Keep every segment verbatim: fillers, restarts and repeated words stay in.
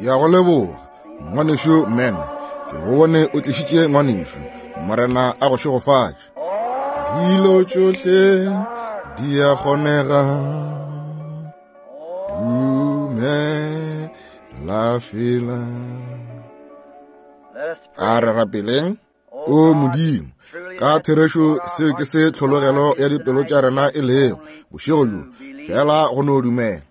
Ya go leboga ngwanešu men, ke go bone o tlišitše ngwanešu. Morena a go šegofatše. Dilo tšohle di a kgonega, dumela fela. A re rapeleng. O Modimo, ka therešo seo ke se tlhologelo ya dipelo tša rena e lego bošego bjo, fela go no dumela.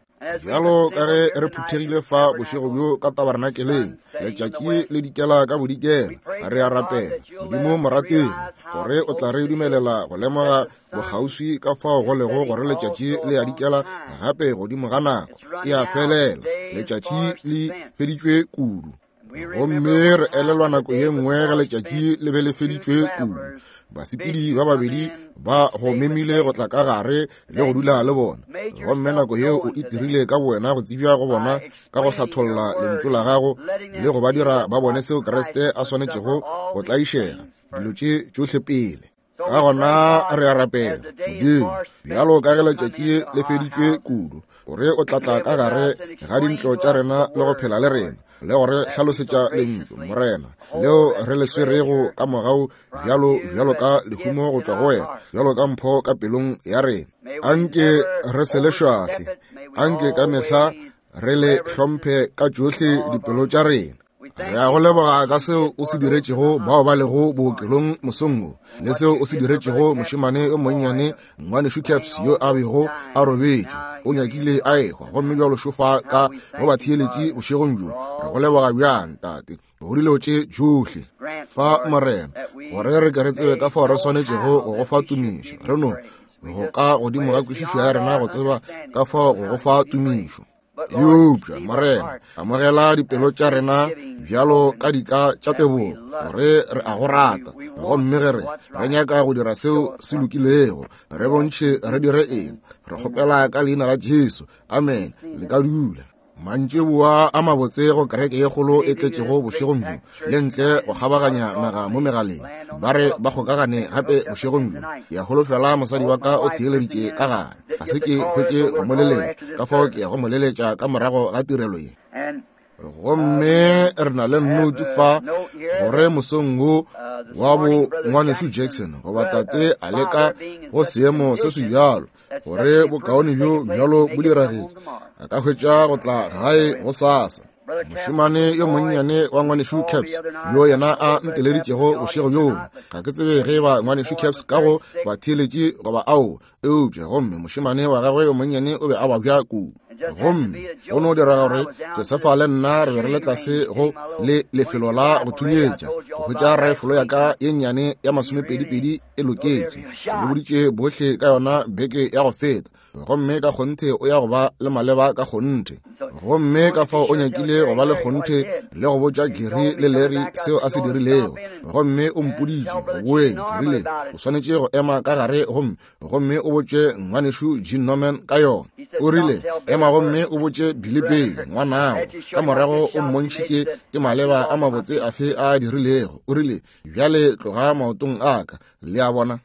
Bjalo ka ge re phuthegile fa bošego bjo ka tabernakeleng, letšatši le dikela ka bodikela, re a rapela Modimo morategi gore o tla re dumelela go lemoga bokgauswi ka fao go lego gore letšatši le a dikela gape godimo ga nako e a felela, letšatši le feditšwe kudu. Gomme re elelwa nako ye nngwe ge letšatši le be le feditšwe kudu, basepedi ba babedi ba go memile go tla ka gare le go dula le bona. Gomme nako yeo o itirile ka bowena go tsebja go bona ka go hlatholla lentšu la gago le go ba dira ba bone seo Kriste a swanetšego go tlaišega dilo tše tšohle pele. Ka gona re a rapela Modimo, bjalo ka ge letšatši le feditšwe kudu, gore o tla tla ka gare ga dintlo tša rena le go phela le rena, le gore hlalosetša lentšu Morena leo re le swerego ka mogau bjalo bjalo ka lehumo go tšwa go wena, bjalo ka mpho ka pelong ya rena. Anke re se le šwahle, anke ka mehla re le hlomphe ka tšohle dipelo tša rena. Re a go leboga ka seo o se diretšego bao ba lego bookelong mosong wo, le seo o se diretšego mošemane yo monnyane ngwanešu Caps yo a bego a robetše, o nyakile a ehwa, gomme bjalo šofa ka go ba theeletše bošegong bjo. Re go leboga bjang Tate go dilo tše tšohle fa Morena, gore re ke re tsebe ka fao re swanetšego go go fa tumišo. Re no go ka godimo ga kwešišo ya rena go tseba ka fao go go fa tumišo. Eupša Morena, amogela dipelo tša rena bjalo ka dika tša tebogo, gore re a go rata, gomme ge re re nyaka go dira seo se lokilego, re bontšhe re dire eng. Re kgopela ka leina la Jesu, amen. Le ka dula. Mantšiboa a mabotse go kereke ye kgolo e tletšego bošegong bjo, le ntle go kgabaganya naga mo megaleng. Ba re ba kgokagane gape bošegong bjo. Ke a holofela mosadi wa ka o theeleditše ka gare, ga se ke hwetše go mo leletša, ka fao ke ya go mo leletša ka morago ga tirelo ye. Gomme re na le note fa gore mosong wo wa bo ngwanešu Jackson goba tate a leka go seemo se se bjalo, gore bokaone bjo bjalo bo diragetše, a ka hwetša go tla gae go sasa. Mošemane yo monnyane wa ngwanešu Caps yo yena a nteleditšego bošego bjo, ga ke tsebe ge ba ngwanešu Caps ka go ba theeletše goba ao, eupša gomme mošemane wa gagwe yo monnyane o be a babja kudu. Gomme go no dira gore Josefa le nna re be re le tlase go le lefelo la go thunyetša go hwetša rifle ya ka ye nnyane ya masomepedipedi e loketše. Ke le boditše bohle ka yona beke ya go feta, gomme ka kgonthe o ya go ba le maleba ka kgonthe. Gomme ka fao o nyakile go ba le kgonthe le go botša Gary le Larry seo a se dirilego. Gomme o mpoditše go boeng, ke rile o swanetše go ema ka gare gomme gomme o botše ngwanešu Gene Norman ka yona. O rile ema gomme o botše Billy pele ngwanago, ka morago o mmontšhitše ke maleba a mabotse afe a dirilego. O rile bjale tloga maotong a ka, le a bona.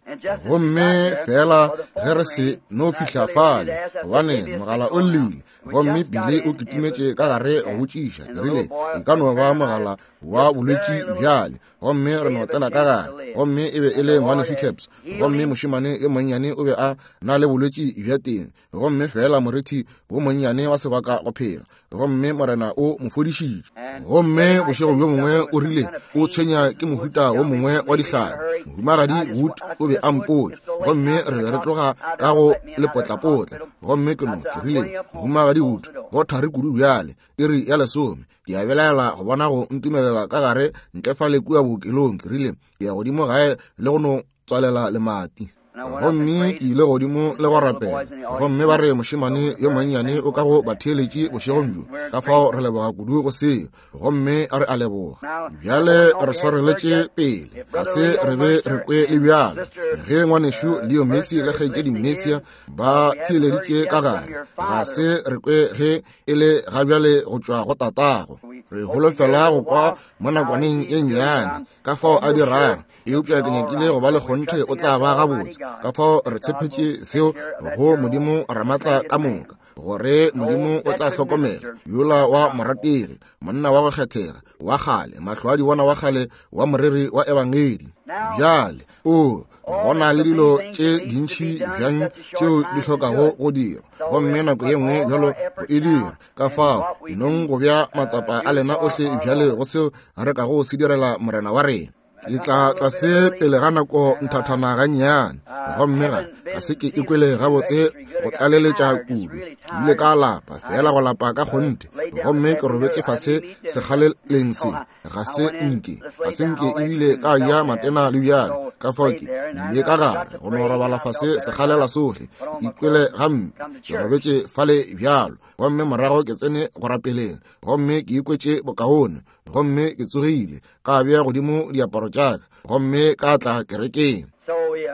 Gomme fela ge re se no fihla fale, gobane mogala o llile, gomme Billy o kitimetše ka gare go botšiša. Ke rile e ka no ba mogala wa bolwetši bjale, gomme re no tsena ka gare. Gomme e be e le ngwanešu Caps, gomme mošemane yo monnyane o be a na le bolwetši bja teng, gomme fela morithi wo monnyane wa sebaka go phela, gomme Morena o mo fodišitše. Gomme bošego bjo mongwe o rile o tshwenya ke mohuta wo mongwe wa dihlare. Mohumagadi Wood o be a mpotša, gomme re be re tloga ka go lepotlapotla. Gomme ke no ke rile mohumagadi Wood, go thari kudu bjale, iri ya lesome, ke a belaela go bona go ntumelela ka gare ntle fale kua bookelong. Ke rile ke ya godimo gae le go no tswalela lemati. Gomme ke ile godimo le go rapela, gomme ba re mošemane yo monnyane o ka go ba theeletše bošegong bjo. Ka fao re leboga kudu go seo, gomme re a leboga. Bjale re swareletše pele, ga se re be re kwe le bjalo ge ngwanešu Leo Messi le kgaetšedi Messia ba theeleditše ka gare, ga se re kwe ge e le ga bjale go tšwa go tatago. Re holofela go kwa mo nakwaneng e nnyane ka fao a dirang, eupša ke nyakile go ba le kgonthe o tla ba gabotse. Ka fao re tshepetše seo go Modimo Ramatla ka moka. gore Modimo o tla hlokomela yola wa morategi, monna wa go kgethega wa kgale, mahlo a di bona wa kgale wa moreri wa ebangedi. Bjale o gona le dilo tše dintši bjang tšeo di hlokago go dirwa, gomme nako ye nngwe bjalo go e dira. Ka fao dinong go bja matsapa a lena ohle bjale go seo re kago se direla Morena wa rena. Ke tla tlase pele ga nako nthathana gannyane, gomme ga ga se ke ikwele gabotse go tlaleletša kudu. Ke ile ka lapa, fela go lapa ka kgonthe, gomme ke robetše fase sekgaleleng se. Ga se nke, ga se nke ebile ka ja matena le bjalo. Ka fao ke ile ka gare go no robala fase sekgalela sohle, ke ikwele gampe, ke robetše fale bjalo. Gomme morago ke tsene go rapeleng, gomme ke ikwetše bokaone, gomme ke tsogile ka bea godimo diaparo tša ka, gomme ka tla kerekeng.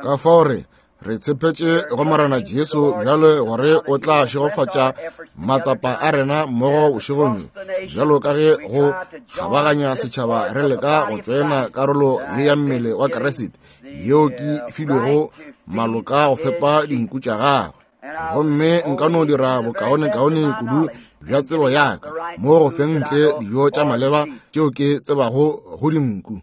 Ka fao re re tshepetše go Morena Jesu bjale gore o tla šegofatša matsapa a rena mmogo bošegong bjo, bjalo ka ge go kgabaganya setšhaba re leka go tšoena karolo ye ya mmele wa Kriste yeo ke filwego maloka go fepa dinku tša gagwe. Gomme nka no dira bokaonekaone kudu bja tsebo ya ka mo go feng ntle dijo tša maleba tšeo ke tsebago go dinku.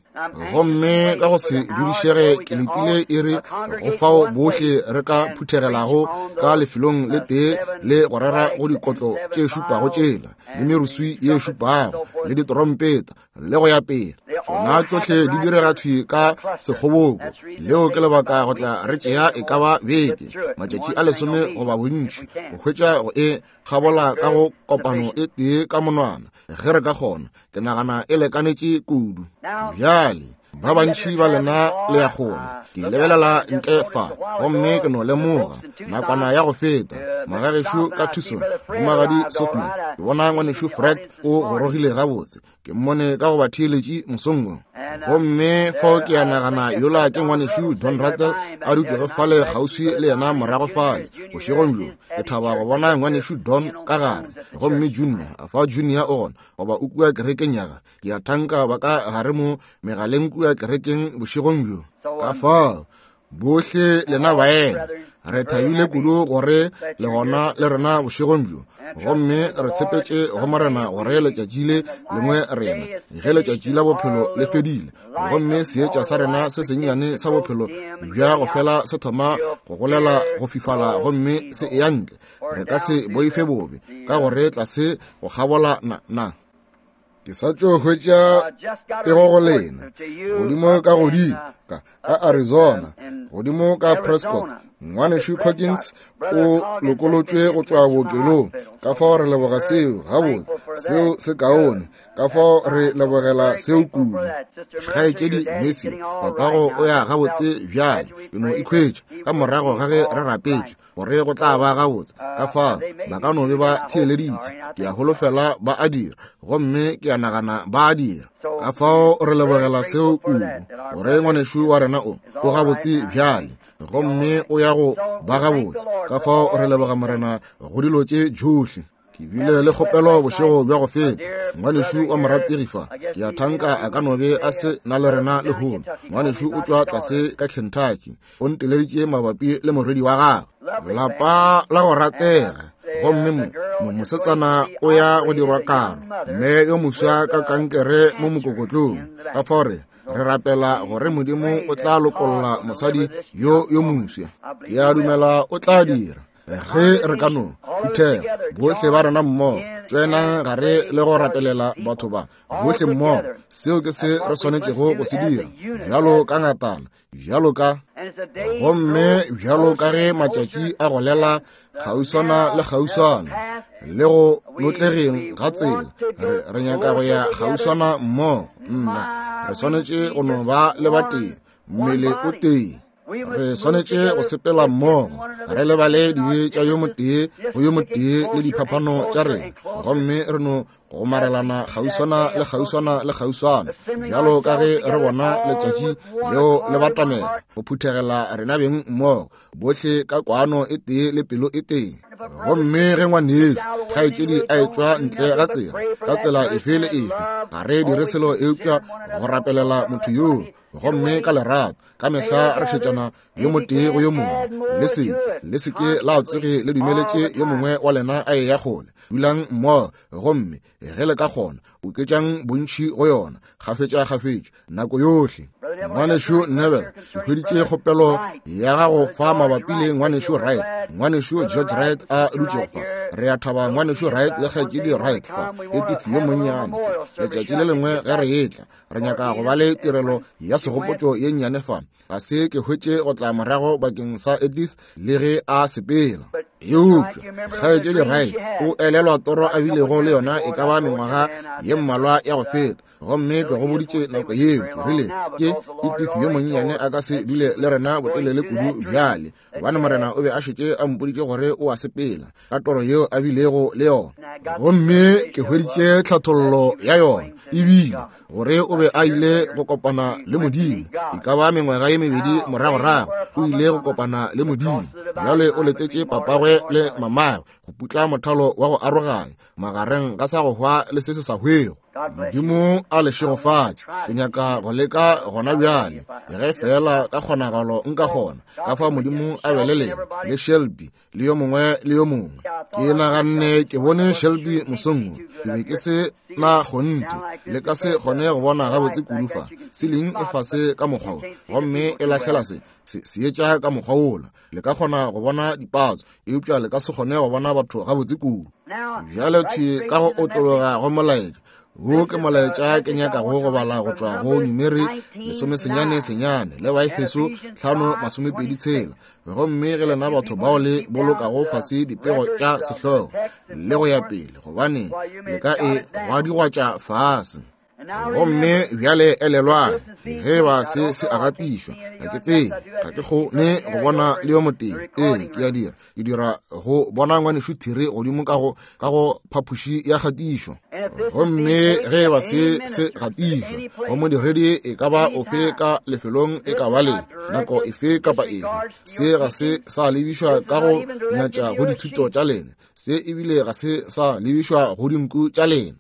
Gomme ka go se dudišege ke letile iri go fao bohle re ka phuthegelago ka lefelong le tee le go rera go dikotlo tše šupago tšela, le meruswi ye šupago, le ditorompeta, le go ya pele. Tšona tšohle di direga thwi ka sekgoboko. Leo ke lebaka go tla re tšea e ka ba beke, matšatši a lesome goba bontši, go hwetša go e kgabola ka go kopano e tee ka monwana, ge re ka kgona. Ke nagana e lekanetše kudu. Bjale ba bantši ba lena le ya kgole. Ke lebelela ntle fa, gomme ke no lemoga nakwana ya go feta magagešo ka Tucson, Mohumagadi Sothman, ke bona ngwanešu Fred o gorogile gabotse. Ke mmone ka go ba theeletše mosong wo. Gomme fao ke a nagana yola ke ngwanešu Don Rattle a dutšego fale kgauswi le yena morago fale bošegong bjo. Ke thaba go bona ngwanešu Don ka gare. Gomme Junior, fa Junior o gona goba o kua kerekeng ya ka, ke a thanka ba ka gare mo megaleng kua kerekeng bošegong bjo. Ka fao bohle lena baena re thabile kudu gore le gona le rena bošegong bjo, gomme re tshepetše go Morena gore letšatši le lengwe rena ge letšatši la bophelo le fedile, gomme seetša sa rena se sennyane sa bophelo bja go fela se thoma go golela go fifala gomme se eya ntle, re ka se boife bobe ka gore tlase go kgabola na na. Ke sa tšo hwetša pego go lena godimo ka godimo ka ka Arizona, godimo ka Prescott. Ngwanešu Coggins o lokolotšwe go tšwa bookelong. Ka fao re leboga seo gabotse, seo se kaone. Ka fao re lebogela seo kudu. Kgaetšedi Messi, papago o ya gabotse bjale. Ke no ikhwetša ka morago ga ge re rapetše gore go tla ba gabotse. Ka fao ba ka no be ba theeleditše. Ke a holofela ba a dira, gomme ke a nagana ba a dira. Ka fao re lebogela seo kudu, gore ngwanešu wa rena o o gabotse bjale, gomme o ya go ba gabotse. Ka fao re leboga Morena go dilo tše tšohle. Ke bile le kgopelo bošego bja go feta. Ngwanešu wa morategi fa, ke a thanka a ka no be a se na le rena lehono. Ngwanešu o tšwa tlase ka Kentucky, o nteleditše mabapi le morwedi wa gagwe, lapa la go ratega. Gomme mo mo mosetsana o ya go dirwa karo, mme yo moswa ka kankere mo mokokotlong. Ka fao re re rapela gore Modimo o tla lokolla mosadi yo yo moswa. Ke a dumela o tla dira. Ge re ka no phuthega bohle ba rena mmogo, tšoenang gare le go rapelela batho ba bohle mmogo. Seo ke se re swanetšego go se dira, bjalo ka ngatana, bjalo ka gomme bjalo ka ge matšatši a golela kgauswana le kgauswana le go notlegeng ga tsela, re re nyaka go ya kgauswana mmogo. Nna re swanetše go no ba le batee, mmele o tee. Re swanetše go sepela mmogo, re lebale dibe tša yo motee go yo motee le diphapano tša rena, gomme re no go marelana kgauswana le kgauswana le kgauswana, bjalo ka ge re bona letšatši leo le batamela go phuthegela rena beng mmogo, bohle ka kwano e tee le pelo e tee. Gomme ge ngwanešu kgaetšedi a etšwa ntle ga tsela ka tsela efe le efe, ga re dire selo eupša go rapelela motho yoo, gomme ka lerato ka mehla re šetšana yo motee go yo mongwe. Le se le se ke la tsoge le dumeletše yo mongwe wa lena a eya kgole. Dulang mmogo, gomme ge le ka kgona oketšang bontši go yona kgafetša-kgafetša nako yohle. Ngwanešu Neville, ke hweditše kgopelo ya gago fa mabapi le ngwanešu Wright, ngwanešu George Wright a dutšego fa. Re a thaba ngwanešu Wright le kgaetšedi Wright fa, Edith yo monnyane. Letšatši le lengwe ge re etla, re nyaka go ba le tirelo ya segopotšo ye nnyane fa. Ga se ke hwetše go tla morago bakeng sa Edith le ge a sepela. Eupša kgaetšedi Wright o elelwa toro a bilego le yona e ka ba mengwaga ye mmalwa ya go feta, gomme ke go boditše nako yeo ke rile ke Edith yo monnyane a ka se dule le rena botelele kudu bjale, gobane Morena o be a šetše a mpoditše gore o a sepela ka toro yeo a bilego le yona. Gomme ke hweditše tlhathollo ya yona, ebile gore o be a ile go kopana le Modimo e ka ba mengwaga ye mebedi moragorago. O ile go kopana le Modimo. Bjale o letetše papagwe le mamagwe go putla mothalo wa go aroganya magareng ga sa go hwa le se se sa hwego. Modimo a le šegofatše. Ke nyaka go leka gona bjale, ge fela ka kgonagalo nka kgona, ka fa Modimo a be le lena le Shelby le yo mongwe le yo mongwe. Ke naganne ke bone Shelby mosong wo, ke be ke se na kgonthe, le ka se kgone go bona gabotse kudu fa. Ceiling e fase ka mokgwa wo, gomme e lahlela se se seetša ka mokgwa wola. Le ka kgona go bona dipatso, eupša le ka se kgone go bona batho gabotse kudu. Bjale thwi ka go otlologa go molaetša wo, ke molaetša ke nyakago go bala go tšwa go Numeri lesomesenyane senyane le Baefeso hlano masomepedi tshela. Gomme ge lena batho bao le bolokago fase dipego tša sehlogo le go ya pele, gobane le ka e gwadigwatša fase. Gomme bjale elelwang, ge ba se se a gatišwa, ga ke tsebe, ga ke kgone go bona le yo motee. Ee, ke a dira, ke dira go bona ngwanešu Thiri godimo ka go ka go phapoši ya kgatišo. Gomme ge ba se se gatišwa go modiredi e ka ba ofe ka lefelong e ka ba lefe, nako efe kapa efe, se ga se sa lebišwa ka go nyatša go dithuto tša lena, se ebile ga se sa lebišwa go dinku tša lena.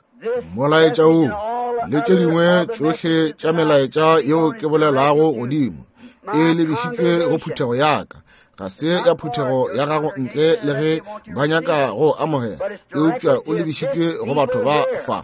Molaetša wo le tše dingwe tšohle tša melaetša yeo ke bolelago godimo e lebišitšwe go phuthego ya ka, ga se ya phuthego ya gago ntle le ge ba nyaka go amogela, eupša o lebišitšwe go batho ba fa.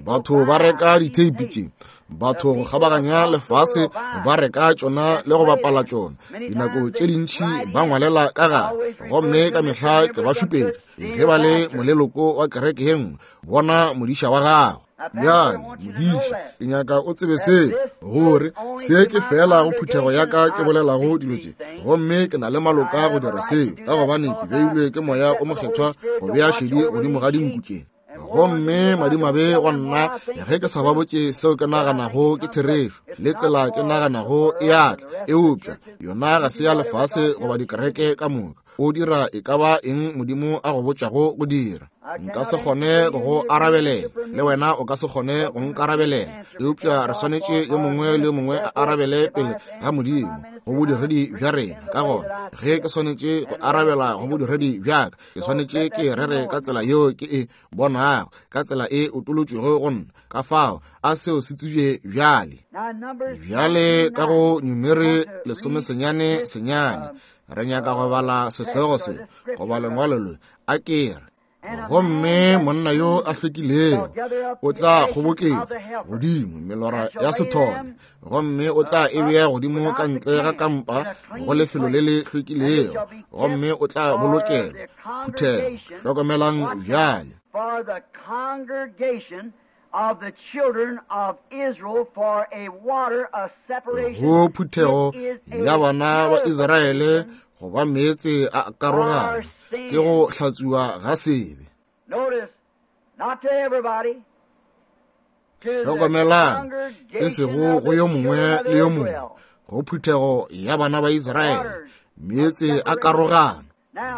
Batho ba reka ditheipi tše, batho go kgabaganya lefase ba reka tšona le go bapala tšona. Dinako tše dintši ba ngwalela ka gare, gomme ka mehla ke ba šupetša ge ba le moleloko wa kereke ye nngwe, bona modiša wa gago. Bjale modiša, ke nyaka o tsebe se, gore se ke fela go phuthego ya ka ke bolelago dilo tše, gomme ke na le maloka go dira seo, ka gobane ke beilwe ke Moya o Mokgethwa go bea šedi godimo ga dinku tše. Gomme madimabe go nna ge ke sa ba botše seo ke naganago ke therešo le tsela ke naganago e atla, eupša yona ga se ya lefase goba dikereke ka moka. O dira e ka ba eng Modimo a go botšago go dira. Nka se kgone go go arabelela, le wena o ka se kgone go nkarabelela, eupša re swanetše yo mongwe le yo mongwe a arabele pele ga Modimo go bodiredi bja rena. Ka gona ge ke swanetše go arabela go bodiredi bja ka, ke swanetše ke rere ka tsela yeo ke e bonago, ka tsela e otolotšwego go nna. Ka fao a seo se tsebje bjale. Bjale ka go Numeri lesomesenyane senyane re nyaka go bala sehlogo se goba lengwalo le a ke re, gomme monna yo a hlwekilego o tla kgoboketša godimo melora ya sethole, gomme o tla e bea godimo ka ntle ga kampa go lefelo le le hlwekilego, gomme o tla bolokela phuthego. Hlokomelang bjale. For the congregation of the children of Israel for a water of separation. Go phuthego ya bana ba Israele go ba meetse a karogano, ke go hlatswiwa ga sebe. Notice, not to everybody. Hlokomelang, e sego go yo mongwe le yo mongwe, go phuthego ya bana ba Israele, meetse a karogano.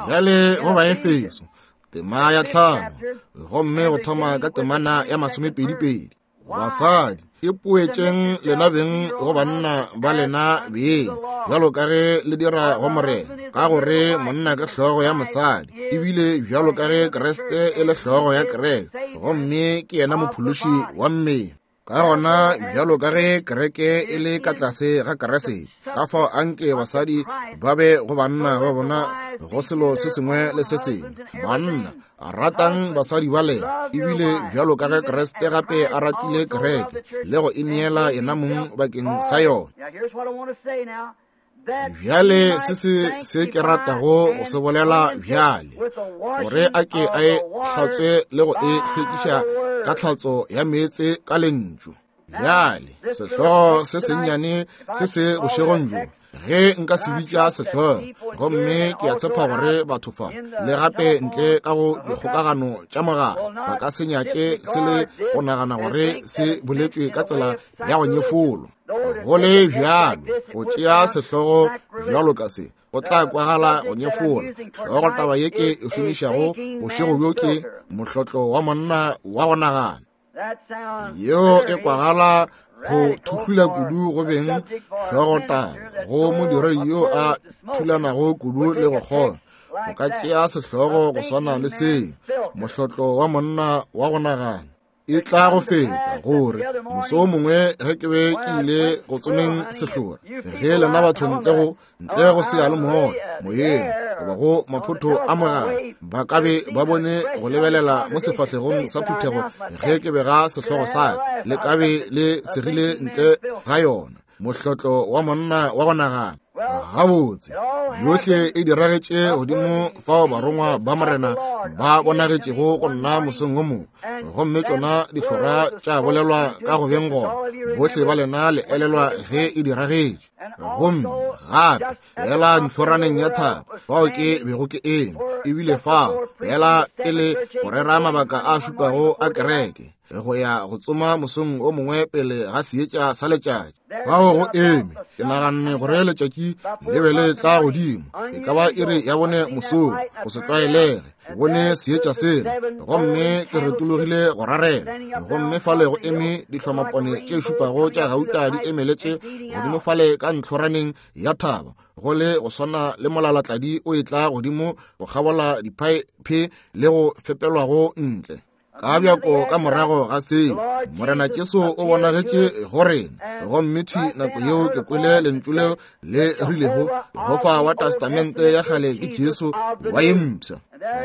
Bjale go Baefeso tema ya tlhano, gomme go thoma ka temana ya masomepedi-pedi. Basadi, Ipoetšeng lena beng go banna ba lena beng, bjalo ka ge le dira go Morena, ka gore monna ke hlogo ya mosadi, ebile bjalo ka ge Kriste e le hlogo ya kereke, gomme ke yena mophološi wa mmele. Ka gona bjalo ka ge kereke e le ka tlase ga Kriste, ka fao anke basadi ba be go banna ba bona go selo se sengwe le se sengwe. Banna, ratang basadi ba lena, ebile bjalo ka ge Kriste gape a ratile kereke le go e neela yena mong bakeng sa yona. Bjale se se se ke ratago go se bolela bjale, gore a ke a e hlatswe le go e hlwekiša ka tlhatso ya meetse ka lentšu. Bjale sehlogo se sennyane se se bošegong bjo, ge nka se bitša sehlogo, gomme ke a tshepa gore batho fa le gape ntle ka go dikgokagano tša mogala ba ka se nyatše se le go nagana gore se boletšwe ka tsela ya go nyefolo. Go le bjalo, go tšea sehlogo bjalo ka se go tla kwagala go nyefola. Hlogo taba ye ke e šomišago bošego bjo ke mohlotlo wa monna wa go nagana. Yeo e kwagala go thuhlula kudu go beng hlogo taba go modiredi yo a thulanago kudu le go kgona. Go ka tšea sehlogo go swana le se, mohlotlo wa monna wa go nagana. E tla go feta gore moso o mongwe ge ke be ke ile go tsomeng sehlora, ge lena batho ntle go ntle go seyalemoya moyeng goba go maphoto a mogala ba ka be ba bone go lebelela mo sefahlegong sa phuthego ge ke bega sehlogo sa ka, le ka be le segile ntle ga yona. Mohlotlo wa monna wa go nagana. Gabotse, yohle e diragetše godimo fao barongwa ba Morena ba bonagetšego go nna mosong o mongwe, gomme tšona dihlora tša bolelwa ka go beng gona. Bohle ba lena le elelwa ge e diragetše. Gomme gape fela ntlhoraneng ya thaba fao ke bego ke eme, ebile fao fela e le go rera mabaka a šupago a kereke, go ya go tsoma mosong o mongwe pele ga seetša sa letšatši. Fao go eme, ke naganne gore letšatši le be le tla godimo, e ka ba iri ya bone mosong, go se tlwaelege. Ke bone seetša sela, gomme ke retologile go rarela, gomme fale go eme dihlomapone tše šupago tša gauta di emeletše godimo fale ka ntlhoraneng ya thaba, go le go swana le molalatladi o etla godimo go kgabola diphaephe le go fepelwago ntle. Ka bjako ka morago ga seo, Morena Jesu o bonagetše go rena, gomme thwi nako yeo ke kwele lentšu leo le rilego, Jehofa wa Testamente ya kgale ke Jesu wa ye mpsha.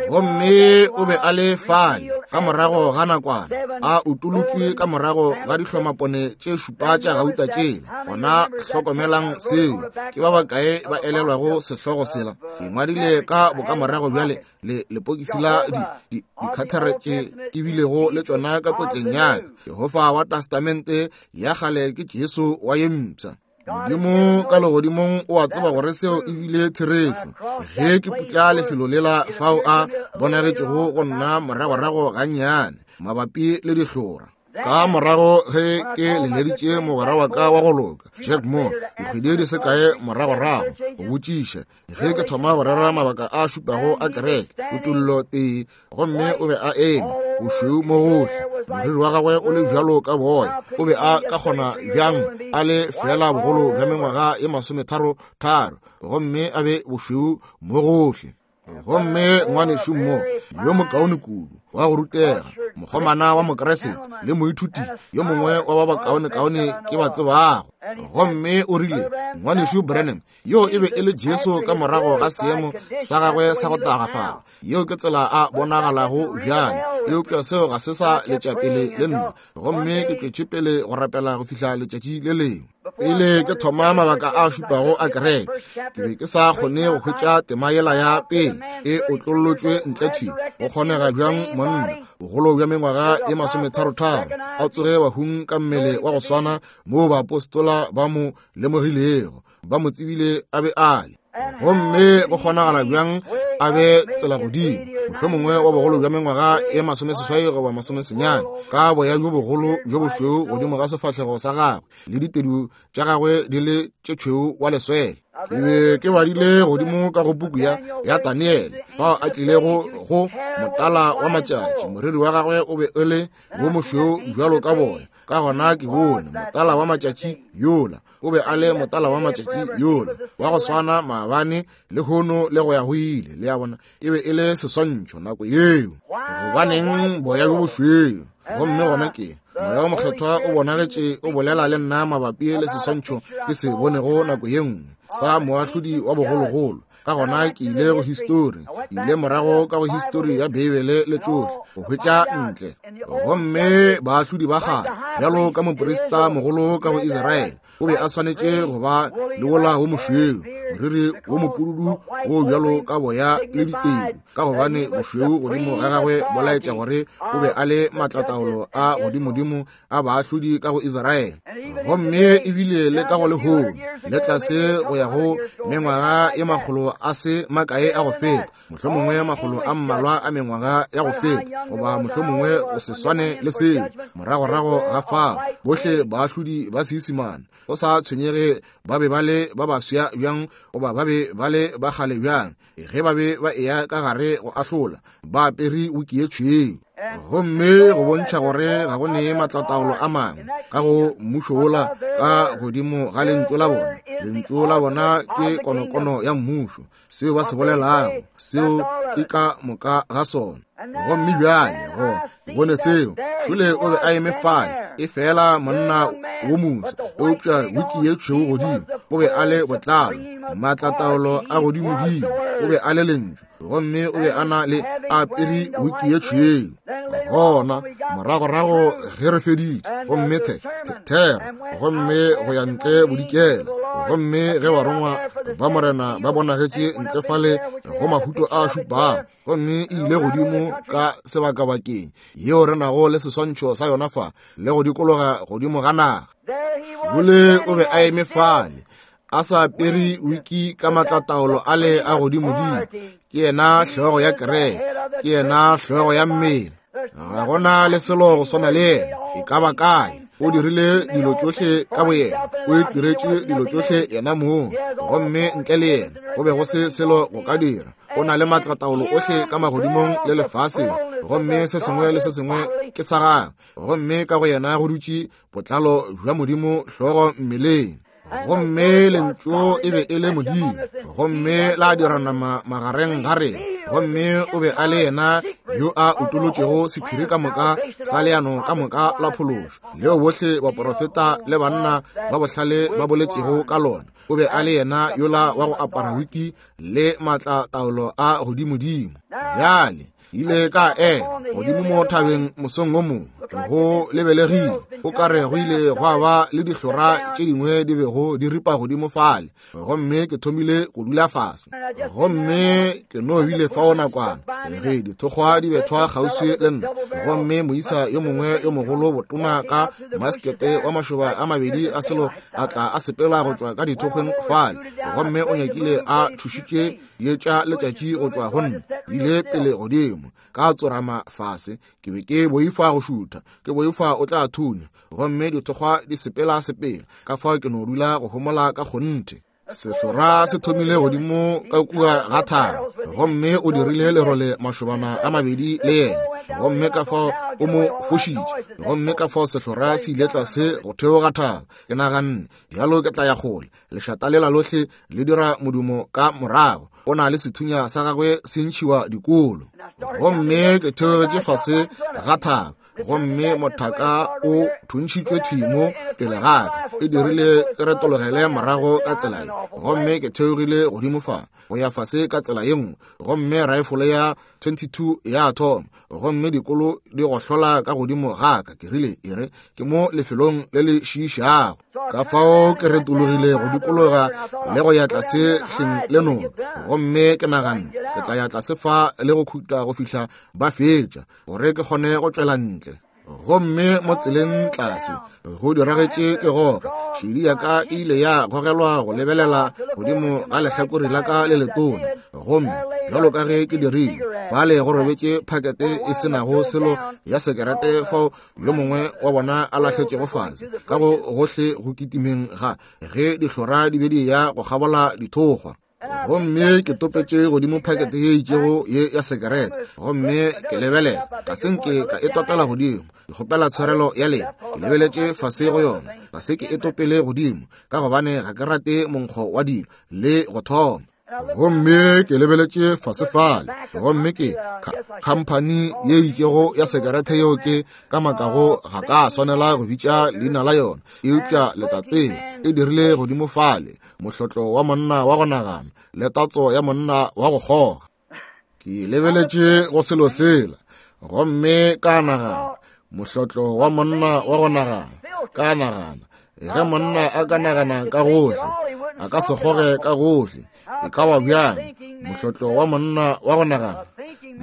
Gomme o be a le fale ka morago ga nakwana, a utolotšwe ka morago ga dihlomapone tše šupa tša gauta tšela. Gona hlokomelang seo. Ke ba bakae ba elelwago sehlogo sela? Ke ngwadile ka bokamorago bjale le lepokisi la di di dikhathare tše ke bilego le tšona ka potleng ya ka. Jehofa wa Testamente ya kgale ke Jesu wa ye mpsha. Modimo ka legodimong o a tseba gore seo ebile therešo. Ge ke putla lefelo lela fao a bonagetšego go nna moragorago gannyane mabapi le dihlora. Ka morago ge ke leleditše mogwera wa ka wa go loka Jack Moore dikgwedi di se kae moragorago go botšiša ge ke thoma go rera mabaka a šupago a kereke kutollo tee, gomme o be a eme bošweu mo gohle, moriri wa gagwe o le bjalo ka boya. O be a ka kgona bjang a le fela bogolo bja mengwaga ye masometharo tharo, gomme a be bošweu mo gohle. Gomme ngwanešu mo yo mokaone kudu wa go rutega, mokgomana wa Mokriste le moithuti yo mongwe wa ba bakaonekaone ke ba tsebago. Gomme o rile, ngwanešu Branham, yo e be e le Jesu ka morago ga seemo sa gagwe sa go tagafala. Yeo ke tsela a bonagalago bjale, eupša seo ga se sa letša pele le nna. Gomme ke tšwetše pele go rapela go fihla letšatši le lengwe. Pele ke thoma mabaka a šupago a kereke, ke be ke sa kgone go hwetša tema yela ya pele e otlollotšwe ntle thwi. Go kgonega bjang monna bogolo bja mengwaga e masometharo-tharo a tsoge bahung ka mmele wa go swana moo baapostola ba mo lemogilego, ba mo tsebile a be a le? Gomme go kgonagala bjang a be tsela godimo, mohlomongwe wa bogolo bja mengwaga e masomeseswai goba masomesenyane, ka boya bjo bogolo bjo bošweu godimo ga sefahlego sa gagwe le ditedu tša gagwe di le tše tšhweu wa leswele. Ke be ke badile godimo ka go puku ya ya Daniele, bao a tlilego go motala wa matšatši, moriri wa gagwe o be o le wo mošweu bjalo ka boya. Ka gona ke bone motala wa matšatši yola, o be a le motala wa matšatši yola, wa go swana maabane lehono le go ya go ile. Le a bona, e be e le seswantšho nako yeo. Gobaneng boya bjo bošweu? Gomme gona ke Moya wo Mokgethwa o bonagetše o bolela le nna mabapi le seswantšho ke se bonego nako ye nngwe sa moahlodi wa bogologolo. Ka gona ke ile go histori, ke ile morago ka go histori ya Beibele le tšohle go hwetša ntle. Gomme baahlodi ba kgale, bjalo ka moprista mogolo ka go Israele, o be a swanetše go ba le wola wo mošweu, moriri wo mopududu wo bjalo ka boya le ditedu, ka gobane bošweu godimo ga gagwe bo laetša gore o be a le maatlataolo a godimodimo a baahlodi ka go Israele. Gomme ebile le ka go lehono, le tlase go ya go mengwaga ye makgolo a se makae a go feta, mohlomongwe makgolo a mmalwa a mengwaga ya go feta, goba mohlomongwe go se swane le seo, moragorago ga fao, bohle baahlodi ba Seisemane, go sa tshwenyege ba be ba le ba baswa bjang goba ba be ba le ba kgale bjang, ge ba be ba eya ka gare go ahlola, ba apere wiki ye tšhweu. Gomme go bontšha gore ga go ne maatlataolo a mangwe ka go mmušo wola ka godimo ga lentšu la bona. Lentšu la bona ke konokono ya mmušo, seo ba se bolelago, seo ke ka moka ga sona. Gomme bjale go bone seo, šole o be a eme fale, e fela monna wo mosa, eupša wiki ye tšhweu godimo, o be a le botlalo, maatlataolo a godimodimo, o be a le lentšu, gomme o be a na le apere wiki ye tšhweu. Gona moragorago ge re feditše, gomme the thero, gomme go ya ntle bodikela, gomme ge barongwa ba Morena ba bonagetše ntle fale go mahuto a šupago, gomme e ile godimo ka sebakabakeng yeo re nago le seswantšho sa yona fa, le go dikologa godimo ga naga. Šole o be a eme fale, a sa apere wiki ka maatlataolo a le a godimodimo. Ke yena hlogo ya kereke, ke yena hlogo ya mmele. Ga gona le selo go swana le yena, e ka ba kae. O dirile dilo tšohle ka boyena, o itiretše dilo tšohle yena mong, gomme ntle le yena go be go se selo go ka dira. O na le maatlataolo ohle ka magodimong le lefaseng, gomme se sengwe le se sengwe ke sa gagwe. Gomme ka go yena go dutše botlalo bja Modimo hlogo mmeleng. Gomme lentšu e be e le Modimo, gomme la dira nama magareng ga rena. Gomme o be a le yena yo a utolotšego sephiri ka moka sa leano ka moka la phološo, leo bohle baprofeta le banna ba bohlale ba boletšego ka lona. O be a le yena yola wa go apara wiki le maatlataolo a godimodimo. Bjale ile ka ema godimo mo thabeng mosong wo mongwe, go lebelegile o kare go ile gwa ba le dihlora tše dingwe di bego di ripa godimo fale. Gomme ke thomile go dula fase, gomme ke no bile fao nakwana ge dithokgwa di bethwa kgauswi le nna. Gomme moisa yo mongwe yo mogolo botona ka maskete wa mašoba a mabedi a selo a tla a sepela go tšwa ka dithokgweng fale, gomme o nyakile a thušitše ye tša letšatši go tšwa go nna, ile pele godimo ka tsorama fase. Ke be ke boifa go šutha, ke boifa o tla thunya, gomme dithokgwa di sepela sepela, ka fao ke no dula go homola ka kgonthe. Sehlora se thomile godimo ka kua ga thaba, gomme o dirile lerole mašobana a mabedi le yena, gomme ka fao o mo fošitše, gomme ka fao sehlora se ile tlase go theoga thaba. Ke naganne, bjalo ke tla ya kgole, lešata lela lohle le dira modumo ka morago, o na le sethunya sa gagwe se ntšhiwa dikolo. Gomme ke theogetše fase ga thaba, gomme mothaka o thuntšhitšwe thimo pele ga ka, e dirile ke retologele morago ka tsela ye, gomme ke theogile godimo fa go ya fase ka tsela ye nngwe, gomme raefole ya twenty-two ya thoma, gomme dikolo di gohlola ka godimo ga ka. Ke rile, e re ke mo lefelong le le šiišago. Ka fao ke retologile go dikologa le go ya tlase hleng le noka, gomme ke naganne ke tla ya tlase fa le go khutla go fihla ba fetša, gore ke kgone go tšwela ntle. Gomme mo tseleng tlase go diragetše ke gore šedi ya ka e ile ya gogelwa go lebelela godimo ga lehlakore la ka le letona, gomme bjalo ka ge ke dirile, Fale go robetše phakete e se nago selo ya sekerete fao yo mongwe wa bona a lahletšego fase ka go gohle go kitimeng ga ge dihlora di be di ya go kgabola dithokgwa. Gomme ke topetše godimo phakete ye itšego ye ya sekerete, gomme ke lebelela, ka se nke ka e topela godimo. Ke kgopela tshwarelo ya lena, ke lebeletše fase go yona, ga se ke e topele godimo, ka gobane ga ke rate monkgo wa dilo le go thoma. Gomme ke lebeletše fase fale, gomme ke khamphani ye itšego ya sekerete yeo ke ka makago ga ka swanela go bitša leina la yona, eupša le tla tseba e dirile godimo fale mohlotlo wa monna wa go nagana le tatso ya monna wa go kgoga. Ke lebeletše go selo sela, gomme ka nagana mohlotlo wa monna wa go nagana, ka nagana ge monna a ka nagana ka gohle, a ka se kgoge ka gohle, e ka ba bjang mohlotlo wa monna wa go nagana?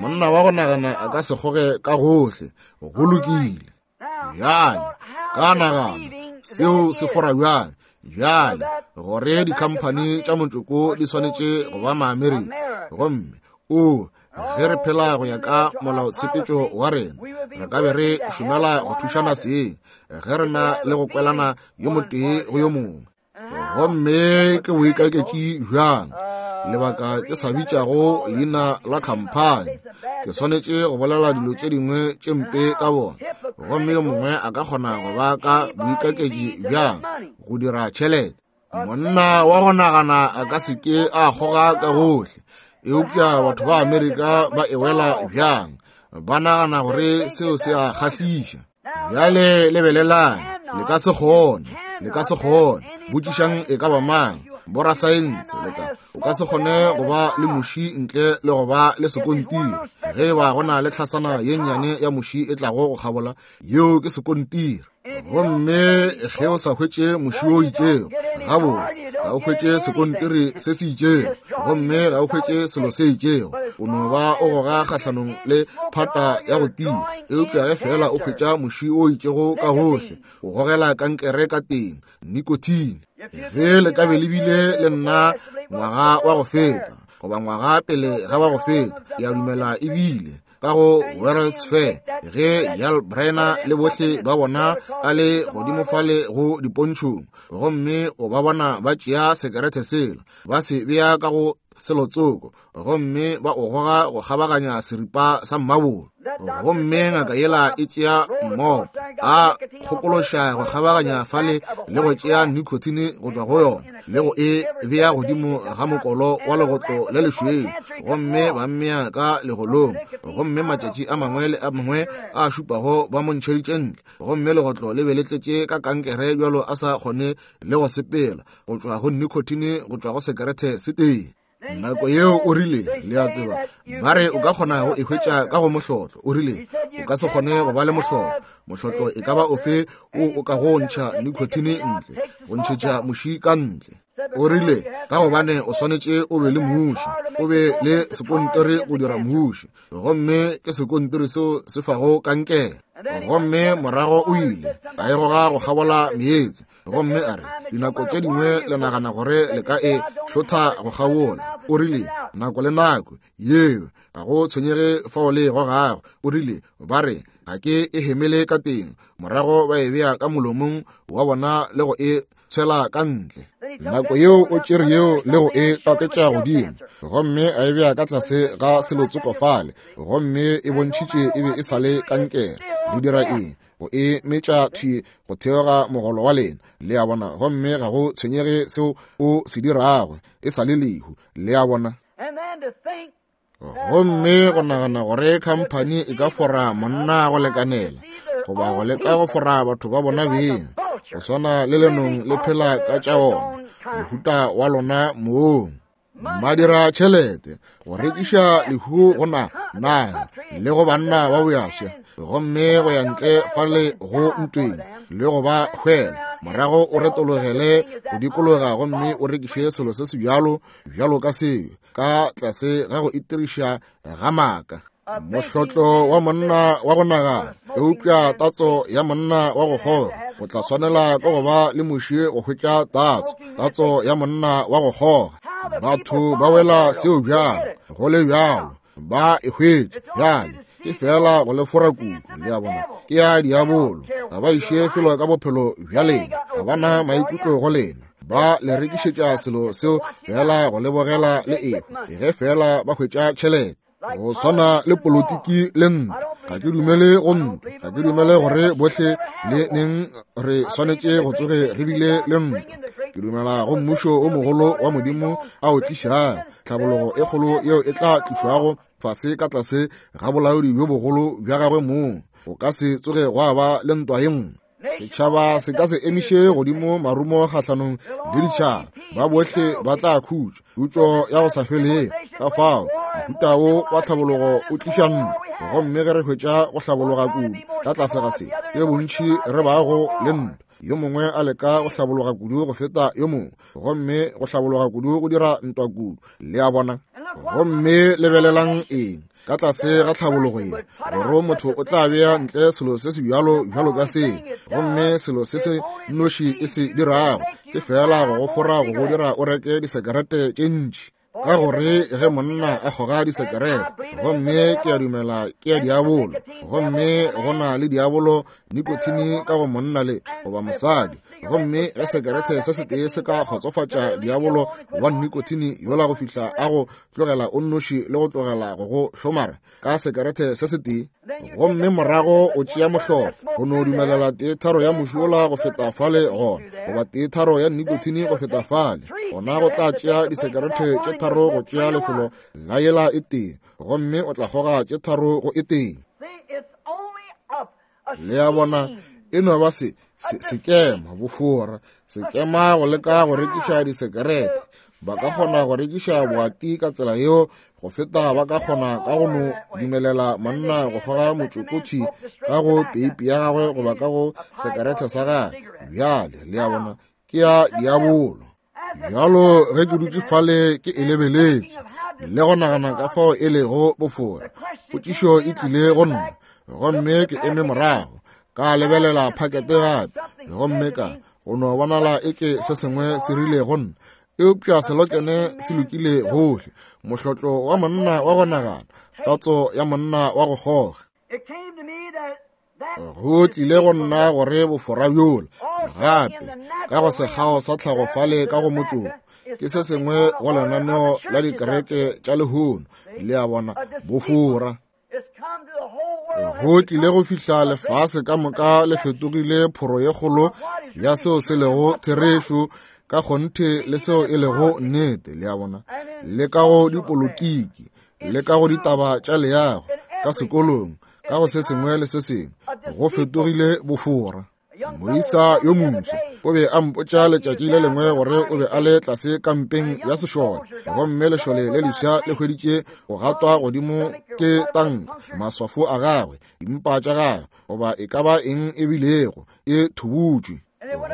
Monna wa go nagana a ka se kgoge ka gohle. Go lokile. Bjale ka nagana seo se fora bjang bjale gore dikhamphani tša motsoko di swanetše go ba Maamerika, gomme o ge re phela go ya ka molaotshepetšo wa rena, re ka be re šomela go thušana seng ge re na le go kwelana yo motee go yo mongwe. Gomme ke boikaketši bjang, lebaka ke sa bitšago leina la khamphani, ke swanetše go bolela dilo tše dingwe tše mpe ka bona. Gomme yo mongwe a ka kgona go ba ka boikaketši bjang go dira tšhelete? Monna wa go nagana a ka se ke a kgoga ka gohle, eupša batho ba Amerika ba e wela bjang, ba nagana gore seo se a kgahliša. Bjale lebelelang, le ka se kgone, le ka se kgone. Botšišang e ka ba mang, borasaense, le tla o ka se kgone go ba le muši ntle le go ba le sekontiri. Ge e ba go na le tlhasana ye nnyane ya muši e tlago go kgabola, yeo ke sekontiri. Gomme ge o sa hwetše muši o itšego gabotse, ga o hwetše sekontiri se se itšego, gomme ga o hwetše selo se itšego, o no ba o goga kgahlanong le phata ya go tia. Eupša ge fela o hwetša muši o itšego ka gohle, o gogela kankere ka teng, nicotine. Ge le ka be le bile le nna ngwaga wa go feta, goba ngwaga pele ga wa go feta, ke a dumela ebile ka go World's Fair, ge Yul Brynner le bohle ba bona a le godimo fale go dipontšhong, gomme o ba bona ba tšea sekerete sela, ba se bea ka go selotsoko, gomme ba o goga go kgabaganya seripa sa mmabolo. Gomme ngaka yela e tšea mmopo, a kgokološa go kgabaganya fale le go tšea nicotine go tšwa go yona, le go e bea godimo ga mokolo wa legotlo le lešweu, gomme ba mmea ka legolong. Gomme matšatši a mangwe le a mangwe a šupago ba mo ntšheditše ntle, gomme legotlo le be le tletše ka kankere bjalo a sa kgone le go sepela, go tšwa go nicotine go tšwa go sekerete se tee. Nako yeo o rile, le a tseba, ba re o ka kgona go e hwetša ka go mohlotlo. O rile o ka se kgone go ba le mohlotlo. Mohlotlo e ka ba ofe o o ka go ntšha nicotine ntle, go ntšhetša muši ka ntle. O rile ka gobane o swanetše o be le muši, o be le sekontiri go dira muši, gomme ke sekontiri seo se fago kankere. Gomme morago o ile a e goga go kgabola meetse, gomme a re dinako tše dingwe le nagana gore le ka e hlotha go kgabola. O rile nako le nako yeo ga go tshwenyege fao le e gogago. O rile ba re ga ke e hemele ka teng, morago ba e bea ka molomong wa bona le go e tshwela ka ntle. Nako yeo o tšere yeo le go e tatetša godimo, gomme a e bea ka tlase ga selotsoko fale, gomme e bontšhitše e be e sa le kankere. Le dira eng? Go e metša thwi go theoga mogolo wa lena, le a bona, gomme ga go tshwenyege seo o se dirago, e sa le lehu, le a bona. Gomme go nagana gore khamphani e ka fora monna go lekanela, goba go leka go fora batho ba bona beng, go swana le lenong le phela ka tša ona, mohuta wa lona mong. Ba dira tšhelete go rekiša lehu go na naga le go banna ba boyafša, gomme go ya ntle fale go ntweng le go ba hwela, morago o retologele go dikologa gomme o rekiše selo se se bjalo bjalo ka seo, ka tlase ga go itiriša ga maaka. Mohlotlo wa monna wa go nagana, eupša tatso ya monna wa go kgoga. O tla swanela ke go ba le muši go hwetša tatso, tatso ya monna wa go kgoga. Batho ba wela seo bjalo, go le bjalo. Ba e hwetša. Bjale ke fela go le fora kudu, le a bona. Ke ya diabolo. Ga ba iše felo ka bophelo bja lena. Ga ba na maikutlo go lena. Ba le rekišetša selo seo fela go le bogela le ehwa, ge fela ba hwetša tšhelete. Go swana le politiki le ntwa. Ga ke dumele go ntwa. Ga ke dumele gore bohle le neng re swanetše go tsoge re bile le ntwa. Ke dumela go mmušo o mogolo wa Modimo a o tlišang, tlhabologo e kgolo yeo e tla tlišwago fase ka tlase ga bolaodi bjo bogolo bja gagwe mong. Go ka se tsoge gwa ba le ntwa ye nngwe. Setšhaba se ka se emiše godimo marumo kgahlanong le ditšhaba. Ba bohle ba tla khutša, khutšo ya go sa felego. Ka fao mohuta wo wa tlhabologo o tliša ntwa, gomme ge re hwetša go hlabologa kudu ka tlase ga se, ke bontši re bago le ntwa. Yo mongwe a leka go hlabologa kudu go feta yo mongwe, gomme go hlabologa kudu go dira ntwa kudu. Le a bona? Gomme lebelelang eng ka tlase ga tlhabologo ye, gore motho o tla bea ntle selo se se bjalo bjalo ka se, gomme selo se se nnoši e se dirago ke fela go go fora go go dira o reke disekerete tše ntši. Ka gore ge monna a kgoga disekerete, gomme ke a dumela ke ya diabolo, gomme go na le diabolo nikotine ka go monna le goba mosadi, gomme ge sekerete se setee se ka kgotsofatša diabolo wa nikotine yola go fihla a go tlogela o nnoši le go tlogela go go hlomara ka sekerete se setee, gomme morago o tšea mohlolo go no dumelela tee tharo ya moši wola go feta fale gona, goba tee tharo ya nikotine go feta fale gona, go tla tšea disekerete tše tharo go tšea lefelo la yela e tee, gomme o tla kgoga tše tharo go e tee. Le a bona, e no ba se sekema bofora, sekema go leka go rekiša disekerete. Ba ka kgona go rekiša boati ka tsela yeo go feta ba ka kgona ka go no dumelela monna go kgoga motšokothi ka go peipi ya gagwe goba ka go sekerete sa gagwe. Bjale le a bona, ke ya diabolo. Bjalo ge ke dutše fale ke e lebeletše le go nagana ka fao e lego bofora, potšišo e tlile go nna, gomme ke eme morago ka lebelela phakete gape, gomme ka go no bonala eke se sengwe se rile go nna, eupša selokene se lokile gohle, mohlotlo wa monna wa go nagana, tatso ya monna wa go kgoga. Go tlile go nna gore bofora bjola gape ka go sekgao sa tlhago fale ka go motšoko ke se sengwe go lenaneo la dikereke tša lehono. Le a bona, bofora. Go tlile go fihla lefase ka moka le fetogile phoro ye kgolo ya seo se lego therešo ka kgonthe le seo e lego nnete. Le a bona, le ka go dipolotiki, le ka go ditaba tša leago, ka sekolong, ka go se sengwe le se sengwe, go fetogile bofora. Moisa yo moswa o be a mpotša letšatši le lengwe gore o be a le tlase kampeng ya sešole, gomme lešole le leswa le hweditše go gatwa godimo ke tanka, maswafo a gagwe, dimpa tša gagwe, goba e ka ba eng e bilego e thubutšwe.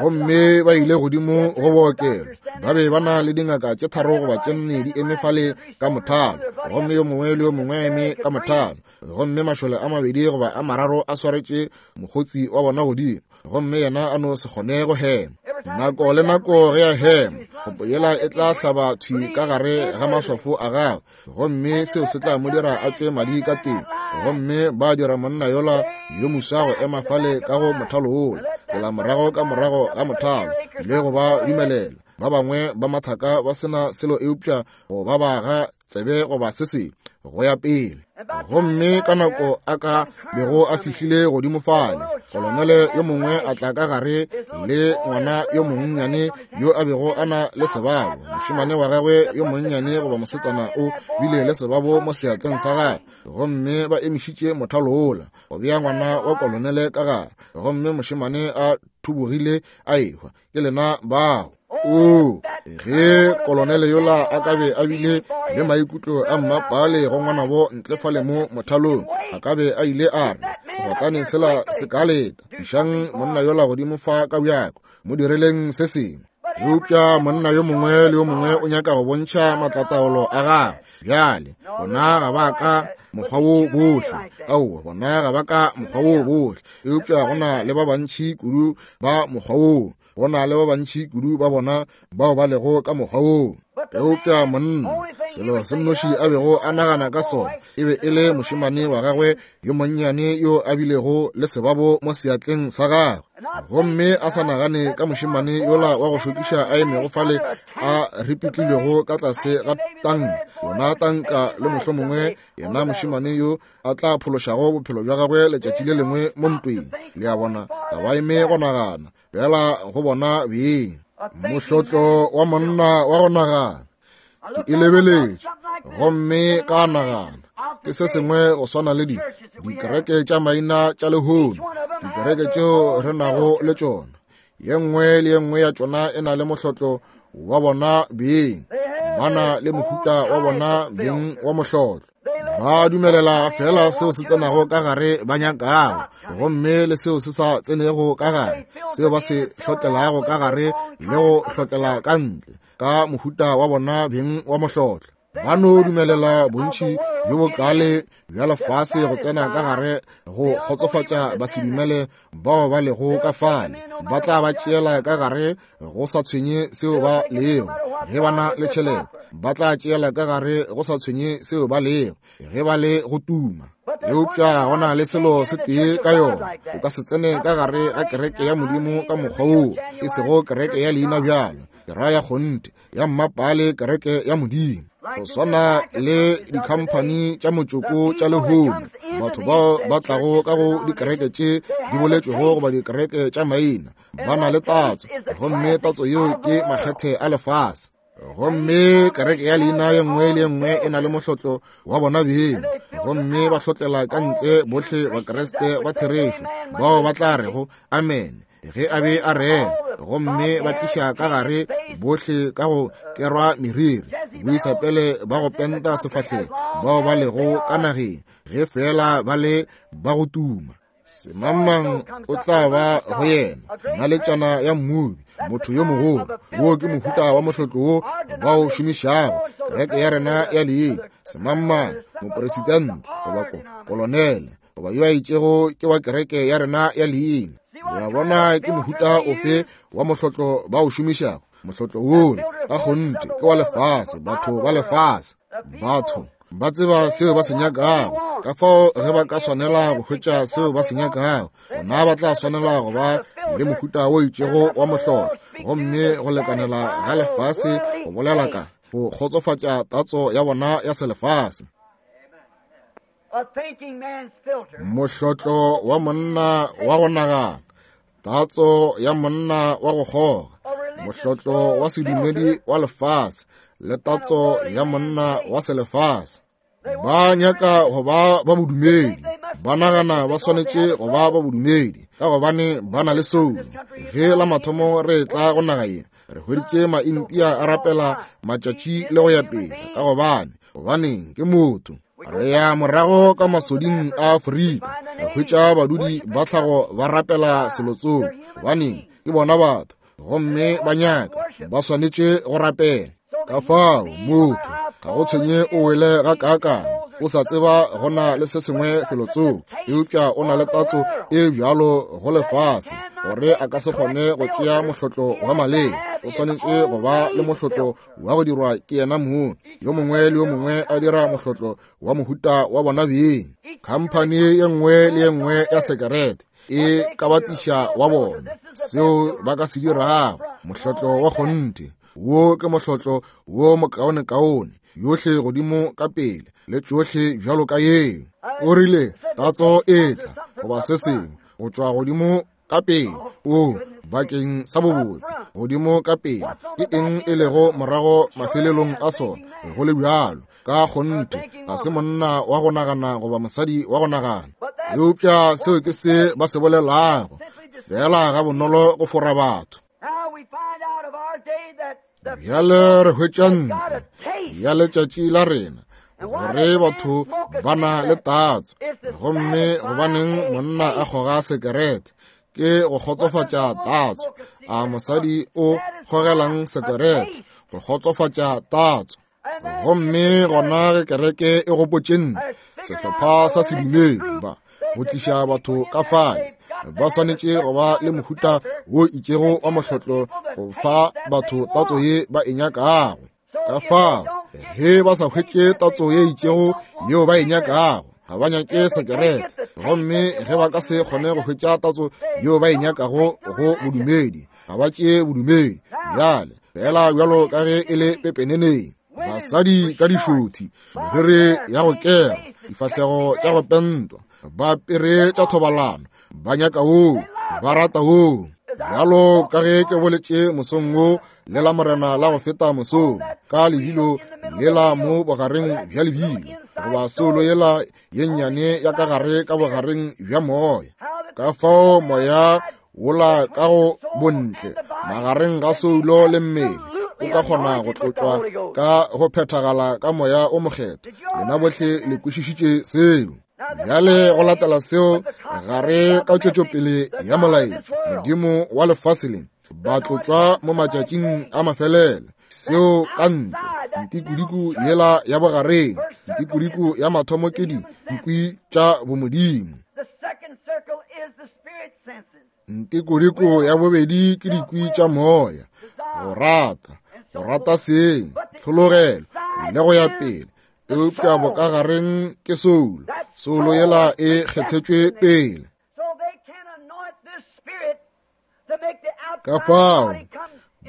Gomme ba ile godimo go bookelo. Ba be ba na le dingaka tše tharo goba tše nne di eme fale ka mothalo, gomme yo mongwe le yo mongwe a eme ka mothalo, gomme mašole a mabedi goba a mararo a swaretše mokgotsi wa bona godimo, gomme yena a no se kgone go hema. Nako le nako ge a hema, kgopo yela e tla hlaba thwi ka gare ga maswafo a gagwe, gomme seo se tla mo dira a tšwe madi ka teng. Gomme ba dira monna yola yo moswa go ema fale ka go mothalo wola, tsela morago ka morago ga mothalo, le go ba dumelela ba bangwe ba mathaka ba sena selo eupša go ba ba ga tsebe goba se sengwe go ya pele. Gomme ka nako a ka bego a fihlile godimo fale, kolonele yo mongwe a tla ka gare le ngwana yo monnyane yo a bego a na le sebabo. Mošemane wa gagwe yo monnyane goba mosetsana o bile le sebabo mo seatleng sa gagwe, gomme ba emišitše mothalo wola go bea ngwana wa kolonele ka gare, gomme mošemane a thubogile a ehwa. Ke lena bao. O ge kolonele yola a ka be a bile le maikutlo a mmapale go ngwanabo ntle fale mo mothalong, a ka be a ile a re, segotlane sela se ka leta, išang monna yola godimo fa ka bjako, mo direleng se sengwe. Eupša monna yo mongwe le yo mongwe o nyaka go bontšha matlataolo a gagwe. Bjale bona ga ba ka mokgwa wo bohle, aowa, bona ga ba ka mokgwa wo bohle, eupša go na le ba bantši kudu ba mokgwa woo. Go na le ba bantši kudu ba bona bao ba lego ka mokgwa woo. Eupša monna, selo se mnoši a bego a nagana ka sona e be e le mošemane wa gagwe yo monnyane yo a bilego le sebabo mo seatleng sa gagwe. Gomme a sa nagane ka mošemane yola wa go šokiša a emego fale a ripitlilwego ka tlase ga tanka, yona tanka, le mohlomongwe yena mošemane yo a tla phološago bophelo bja gagwe letšatši le lengwe mo ntweng. Le a bona, ga ba eme go nagana, fela go bona beng. Mohlotlo wa monna wa go nagana. Ke e lebeletše gomme ka nagana ke se sengwe go swana le di dikereke tša maina tša lehono, dikereke tšeo re nago le tšona. Ye nngwe le ye nngwe ya tšona e na le mohlotlo wa bona beng, ba na le mohuta wa bona beng wa mohlotlo. Ba dumelela fela seo se tsenago ka gare ba nyakago, gomme le seo se sa tsenego ka gare, seo ba se hlotlelago ka gare le go hlotlela ka ntle, ka mohuta wa bona beng wa mohlotlo. Ba no dumelela bontši bjo bokale bja lefase go tsena ka gare go kgotsofatša basedumele bao ba lego ka fale. Ba tla ba tšeela ka gare go sa tshwenye seo ba lego, ge ba na le tšhelete. Ba tla tšeela ka gare go sa tshwenye seo ba lego, ge ba le go tuma. Eupša go na le selo se tee ka yona, o ka se tsene ka gare ga kereke ya Modimo ka mokgwa woo, e sego kereke ya leina bjalo, ke raya kgonthe ya mmapale, kereke ya Modimo. Go swana le dikhamphani tša motšoko tša lehono, batho bao ba tlago ka go dikereke tše di boletšwego goba dikereke tša maina, ba na le tatso, gomme tatso yeo ke makgethe a lefase. Gomme kereke ya leina ye nngwe le ye nngwe e na le mohlotlo wa bona beng, gomme ba hlotlela ka ntle bohle Bakriste ba therešo bao ba tla rego amen ge a be a rera, gomme ba tliša ka gare bohle ka go kerwa meriri, boisapele ba go penta sefahlego bao ba lego ka nageng, ge fela ba le ba go tuma. Semangmang o tla ba go yena naletšana ya mmubi, motho yo mogolo. Wo ke mohuta wa mohlotlo wo ba o šomišago kereke ya rena ya leina. Semangmang, mopresidente goba kolonele goba yo a itšego ke wa kereke ya rena ya leina. Le a bona ke mohuta ofe wa mohlotlo ba o šomišago? Mohlotlo wola ka kgonthe ke wa lefase, batho ba lefase. Batho ba tseba seo ba se nyakago, ka fao ge ba ka swanela go hwetša seo ba se nyakago, gona ba tla swanela go ba le mohuta wo itšego wa mohlotlo, gomme go lekanela ga lefase go bolela ka go kgotsofatša tatso ya bona ya selefase. Mohlotlo wa monna wa go nagana, tatso ya monna wa go kgoga, mohlotlo wa sedumedi wa lefase le tatso ya monna wa selefase. Ba nyaka go ba ba bodumedi, ba nagana ba swanetše go ba ba bodumedi ka gobane ba na le soulo. Ge la mathomo re tla go naga ye, re hweditše Maintia a rapela matšatši le go ya pele, ka gobane gobaneng ke motho. Re ya morago ka masoding a Afrika, re hwetša badudi ba tlhago ba rapela selotsong, gobaneng ke bona batho, gomme ba nyaka ba swanetše go rapela. Ka fao motho ga go tshwenye o wele ga kaakang, o sa tseba go na le se sengwe felotsong, eupša o na le tatso e bjalo go lefase gore a ka se kgone go tšea mohlotlo wa maleng. O swanetše go ba le mohlotlo wa go dirwa ke yena mong. Yo mongwe le yo mongwe a dira mohlotlo wa mohuta wa bona beng. Khamphani ye nngwe le ye nngwe ya sekerete e ka batiša wa bona seo ba ka se dirago. Mohlotlo wa kgonthe wo ke mohlotlo wo mokaonekaone, yohle godimo ka pele le tšohle bjalo ka yeo. O rile tatso e tla goba se sengwe go tšwa godimo ka pele, o bakeng sa bobotse godimo ka pele. Ke eng e lego morago mafelelong a sona? Go le bjalo ka kgonthe ga se monna wa go nagana goba mosadi wa go nagana, eupša seo ke se ba se bolelago fela ga bonolo go fora batho. Bjale re hwetša ntle ya letšatši la rena gore batho ba na le tatso, gomme gobaneng monna a kgoga sekerete? Ke go kgotsofatša tatso. A mosadi o kgogelang sekerete? Go kgotsofatša tatso. Gomme gona ge kereke e gopotše ntle sehlopha sa sedumedi ba go tliša batho ka fale, ba swanetše go ba le mohuta wo itšego wa mohlotlo go fa batho tatso ye ba e nyakago. Ka fao ge ba sa hwetše tatso ye itšego yeo ba e nyakago, ga ba nyake sekerete. Gomme ge ba ka se kgone go hwetša tatso yeo ba e nyakago go bodumedi, ga ba tšee bodumedi. Bjale fela bjalo ka ge e le pepeneneng, basadi ka dišothi, meriri ya go kera, difahlego tša go pentwa, ba apere tša thobalano, ba nyaka woo, ba rata woo. Bjalo ka ge ke boletše mosong wo le la morena la go feta mosong, ka lebilo lela mo bogareng bja lebilo, goba soulo yela ye nnyane ya ka gare ka bogareng bja moya. Ka fao moya wola ka go bontle magareng ga soulo le mmele o ka kgona go tlotšwa ka go phethagala ka moya o mokgethwa. Lena bohle le kwešišitše seo. Bjale go latela seo gare ka tšwetšopele ya molaetša, modimo wa lefase le ba tlotšwa mo matšatšing a mafelelo. Seo ka ntle ntikudiku yela ya bogareng, ntikudiku ya mathomo ke dikwi tša bomodimo. Ntikudiku ya bobedi ke dikwi tša moya, go rata, go rata seng, tlhologelo le go ya pele. Eupša bokagareng ke soulo, soulo yela e kgethetšwe pele. Ka fao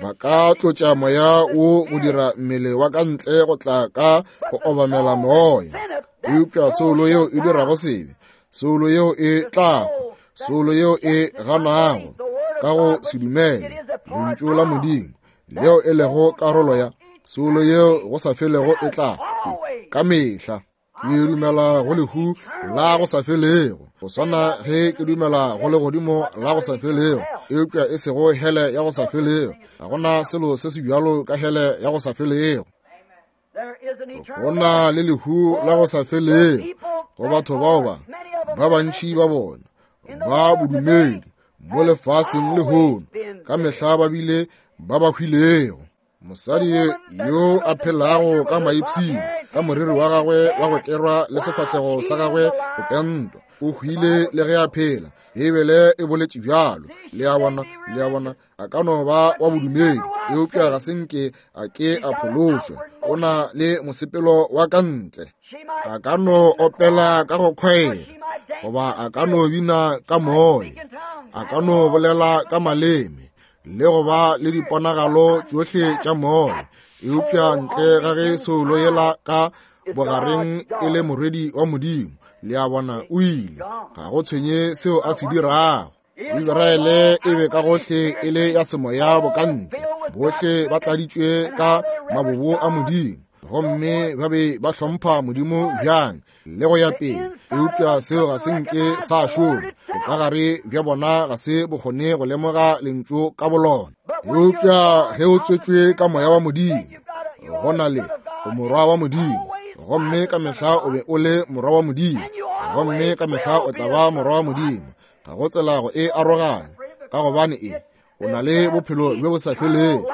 ba ka tlotša moya wo go dira mmele wa ka ntle go tla ka go obamela moya. Eupša soulo yeo e dirago sebe, soulo yeo e tlago, soulo yeo e ganago ka go se dumele lentšu la Modimo, leo e lego karolo ya soulo yeo go sa felego e tla ka mehla. Ke dumela go lehu la go sa felego, go swana ge ke dumela go legodimo la go sa felego, eupša e sego hele ya go sa felego. Ga gona selo se se bjalo ka hele ya go sa felego. Go na le lehu la go sa felego go batho bao ba ba bantši ba bona ba bodumedi mo lefaseng lehono, ka mehla ba bile ba ba hwilego. Mosadi yo a phelago ka maipshino, ka moriri wa gagwe wa go kerwa le sefahlego sa gagwe go pentwa, o hwile le ge a phela. Beibele e boletše bjalo. Le a bona, le a bona, a ka no ba wa bodumedi, eupša ga se nke a ke a phološwa. O na le mosepelo wa ka ntle. A ka no opela ka go khwaela, goba a ka no bina ka moya, a ka no bolela ka maleme, le go ba le diponagalo tšohle tša moya, eupša ntle ga ge soulo yela ka bogareng e le morwedi wa Modimo, le a bona, o ile. Ga go tshwenye seo a se dirago. Israele e be ka gohle e le ya semoya bokantle, bohle ba tladitšwe ka mabobo a Modimo, gomme ba be ba hlompha Modimo bjang le go ya pele. Eupša seo ga se nke sa šoma. Bokagare bja bona ga se bokgone go lemoga lentšu ka bolona. Eupša ge o tswetšwe ka moya wa Modimo, go na le o morwa wa Modimo, gomme ka mehla o be o le morwa wa Modimo, gomme ka mehla o tla ba morwa wa Modimo. Ga go tsela go e aroganya, ka gobane e o na le bophelo bjo bo sa felego,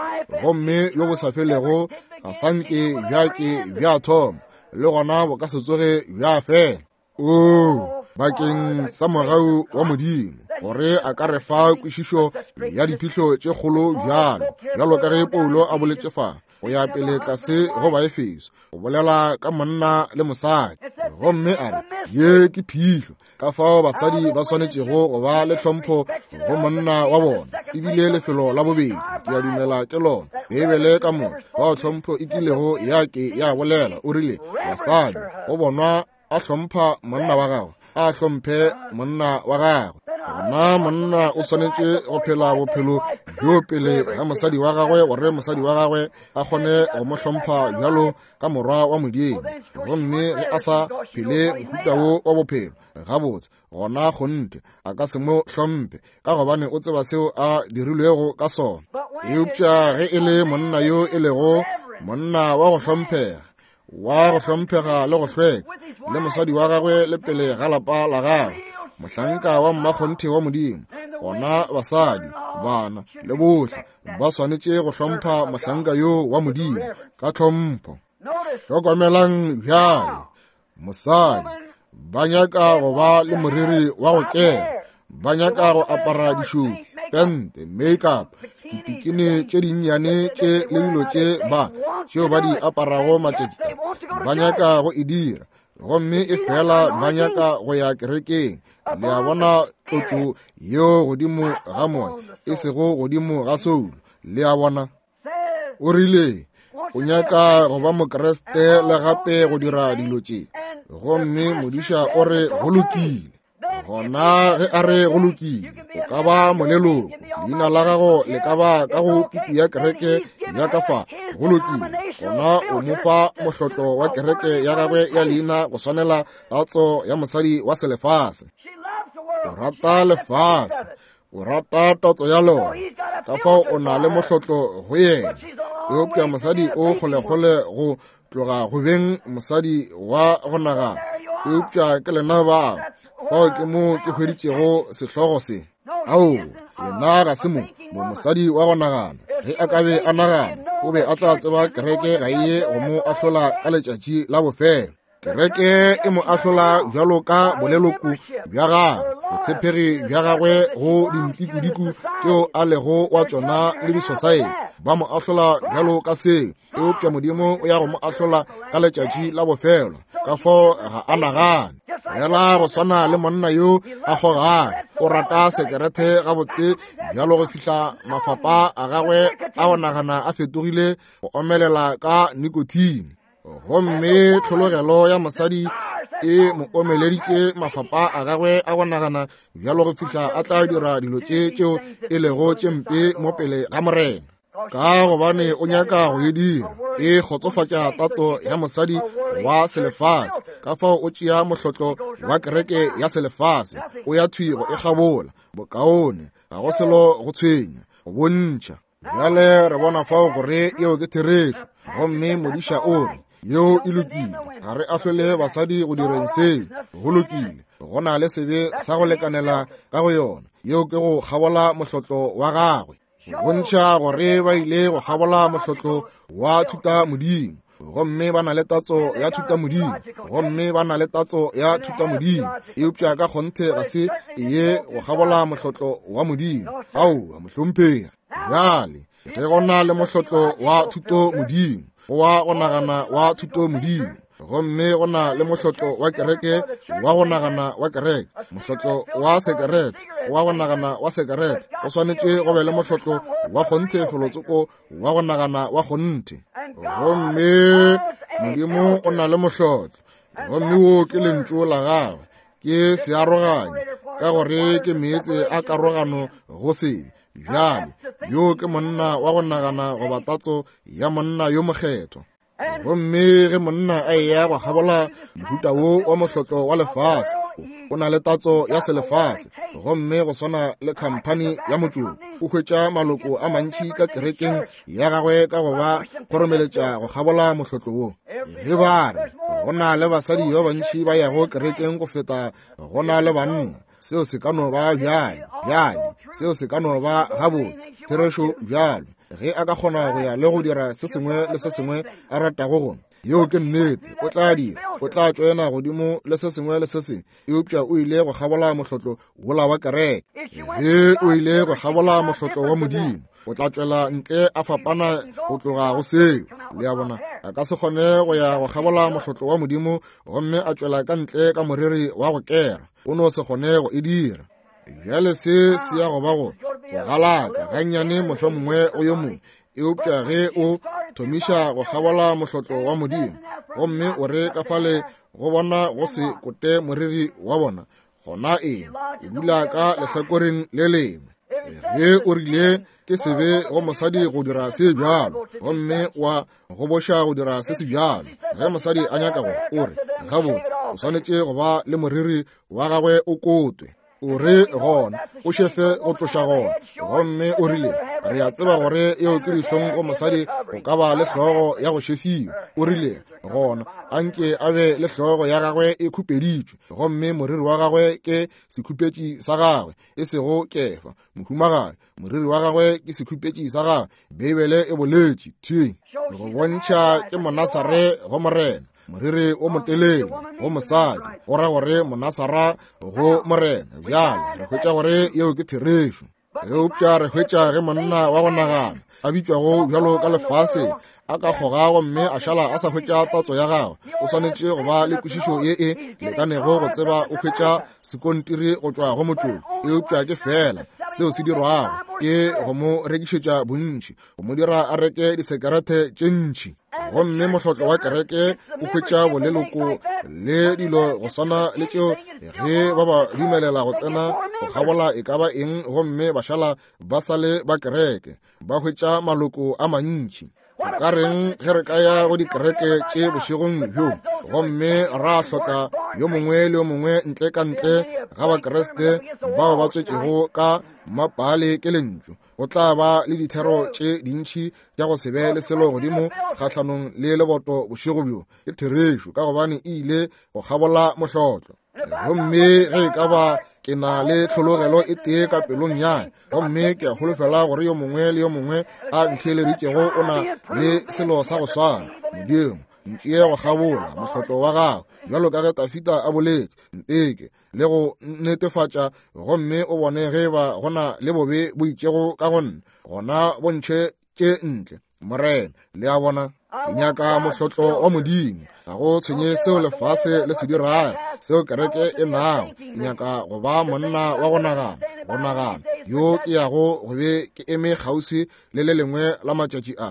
gomme bjo bo sa felego ga sa nke bja ke bja thoma, le gona bo ka se tsoge bja fela. Oo, bakeng sa mogau wa Modimo, gore a ka re fa kwešišo ya diphihlo tše kgolo bjalo, bjalo ka ge Paulo a boletše fa go ya pele tlase go Baefeso, go bolela ka monna le mosadi, gomme a re ye ke phihlo, ka fao basadi ba swanetšego go ba le hlompho go monna wa bona. Ebile lefelo la bobedi ke a dumela ke lona Beibele ka moka bao hlompho e kilego ya ke ya bolela. O rile basadi go bonwa a hlompha monna wa gagwe, a hlomphe monna wa gagwe. Gona monna o swanetše go phela bophelo bjo pele ga mosadi wa gagwe, gore mosadi wa gagwe a kgone go mo hlompha bjalo ka morwa wa Modimo. Gomme ge a sa phele mohuta wo wa bophelo gabotse, gona kgonthe a ka se mo hlomphe, ka gobane o tseba seo a dirilwego ka sona. Eupša ge e le monna yo e lego monna wa go hlomphega, wa go hlomphega le go hlweka, le mosadi wa gagwe le pele ga lapa la gagwe, mohlanka wa mmakgonthe wa Modimo, gona basadi, bana le bohle ba swanetše go hlompha mohlanka yo wa Modimo ka tlhompho. Hlokomelang bjale, mosadi ba nyaka go ba le moriri wa go kena, ba nyaka go apara dišuti, pente, make-up, Dipikini tše dinnyane tše le dilo tše ba tšeo ba di aparago matšatši ba nyaka go e dira, gomme e fela ba nyaka go ya kerekeng. Le a bona tlotšo yeo godimo ga moya, e sego godimo ga soulo. Le a bona? O rile o nyaka go ba Mokriste le gape go dira dilo tše, gomme modiša o re go lokile. Gona ge a re go lokile, o ka ba moleloko, leina la gago le ka ba ka go puku ya kereke ya ka fa, go lokile. Gona o mo fa mohlotlo wa kereke ya gagwe ya leina go swanela tatso ya mosadi wa selefase. O rata lefase, o rata tatso ya lona, ka fao o na le mohlotlo go yena. Eupša mosadi o kgolekgole go tloga go beng mosadi wa go nagana. Eupša ke lena bao, fao ke mo ke hweditšego sehlogo se. Ao, yena ga se mo mo mosadi wa go nagana. Ge a ka be a nagana, o be a tla tseba kereke ga e ye go mo ahlola ka letšatši la bofelo. Kereke e mo ahlola bjalo ka boleloko bja gagwe, botshepegi bja gagwe go dintikudiku tšeo a lego wa tšona le disosaete. Ba mo ahlola bjalo ka seo, eupša Modimo o ya go mo ahlola ka letšatši la bofelo. Ka fao ga a nagane. Fela go swana le monna yo a kgogago, o rata sekerete gabotse bjalo go fihla mafapa a gagwe a go nagana a fetogile go omelela ka nikotine. Gomme tlhologelo ya mosadi e mo omeleditše mafapa a gagwe a go nagana bjalo go fihla a tla dira dilo tše tšeo e lego tše mpe mo pele ga Morena, ka gobane o nyaka go e dira. E kgotsofatša tatso ya mosadi wa selefase, ka fao o tšea mohlotlo wa kereke ya selefase, o ya thwi go e kgabola. Bokaone ga go selo go tshwenya, go bontšha. Bjale re bona fao gore yeo ke therešo, gomme modiša o re yeo e lokile. Ga re ahlole basadi go direng seo, go lokile. Go na le sebe sa go lekanela ka go yona. Yeo ke go kgabola mohlotlo wa gagwe, go bontšha gore ba ile go kgabola mohlotlo wa thutamodimo, gomme ba na le tatso ya thutamodimo, gomme ba na le tatso ya thutamodimo, eupša ka kgonthe ga se ye go kgabola mohlotlo wa Modimo. Aowa, mohlomphegi. Bjale ge go na le mohlotlo wa thutomodimo, wa go nagana wa thutomodimo, gomme go na le mohlotlo wa kereke wa go nagana wa kereke, mohlotlo wa sekerete wa go nagana wa sekerete, go swanetše go be le mohlotlo wa kgonthe felotsoko wa go nagana wa kgonthe. Gomme Modimo o na le mohlotlo, gomme wo ke lentšu la gagwe, ke searoganyo, ka gore ke meetse a karogano go sebe. Bjale yo ke monna wa go nagana goba tatso ya monna yo mokgethwa. Gomme ge monna a eya go kgabola mohuta wo wa mohlotlo wa lefase, o na le tatso ya selefase, gomme go swana le khamphani ya motšoko, o hwetša maloko a mantši ka kerekeng ya gagwe ka go ba kgoromeletša go kgabola mohlotlo wo. Ge ba re go na le basadi ba bantši ba yago kerekeng go feta go na le banna, seo se ka no ba bjale, bjale seo se ka no ba gabotse, therešo bjalo. Ge a ka kgona go ya le go dira se sengwe le se sengwe a ratago go, yeo ke nnete, o tla dira, o tla tšoena godimo le se sengwe le se sengwe, eupša o ile go kgabola mohlotlo wola wa kereke. Ge o ile go kgabola mohlotlo wa Modimo, o tla tšwela ntle a fapana go tloga go seo. Le a bona, a ka se kgone go ya go kgabola mohlotlo wa Modimo gomme a tšwela ka ntle ka moriri wa go kera. O no se kgone go e dira. Bjale se se ya go ba go go galaka gannyane mohlomongwe go yo mongwe, eupša ge o thomiša go kgabola mohlotlo wa Modimo gomme o re ka fale go bona go se kote moriri wa bona, gona eng, o dula ka lehlakoreng le lengwe. Ge o rile ke sebe go mosadi go dira se bjalo, gomme wa goboša go dira se se bjalo, ge mosadi a nyaka go, o re gabotse o swanetše go ba le moriri wa gagwe o kotwe. O re gona o šefe go tloša gona, gomme o rile re a tseba gore eo ke dihlong go mosadi go ka ba le hlogo ya go šefiwa. O rile gona anke a be le hlogo ya gagwe e khupeditšwe, gomme moriri wa gagwe ke sekhupetši sa gagwe, e sego kefa. Mohumagadi, moriri wa gagwe ke sekhupetši sa gagwe. Beibele e boletše thwi go bontšha ke Monasare go Morena. Moriri o motelele go mosadi go ra gore Monasara go Morena. Bjale re hwetša gore yeo ke therešo. Eupša re hwetša ge monna wa go nagana a bitšwago bjalo ka lefase a ka kgoga gomme a šala a sa hwetša tatso ya gagwe, o swanetše go ba le kwešišo ye e lekanego go tseba o hwetša sekontiri go tšwa go motšoko. Eupša ke fela seo se dirwago ke go mo rekišetša bontši, go mo dira a reke disekerete tše ntši. Gomme mohlotlo wa kereke o hwetša boleloko le dilo go swana le tšeo ge ba ba dumelela go tsena go kgabola e ka ba eng, gomme ba šala ba sa le ba kereke, ba hwetša maloko a mantši. Ka reng ge re ka ya go dikereke tše bošegong bjo gomme ra hlotla yo mongwe le yo mongwe ntle ka ntle ga Bakriste bao ba tswetšego ka mapale ke lentšu, go tla ba le dithero tše dintši tša go se be le selo godimo kgahlanong le leboto bošego bjo. Ke therešo, ka gobane e ile go kgabola mohlotlo. Gomme ge e ka ba ke na le tlhologelo e tee ka pelong ya, gomme ke a holofela gore yo mongwe le yo mongwe a ntheeleditšego o na le selo sa go swana. Modimo, ntšee go kgabola mohlotlo wa gago bjalo ka ge Tafita a boletše, nteke le go netefatša gomme o bone ge ba gona le bobe bo itšego ka go nna, gona bontšhe tše ntle, Morena. Le a bona, ke nyaka mohlotlo wa Modimo. Ga go tshwenye seo lefase le se dirago, seo kereke e nago. Ke nyaka go ba monna wa go nagana, go nagana yo ke yago go be ke eme kgauswi le le lengwe la matšatši a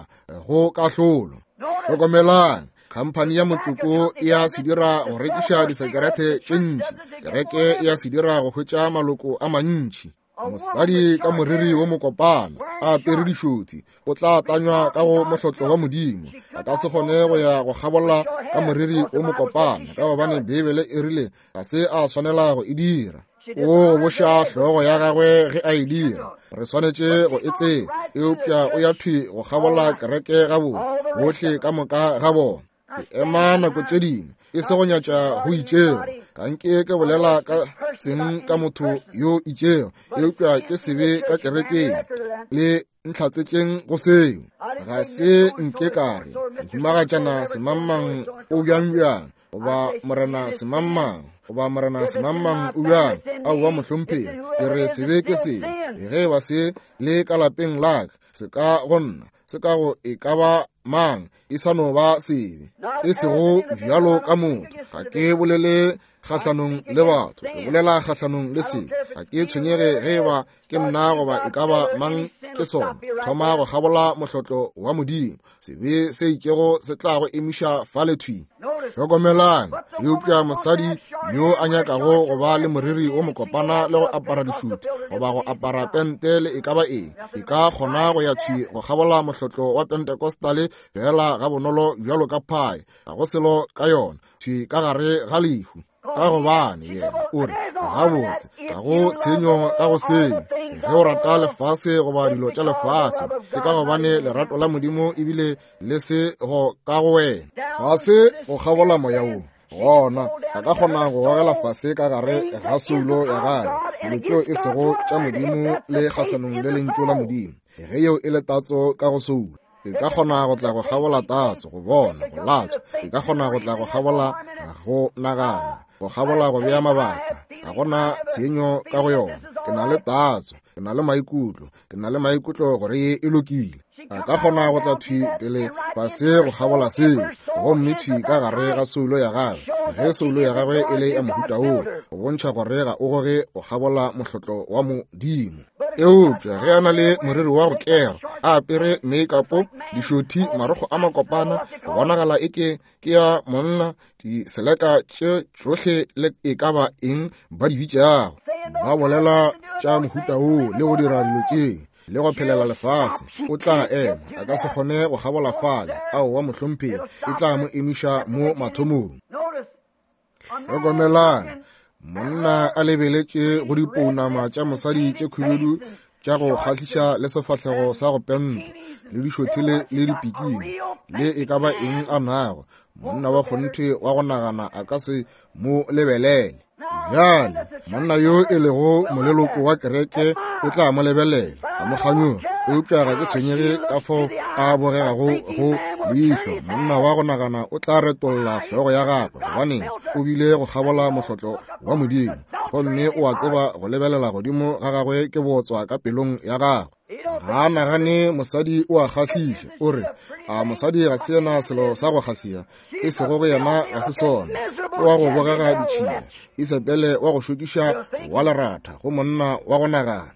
go kahlolo. Hlokomelang, khamphani ya motšoko e a se dira go rekiša disekerete tše ntši, kereke e a se dira go hwetša maloko a mantši. Mosadi ka moriri wo mokopana a apere dišothi o tla tanywa ka go mohlotlo wa Modimo. A ka se kgone go ya go kgabola ka moriri wo mokopana, ka gobane Beibele e rile ga se a swanela go e dira. O boša hlogo ya gagwe ge a e dira, re swanetše go e tseba, eupša o ya thwi go kgabola kereke gabotse bohle ka moka ga bona. Ke ema nako tše dingwe e se go nyatša go itšego, ga nke ke bolela ka seng ka motho yo itšego, eupša ke sebe ka kerekeng le ntlhatsetšeng go seo. Ga se nke ka re mohumagatšana semangmang o bjang bjang, goba morena semangmang, goba morena semangmang o bjang. Aowa mohlomphegi, ke re sebe ke sebe. Ge ba se le ka lapeng la ka, se ka go nna, se ka go e ka ba mang, e sa no ba sebe, e sego bjalo ka motho. Ga ke bolele kgahlanong le batho, ke bolela kgahlanong le sebe. Ga ke tshwenyege ge ba ke nna goba e ka ba mang ke sona. Thoma go kgabola mohlotlo wa Modimo, sebe se itšego se tla go emiša fale thwi. Hlokomelang, eupša mosadi yo a nyakago go ba le moriri wo mokopana le go apara dišuti goba go apara pente le e ka ba eng, e ka kgona go ya thwi go kgabola mohlotlo wa Pentecostale fela ga bonolo bjalo ka phae. Ga go selo ka yona, thwi ka gare ga lehu. Ka gobane yena o re gabotse ga go tshenyo ka go seo. Ge o rata lefase goba dilo tša lefase, ke ka gobane lerato la Modimo ebile le se go ka go wena. Fase go kgabola moya wo, gona a ka kgona go gogela fase ka gare ga soulo ya gagwe dilo tšeo e sego tša Modimo le kgahlanong le lentšu la Modimo. Ge yeo e le tatso ka go soulo, e ka kgona go tla go kgabola tatso, go bona, go latswa. E ka kgona go tla go kgabola go nagana, go kgabola go bea mabaka. Ga gona tshenyo ka go yona. Ke na le tatso, ke na le maikutlo, ke na le maikutlo gore ye e lokile. A ka kgona go tla thwi pele fase go kgabola seo, gomme thwi ka gare ga soulo ya gagwe. Ge soulo ya gagwe e le ya mohuta woo, go bontšha gore ga o goge go kgabola mohlotlo wa Modimo. Eupša ge a na le moriri wa go kera, a apere make-up, dišothi, marokgo a makopana, go bonagala eke ke ya monna, diseleka tše tšohle le e ka ba eng ba di bitšago, ba bolela tša mohuta woo le go dira dilo tše le go phelela lefase, o tla ema, a ka se kgone go kgabola fale. Aowa mohlomphegi, e tla mo emiša mo mathomong. Hlokomelang, monna a lebeletše go dipounama tša mosadi tše khubedu tša go kgahliša le sefahlego sa go pentwa le dišothi le dipikini le e ka ba eng a nago, monna wa kgonthe wa go nagana a ka se mo lebelele. Bjale monna yo e lego moleloko wa kereke o tla mo lebelela, a mo kganyoga, Eupša ga ke tshwenyege ka fao a bogegago go leihlo, monna wa go nagana o tla retolla hlogo ya gagwe, gobane o bile go kgabola mohlotlo wa Modimo, gomme o a tseba go lebelela godimo ga gagwe ke bootswa ka pelong ya gagwe. Ga a nagane mosadi o a kgahliša, o re, a mosadi ga se yena selo sa go kgahliša, e sego go yena ga se sona. Ke wa go bogega ditšhila, Isabele wa go šokiša wa leratha go monna wa go nagana.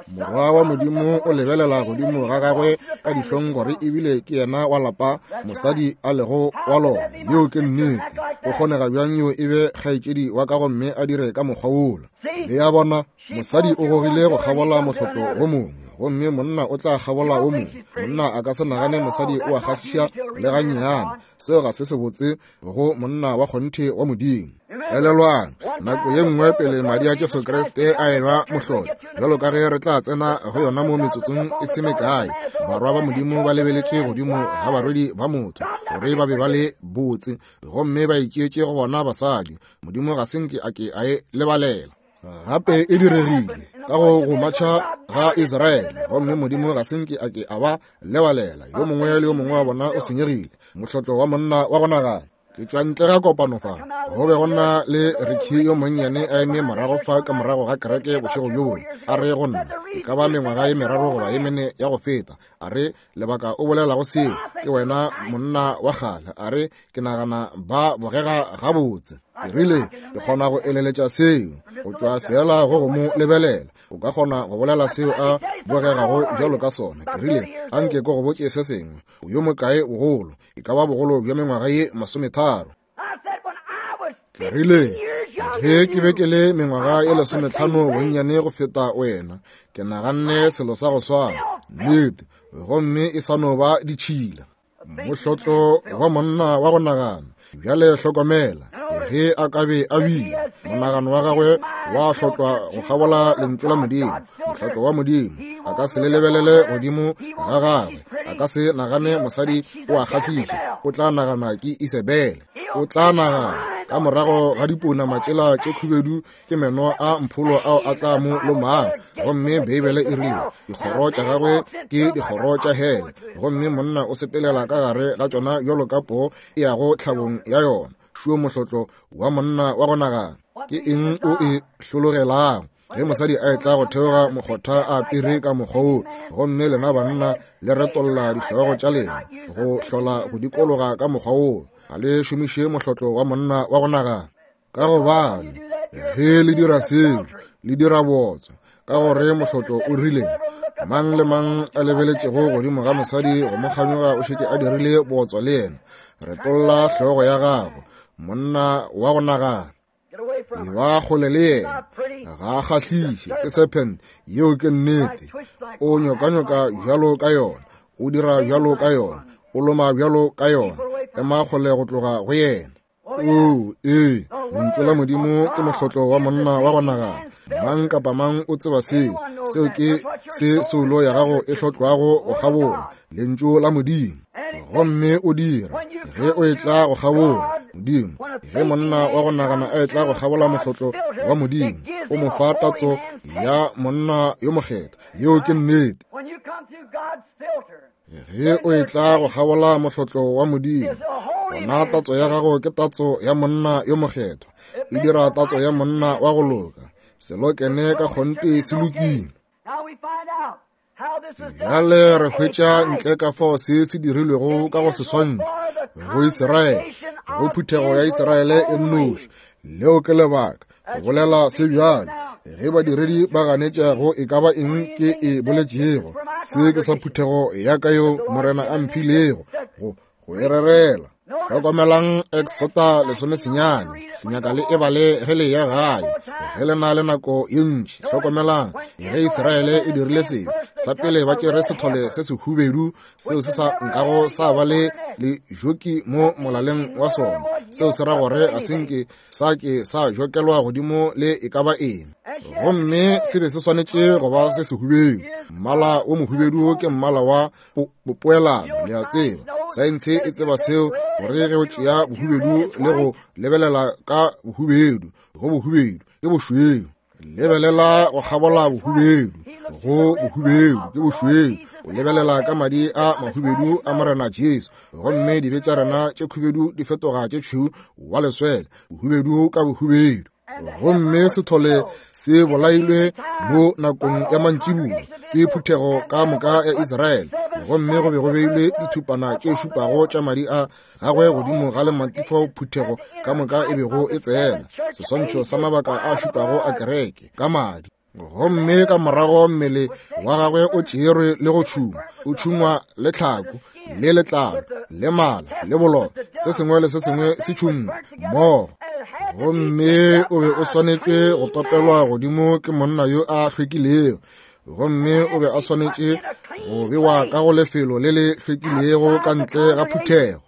Morwa wa Modimo o lebelela godimo ga gagwe ka dihlong gore ebile ke yena wa lapa mosadi a lego wa lona. Yeo ke nnete. Go kgonega bjang yo e be kgaetšedi wa ka gomme a dire ka mokgwa wola? Le a bona, mosadi o gogile go kgabola mohlotlo wo mongwe, gomme monna o tla kgabola wo mongwe. Monna a ka se nagane mosadi o a kgahliša le gannyane. Seo ga se sebotse go monna wa kgonthe wa Modimo. Elelwang, nako ye nngwe pele madi a Jesu Kriste a eba mohlolo, bjalo ka ge re tla tsena go yona mo metsotsong e se mekae, barwa ba Modimo ba lebeletše godimo ga barwedi ba motho gore ba be ba le botse, gomme ba iketše go bona basadi. Modimo ga se nke a ke a e lebalela. Gape e diregile ka go go matšha ga Israele, gomme Modimo ga se nke a ke a ba lebalela. Yo mongwe le yo mongwe wa bona o senyegile, mohlotlo wa monna wa go nagana. Ke tšwa ntle ga kopano fa, go be go na le Ricky yo monnyane a eme morago fa ka morago ga kereke bošego bjo bongwe. A re go nna, e ka ba mengwaga ye meraro goba ye mene ya go feta, a re, lebaka o bolelago seo ke wena monna wa kgale. A re, ke nagana ba bogega gabotse. Ke rile, ke kgona go eleletša seo go tšwa fela go go mo lebelela. O ka kgona go bolela seo a bogegago bjalo ka sona. Ke rile, anke ko go botše se sengwe, o yo mokae bogolo? E ka ba bogolo bja mengwaga ye masometharo. Ke rile, ge ke be ke le mengwaga ye lesometlhano bonnyane go feta wena, ke naganne selo sa go swana, nnete, gomme e sa no ba ditšhila. Mohlotlo wa monna wa go nagana. Bjale hlokomela, ge a ka be a bile monagano wa gagwe wa hlotlwa go kgabola lentšu la Modimo, mohlotlo wa Modimo, a ka se le lebelele godimo ga gagwe, a ka se nagane mosadi o a kgahliša, o tla nagana ke Isabele. O tla nagana ka morago ga dipounama tšela tše khubedu ke meno a mpholo ao a tla mo lomang, gomme Beibele e rile dikgoro tša gagwe ke dikgoro tša hele, gomme monna o sepelela ka gare ga tšona bjalo ka poo e yago tlhabong ya yona. Šuo mohlotlo wa monna wa go nagana. Ke eng o e hlologelago? Ge mosadi a etla go theoga mokgotha a apere ka mokgwa wo, gomme lena banna le retolla dihlogo tša lena go hlola go dikologa ka mokgwa wo, ga le šomiše mohlotlo wa monna wa go nagana. Ka gobane ge le dira seo, le dira bootswa, ka gore mohlotlo o rile, mang le mang a lebeletšego godimo ga mosadi go mo kganyoga o šetše a dirile bootswa le yena. Retolla hlogo ya gago, monna wa go nagana. E ba kgole le yena, ga a kgahliše, ke serpent. Yeo ke nnete. O nyokanyoka bjalo ka yona, o dira bjalo ka yona, o loma bjalo ka yona. Ema kgole go tloga go yena. Oo, ee, lentšu la Modimo ke mohlotlo wa monna wa go nagana. Mang kapa mang o tseba seo. Seo ke se soulo ya gago e hlotlwago go kgabola, lentšu la Modimo. Gomme o dira ge o etla go kgabola Modimo, ge monna wa go nagana a etla go kgabola mohlotlo wa Modimo, o mo fa tatso ya monna yo mokgethwa. Yeo ke nnete. Ge o etla go kgabola mohlotlo wa Modimo, gona tatso ya gago ke tatso ya monna yo mokgethwa, e dira tatso ya monna wa go loka. Selokene ka kgonthe se lokile. Bjale re hwetša ntle ka fao se se dirilwego ka go seswantšho go Israele, go phuthego ya Israele e nnoši. Leo ke lebaka go bolela se bjale, ge badiredi ba ganetšago e ka ba eng ke e boletšego, se ke sa phuthego ya ka yo Morena a mphilego go go e rerela. Hlokomelang Exota lesome senyane, ke nyaka le e bale ge le ya gae, ge le na le nako ye ntši. Hlokomelang ge Israele e dirile sebe sa pele, ba tšere sethole se sehubedu seo se sa nkago sa ba le lejoki mo molaleng wa sona, seo se ra gore ga se nke sa ke sa jokelwa godimo le e ka ba eng, gomme se be se swanetše go ba se sehubedu. Mmala wo mohubedu ke mmala wa poelano, le a tseba. Saense e tseba seo, gore ge o tšea bohubedu le go lebelela ka bohubedu go bohubedu ke bošweu. Lebelela go kgabola bohubedu go bohubedu ke bošweu, o lebelela ka madi a mahubedu a Morena Jesu, gomme dibe tša rena tše khubedu di fetoga tše tšhweu wa leswele, bohubedu ka bohubedu. Gomme sethole se bolailwe mo nakong ya mantšiboa ke phuthego ka moka ya Israele, gomme go be go beilwe dithupana tše šupago tša madi a gagwe godimo ga lemati fao phuthego ka moka e bego e tsena, seswantšho sa mabaka a šupago a kereke ka madi. Gomme ka morago mmele wa gagwe o tšerwe le go tšhungwa, o tšhungwa le tlhako le letlalo le mala le bololo, se sengwe le se sengwe se tšhungwa mmogo. Gomme o be o swanetše go topelwa godimo ke monna yo a hlwekilego, gomme o be a swanetše go bewa ka go lefelo le le hlwekilego ka ntle ga phuthego.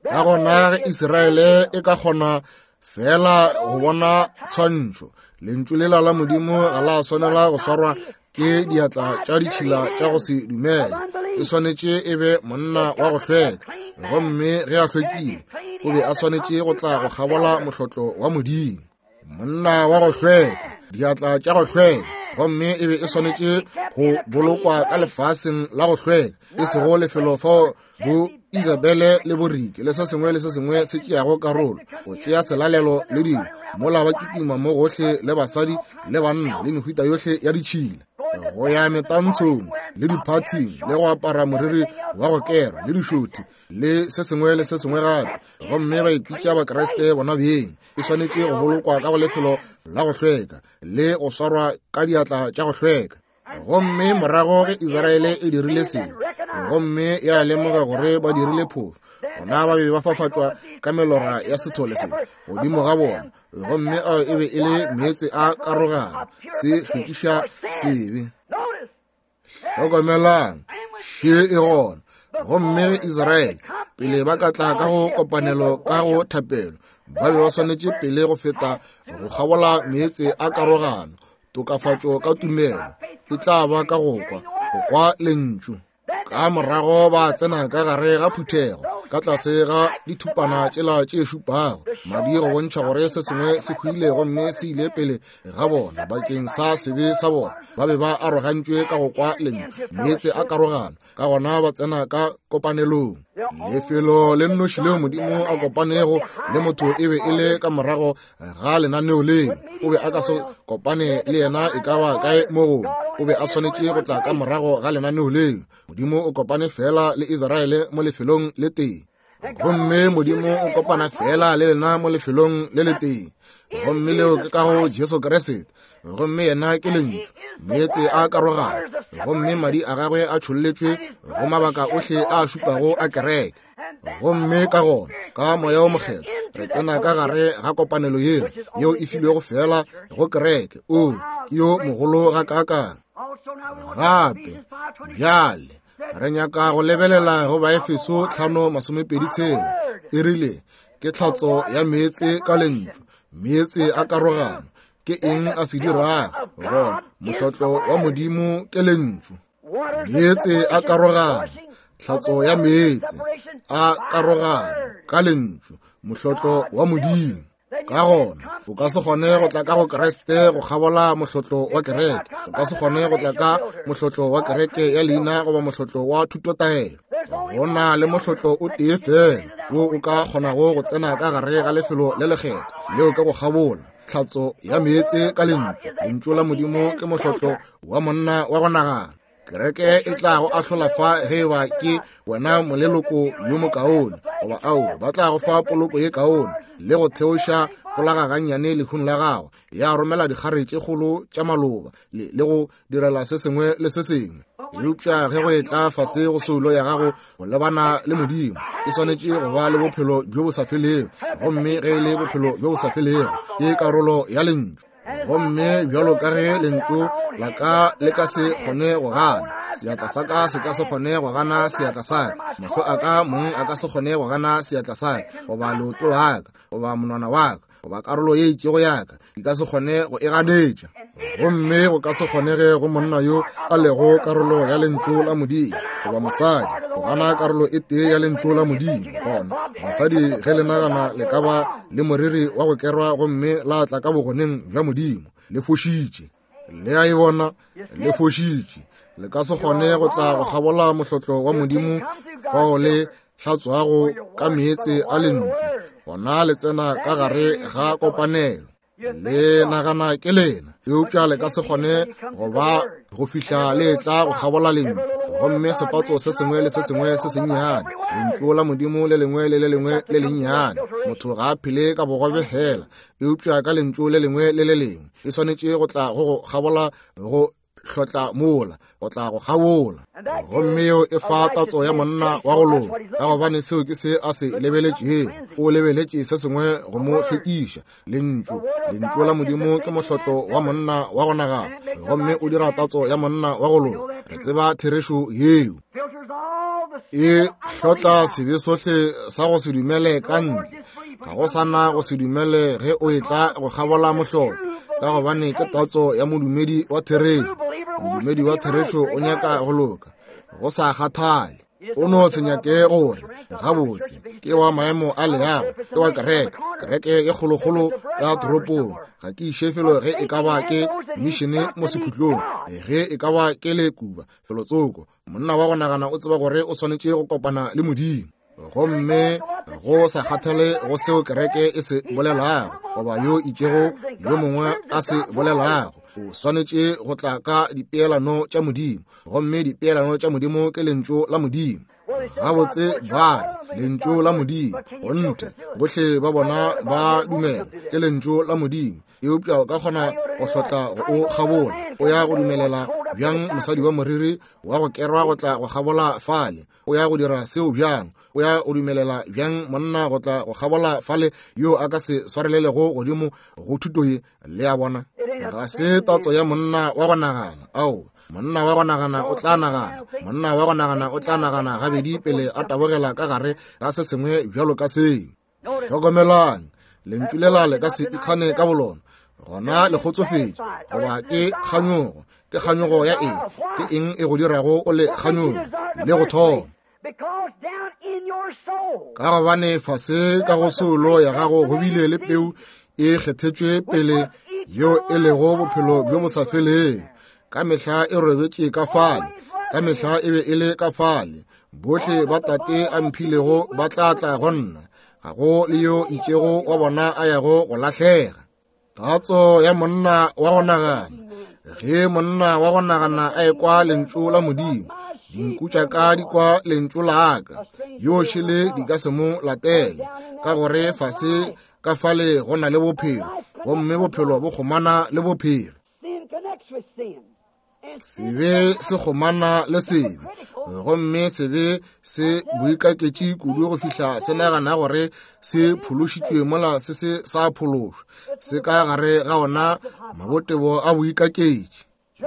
Ka gona ge Israele e ka kgona fela go bona tshwantšho, lentšu lela la Modimo ga la swanela go swarwa ke diatla tša ditšhila tša go se dumele. E swanetše e be monna wa go hlweka, gomme ge a hlwekile o be a swanetše go tla go kgabola mohlotlo wa Modimo. Monna wa go hlweka, diatla tša go hlweka, gomme e be e swanetše go bolokwa ka lefaseng la go hlweka, e sego lefelo fao bo Isabele le Borike le se sengwe le se sengwe se tšeago karolo, go tšea selalelo le dilo, mola ba kitima mo gohle le basadi le banna le mehuta yohle ya ditšhila, go ya metantshong le diphathing le go apara moriri wa go kerwa le dišothi le se sengwe le se sengwe gape, gomme ba ipitša Bakreste bona beng. E swanetše go bolokwa ka go lefelo la go hlweka le go swarwa ka diatla tša go hlweka. Gomme morago ge Israele e dirile se, gomme ya lemoga gore ba dirile phošo, gona ba be ba fafatšwa ka melora ya sethole se godimo ga bona, gomme ao e be e le meetse a karogano, se hlwekiša sebe. Hlokomelang, še e gona. Gomme ge Israele pele ba ka tla ka go kopanelo ka go thapelo, ba be ba swanetše pele go feta go kgabola meetse a karogano. Tokafatšo ka tumelo e tla ba ka go kwa, go kwa lentšu. Ka morago ba tsena ka gare ga phuthego ka tlase ga dithupana tšela tše šupago, madi go bontšha gore se sengwe se hwile gomme se ile pele ga bona bakeng sa sebe sa bona. Ba be ba arogantšwe ka go kwa lentšu, meetse a karogano, ka gona ba tsena ka kopanelong. Lefelo le nnoši leo Modimo a kopanego le motho e be e le ka morago ga lenaneo leo. O be a ka se kopane le yena e ka ba kae mo gongwe, o be a swanetše go tla ka morago ga lenaneo leo. Modimo o kopane fela le Israele mo lefelong le tee, gomme Modimo o kopana fela le lena mo lefelong le le tee, gomme leo ke ka go Jesu Kriste. Gomme yena ke lentšu, meetse a karogano, gomme madi a gagwe a tšholletšwe go mabaka ohle a šupago a kereke. Gomme ka gona ka Moya o Mokgethwa re tsena ka gare ga kopanelo yeo yeo e filwego fela go kereke. O ke yo mogolo ga kaakang. Gape bjale re nyaka go lebelela go Baefeso tlhano masomepedi tshela. E rile ke tlhatso ya meetse ka lentšu, meetse a karogano. Ke eng a se dirago? Gona mohlotlo wa Modimo ke lentšu. Meetse a karogano, tlhatso ya meetse a karogano ka lentšu, mohlotlo wa Modimo. Ka gona o ka se kgone go tla ka go Kriste go kgabola mohlotlo wa kereke, o ka se kgone go tla ka mohlotlo wa kereke ya leina goba mohlotlo wa thutotaelo. Go na le mohlotlo o tee fela wo o ka kgonago go tsena ka gare ga lefelo le lekgethwa, leo ke go kgabola tlhatso ya meetse ka lentšu. Lentšu la Modimo ke mohlotlo wa monna wa go nagana. Kereke e tla go ahlola fa ge ba ke wena moleloko yo mokaone goba ao, ba tla go fa poloko ye kaone le go theoša folaga gannyane lehung la gago, ya romela dikgare tše kgolo tša maloba le, le go direla se sengwe le se sengwe. Eupša ge go etla fase go soulo ya gago go lebana le Modimo, e swanetše go ba le bophelo bjo bo sa felego, gomme ge e le bophelo bjo bo sa felego ke karolo ya lentšu. Gomme bjalo ka ge lentšu la ka le ka se kgone go gana, seatla sa ka se ka se kgone go gana seatla sa ka, mahlo a ka mong a ka se kgone go gana seatla sa ka, goba leoto la ka, goba monwana wa ka, goba karolo ye itšego ya ka, di ka se kgone go e ganetša. Gomme go ka se kgonege go monna yo a lego karolo ya lentšu la Modimo goba mosadi go gana karolo e tee ya lentšu la Modimo. Gona basadi ge le nagana le ka ba le moriri wa go kerwa gomme la tla ka bogoneng bja Modimo, le fošitše. Le a e bona, le fošitše. Le ka se kgone go tla go kgabola mohlotlo wa Modimo fao le hlatswago ka meetse a lentšu, gona le tsena ka gare ga kopanelo. Le nagana ke lena, eupša le ka se kgone go ba go fihla le tla go kgabola lentšu. Gomme sepatso se sengwe le se sengwe se sennyane, lentšu la Modimo le lengwe le le lengwe le lennyane. Motho ga a phele ka bogobe fela, eupša ka lentšu le lengwe le le lengwe. E swanetše go tla go go kgabola go hlotla mola, go tla go kgabola. Gomme yeo e fa tatso ya monna wa go loka, ka gobane seo ke se a se lebeletšego. O lebeletše se sengwe go mo hlwekiša. Lentšu, lentšu la Modimo ke mohlotlo wa monna wa go nagana, gomme o dira tatso ya monna wa go loka. Re tseba therešo yeo. E hlotla sebe sohle sa go se dumele ka ntle. Ga go sana go se dumele ge o etla go kgabola mohlotlo, ka gobane ke tatso ya modumedi wa therešo. Modumedi wa therešo o nyaka go loka, go sa kgathale. O no se nyake gore gabotse ke wa maemo a leago, ke wa kereke, kereke e kgolokgolo ka toropong. Ga ke iše felo ge e ka ba ke mišene mo sekhutlong, ge e ka ba ke le Kuba felotsoko. Monna wa go nagana o tseba gore o swanetše go kopana le Modimo. Gomme go sa kgathale go seo kereke e se bolelago goba yo itšego yo mongwe a se bolelago, o swanetše go tla ka dipeelano tša Modimo. Gomme dipeelano tša Modimo ke lentšu la Modimo. Gabotse ba re lentšu la Modimo, gonthe bohle ba bona ba dumela ke lentšu la Modimo, eupša o ka kgona go hlotla go o kgabola. O ya go dumelela bjang mosadi wa moriri wa go kerwa go tla go kgabola fale? O ya go dira seo bjang? O ya go dumelela bjang monna go tla go kgabola fale yo a ka se swarelelego godimo go thuto ye? Le a bona, ga se tatso ya monna wa go nagana. Ao, monna wa go nagana o tla nagana, monna wa go nagana o tla nagana gabedi pele a tabogela ka gare ga se sengwe bjalo ka seo. Hlokomelang, lentšu lela le ka se ikgane ka bolona. Gona le kgotsofetše, goba ke kganyogo. Ke kganyogo ya eng? Ke eng e go dirago o le kganyogo le go thoma? Ka gobane fase ka go soulo ya gago go bile le peu e kgethetšwe pele yeo e lego bophelo bjo bo sa felego. Ka mehla e robetše ka fale, ka mehla e be e le ka fale. Bohle ba Tate a mphilego ba tla tla go nna, ga go le yo itšego wa bona a yago go lahlega. Tatso ya monna wa go nagana. Ge monna wa go nagana a ekwa lentšu la Modimo, dinku tša ka di kwa lentšu la ka, yo šele di ka se mo latele, ka gore fase ka fale go na le bophelo, gomme bophelo bo kgomana le bophelo. Sebe se kgomana le sebe, gomme sebe se boikaketše kudu go fihla se nagana gore se phološitšwe mola se se sa phološwa. Se ka gare ga ona mabotebo a boikaketše.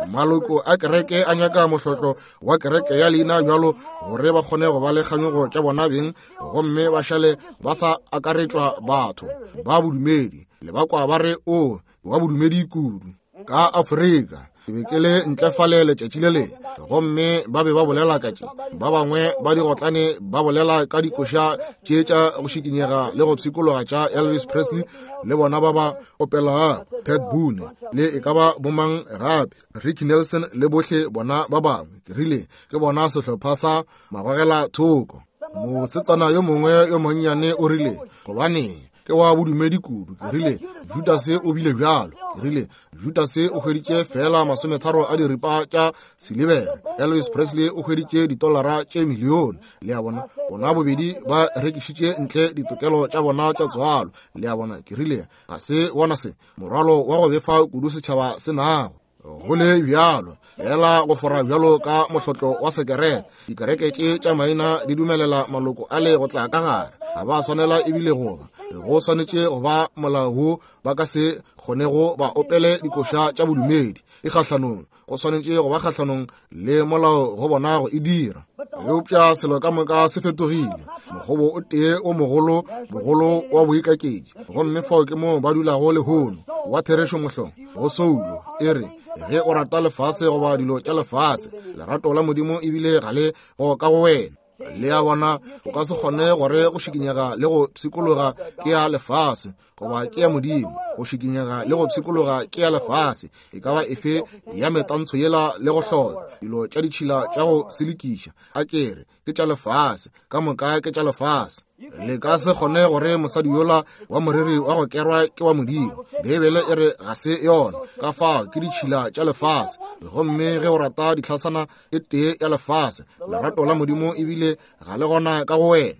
Maloko a kereke a nyaka mohlotlo wa kereke ya leina bjalo gore ba kgone go ba le kganyogo tša bona beng, gomme ba šale ba sa akaretšwa batho ba bodumedi. Le ba kwa ba re o wa bodumedi kudu. Ka Afrika ke be ke le ntle fale letšatši le lengwe, gomme ba be ba bolela ka tše. Ba bangwe ba digotlane ba bolela ka dikoša tše tša go šikinyega le go pshikologa tša Elvis Presley, le bona ba ba opelago Pat Boone le e ka ba bomang gape, Ricky Nelson le bohle bona ba bangwe. Ke rile ke bona sehlopha sa magogela thoko. Mosetsana yo mongwe yo monnyane o rile, gobane ke wa bodumedi kudu. Ke rile Judase o bile bjalo. Ke rile Judase o hweditše fela masometharo a diripa tša silibere, Elvis Presley o hweditše ditolara tše milione. Le a bona, bona bobedi ba rekišitše ntle ditokelo tša bona tša tswalo. Le a bona, ke rile ga se bona se morwalo wa go befa kudu setšhaba se nago. Go le bjalo fela go fora bjalo ka mohlotlo wa sekerete. Dikereke tše tša maina di dumelela maloko a le go tla ka gare. Ga ba swanela ebile go ba. Go swanetše go ba molao wo ba ka se kgonego ba opele dikoša tša bodumedi. E kgahlanong, go swanetše go ba kgahlanong le molao go bona go e dira. Eupša selo ka moka se fetogile. Mokgobo o tee o mogolo, bogolo wa boikaketši. Gomme fao ke moo ba dulago lehono, wa therešo mohlong, go soulo, e re, ge o rata lefase goba dilo tša lefase, lerato la Modimo ebile ga le go ka go wena. Le a bona, o ka se kgone gore go šikinyega le go pshikologa ke ya lefase goba ke ya Modimo. Go šikinyega le go pshikologa ke ya lefase, e ka ba efe ya metantsho yela le go hlola dilo tša ditšhila tša go selekiša, a kere ke tša lefase, ka moka ke tša lefase. Le ka se kgone gore mosadi yola wa moriri wa go kerwa ke wa Modimo. Beibele e re ga se yona, ka fao ke ditšhila tša lefase. Gomme ge o rata ditlhasana e tee ya lefase, lerato la Modimo ebile ga le gona ka go wena.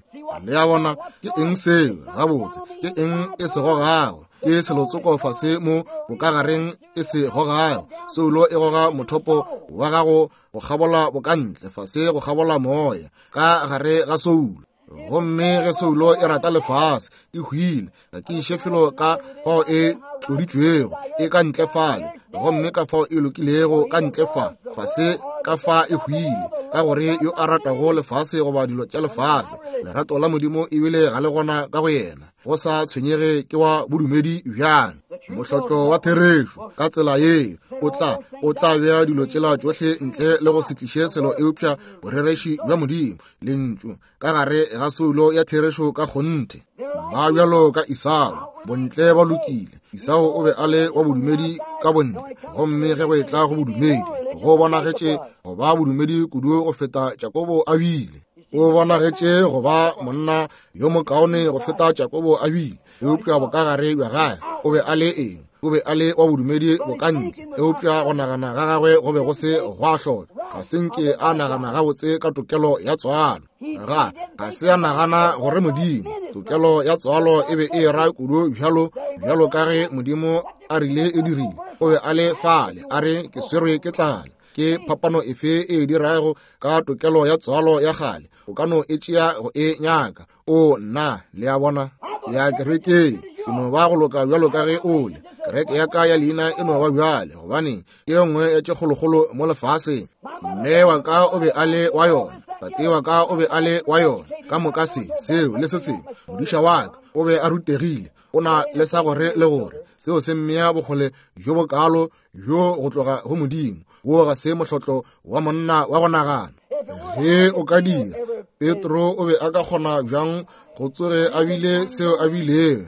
Le a bona, ke eng seo? Gabotse, ke eng e se gogago? Ke selotsoko fase mo bokagareng e se gogago. Soulo e goga mothopo wa gago go kgabola bokantle, fase go kgabola moya ka gare ga soulo. Gomme ge soulo e rata lefase, e hwile, ga ke iše felo ka fao e tloditšwego, e ka ntle fale, gomme ka fao e lokilego ka ntle fa, fase ka fa e hwile, ka gore yo a ratago lefase goba dilo tša lefase, lerato la Modimo ebile ga le gona ka go yena. Go sa tshwenyege ke wa bodumedi bjang. Mohlotlo wa therešo ka tsela ye o tla o tla bea dilo tšela tšohle ntle le go se tliše selo eupša borereši bja Modimo, lentšu ka gare ga soulo ya therešo ka kgonthe. Ba bjalo ka Esau, bontle ba lokile. Esau o be a le wa bodumedi ka bontle, gomme ge go etla go bodumedi, go bonagetše go ba bodumedi kudu go feta Jakobo a bile. O bonagetše go ba monna yo mokaone go feta Jakobo a bile, eupša bokagare bja gagwe o be a le eng? O be a le wa bodumedi bokantle, eupša go nagana ga gagwe go be go se gwa hlola. Ga se nke a nagana gabotse ka tokelo ya tswalo. Ga ga se a nagana gore Modimo tokelo ya tswalo e be e ra kudu bjalo bjalo ka ge Modimo a rile e dirile. O be a le fale, a re ke swerwe ke tlala. Ke phapano efe e dirago ka tokelo ya tswalo ya kgale? O ka no e tšea go e nyaka. O nna, le a bona, ya kerekeng e no ba go loka bjalo ka ge o le. Kereke ya ka ya leina e no ba bjale, gobane ke ye nngwe ya tše kgolokgolo mo lefaseng. Mme wa ka o be a le wa yona, tate wa ka o be a le wa yona, ka moka se, seo le se sengwe. Modiša wa ka o be a rutegile, o na le sa gore le gore seo se mmea bokgole bjo bokalo bjo go tloga go Modimo. Wo ga se mohlotlo wa monna wa go nagana. Ge o ka dira, Petro o be a ka kgona bjang go tsoge a bile seo a bilego,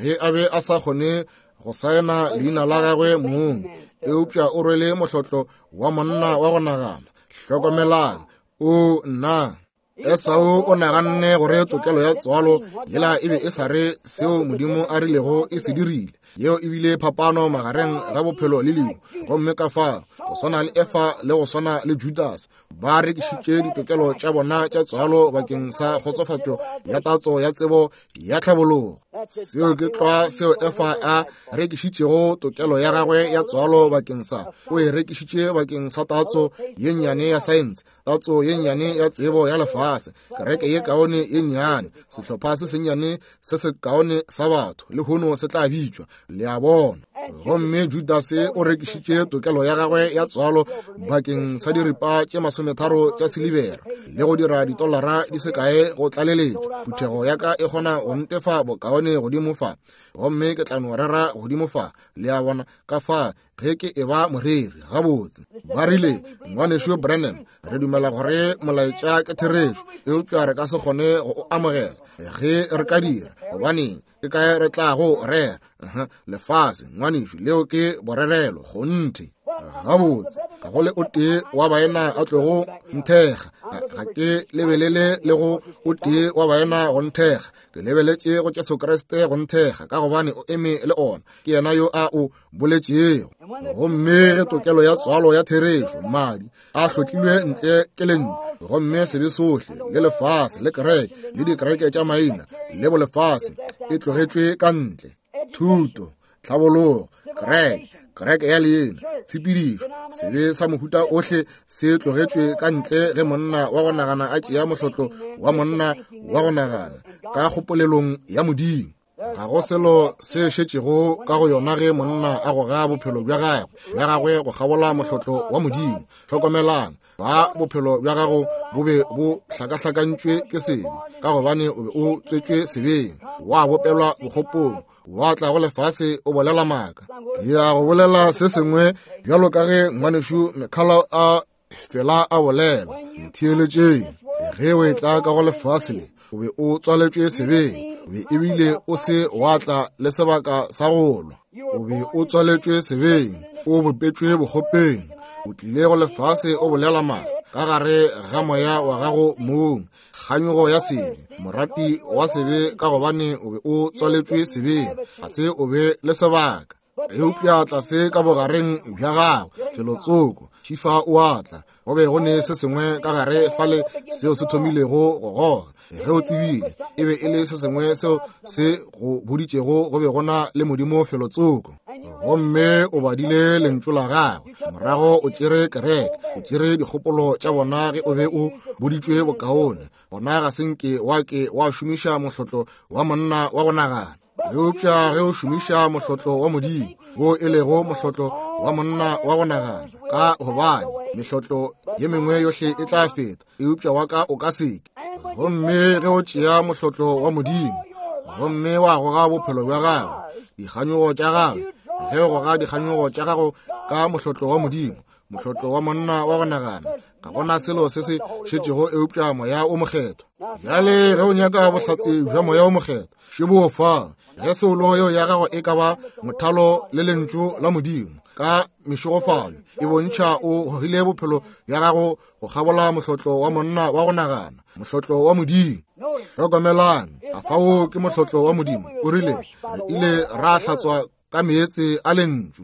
ge a be a sa kgone go saena leina la gagwe mong? Eupša o rwele mohlotlo wa monna wa go nagana. Hlokomelang, o nna. Esau o naganne gore tokelo ya tswalo yela e be e sa re seo Modimo a rilego e se dirile. Yeo ebile phapano magareng ga bophelo le lehu. Gomme ka fa go swana le Efa le go swana le Judas, ba rekišitše ditokelo tša bona tša tswalo bakeng sa kgotsofatšo ya tatso ya tsebo ya tlhabologo. Seo ke tlwa seo Efa a rekišitšego tokelo ya gagwe ya tswalo bakeng sa. O e rekišitše bakeng sa tatso ye nnyane ya saense, tatso ye nnyane ya tsebo ya lefase, kereke ye kaone ye nnyane, sehlopha se sennyane se se kaone sa batho lehono se tla bitšwa. Le a bona. Gomme Judase o rekišitše tokelo ya gagwe ya tswalo bakeng sa diripa tše masometharo tša silibera le go dira ditolara di se kae go tlaleletša. Phuthego ya ka e kgona go ntefa bokaone godimo fa, gomme ke tla no rera godimo fa. Le a bona, ka fa ge ke e ba moreri gabotse. Ba rile, ngwanešu Branham, re dumela gore molaetša ke therešo, eupša re ka se kgone go o amogela ge re ka dira, gobane ke kae re tla go rera? Lefase, ngwanešu, leo ke borerelo kgonthe. Gabotse, ga go le o tee wa baena a tlogo nthekga. Ga ke lebelele le go o tee wa baena go nthekga. Ke lebeletše go Jesu Kriste go nthekga, ka gobane o eme le ona. Ke yena yo a o boletšego. Gomme ge tokelo ya tswalo ya therešo, madi a hlotlilwe ntle ke lentšu, gomme sebe sohle le lefase le kereke le dikereke tša maina le bolefase e tlogetšwe ka ntle. Thuto, tlhabologo, kereke, Kereke ya leina, tshepedišo, sebe sa mohuta ohle se tlogetšwe ka ntle ge monna wa go nagana a tšea mohlotlo wa monna wa go nagana ka kgopolelong ya Modimo. Ga go selo se šetšego ka go yona ge monna a goga bophelo bja gagwe bja gagwe go kgabola mohlotlo wa Modimo. Hlokomelang, ba bophelo bja gago bo be bo hlakahlakantšwe ke sebe, ka gobane o be o tswetšwe sebeng, wa bopelwa bokgopong, wa tla go lefase o bolela maaka. Ke ya go bolela se sengwe bjalo ka ge ngwanešu Mekhala a fela a bolela. Ntheeletšeng, ge o etla ka go lefase le, o be o tswaletšwe sebeng, o be ebile o se wa tla le sebaka sa go lwa. O be o tswaletšwe sebeng, o bopetšwe bokgopeng, o tlile go lefase o bolela maaka ka gare ga moya wa gago mong, kganyogo ya sebe, morati wa sebe, ka gobane o be o tswaletšwe sebeng, ga se o be le sebaka. Eupša tlase ka bogareng bja gago felotsoko šifa o a tla, go be go ne se sengwe ka gare fale seo se thomilego go goga. Ge o tsebile e be e le se sengwe seo se go boditšego go be go na le Modimo felotsoko, gomme o badile lentšu la gagwe, morago o tšere kereke, o tšere dikgopolo tša bona ge o be o boditšwe bokaone. Gona ga se nke wa ke wa šomiša mohlotlo wa monna wa go nagana, eupša ge o šomiša mohlotlo wa Modimo, wo e lego mohlotlo wa monna wa go nagana, ka gobane mehlotlo ye mengwe yohle e tla feta, eupša wa ka o ka seke. Gomme ge o tšea mohlotlo wa Modimo gomme wa goga bophelo bja gago, dikganyogo tša gagwe, ge o goga dikganyogo tša gago ka mohlotlo wa Modimo, mohlotlo wa monna wa go nagana, ga gona selo se se šetšego eupša moya o mokgethwa. Bjale ge o nyaka bohlatse bja moya o mokgethwa, šebo fa. Ge soulo yeo ya gago e ka ba mothalo le lentšu la Modimo ka mešogofalo, e bontšha o gogile bophelo bja gago go kgabola mohlotlo wa monna wa go nagana, mohlotlo wa Modimo. Hlokomelang, a fao ke mohlotlo wa Modimo. O rile re ile ra hlatswa ka meetse a lentšu.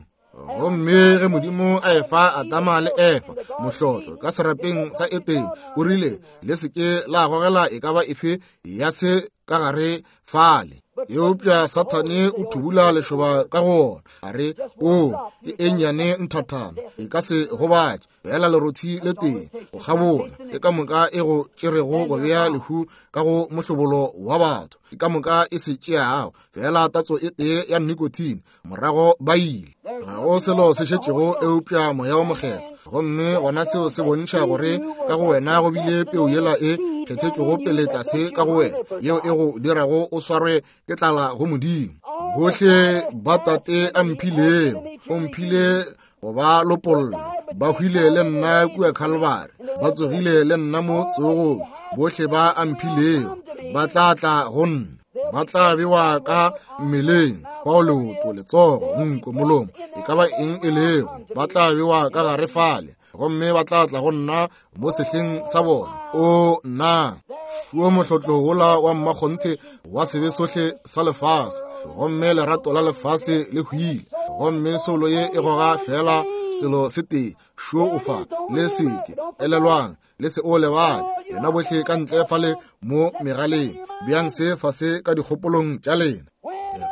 Gomme ge Modimo a efa Adama le Efa mohlotlo ka serapeng sa Etene, o rile le se ke la gogela e ka ba efe ya se ka gare fale. Eupša Sathane o thubula lešoba ka go ona, a re, o ke e nnyane nthathana, e ka se gobatše, fela lerothi le tee go kgabola, ke ka moka e go tšerego go bea lehu ka go mohlobolo wa batho, ke ka moka e se tšeago, fela tatso e tee ya nicotine, morago ba ile. Ga go selo se šetšego eupša moya o mokgethwa. Gomme gona seo se bontšha gore ka go wena go bile peu yela e kgethetšwego pele tlase ka go wena, yeo e go dirago o swarwe ke tlala go Modimo. Bohle ba Tate a mphilego, o mphile go ba lopolla, ba hwile le nna kua Calvary, ba tsogile le nna mo tsogong. Bohle ba a mphilego ba tla tla go nna, ba tla bewa ka mmeleng, bao leoto, letsogo, nko, molomo, e ka ba eng e lego, ba tla bewa ka gare fale, gomme ba tla tla go nna mo sehleng sa bona. O nna šuo mohlotlo wola wa mmakgonthe wa sebe sohle sa lefase, gomme lerato la lefase le hwile, gomme soulo ye e goga fela selo se tee, šuo o fa, le seke elelwang, le se o lebale, lena bohle ka ntle fale mo megaleng, bjang se fase ka dikgopolong tša lena.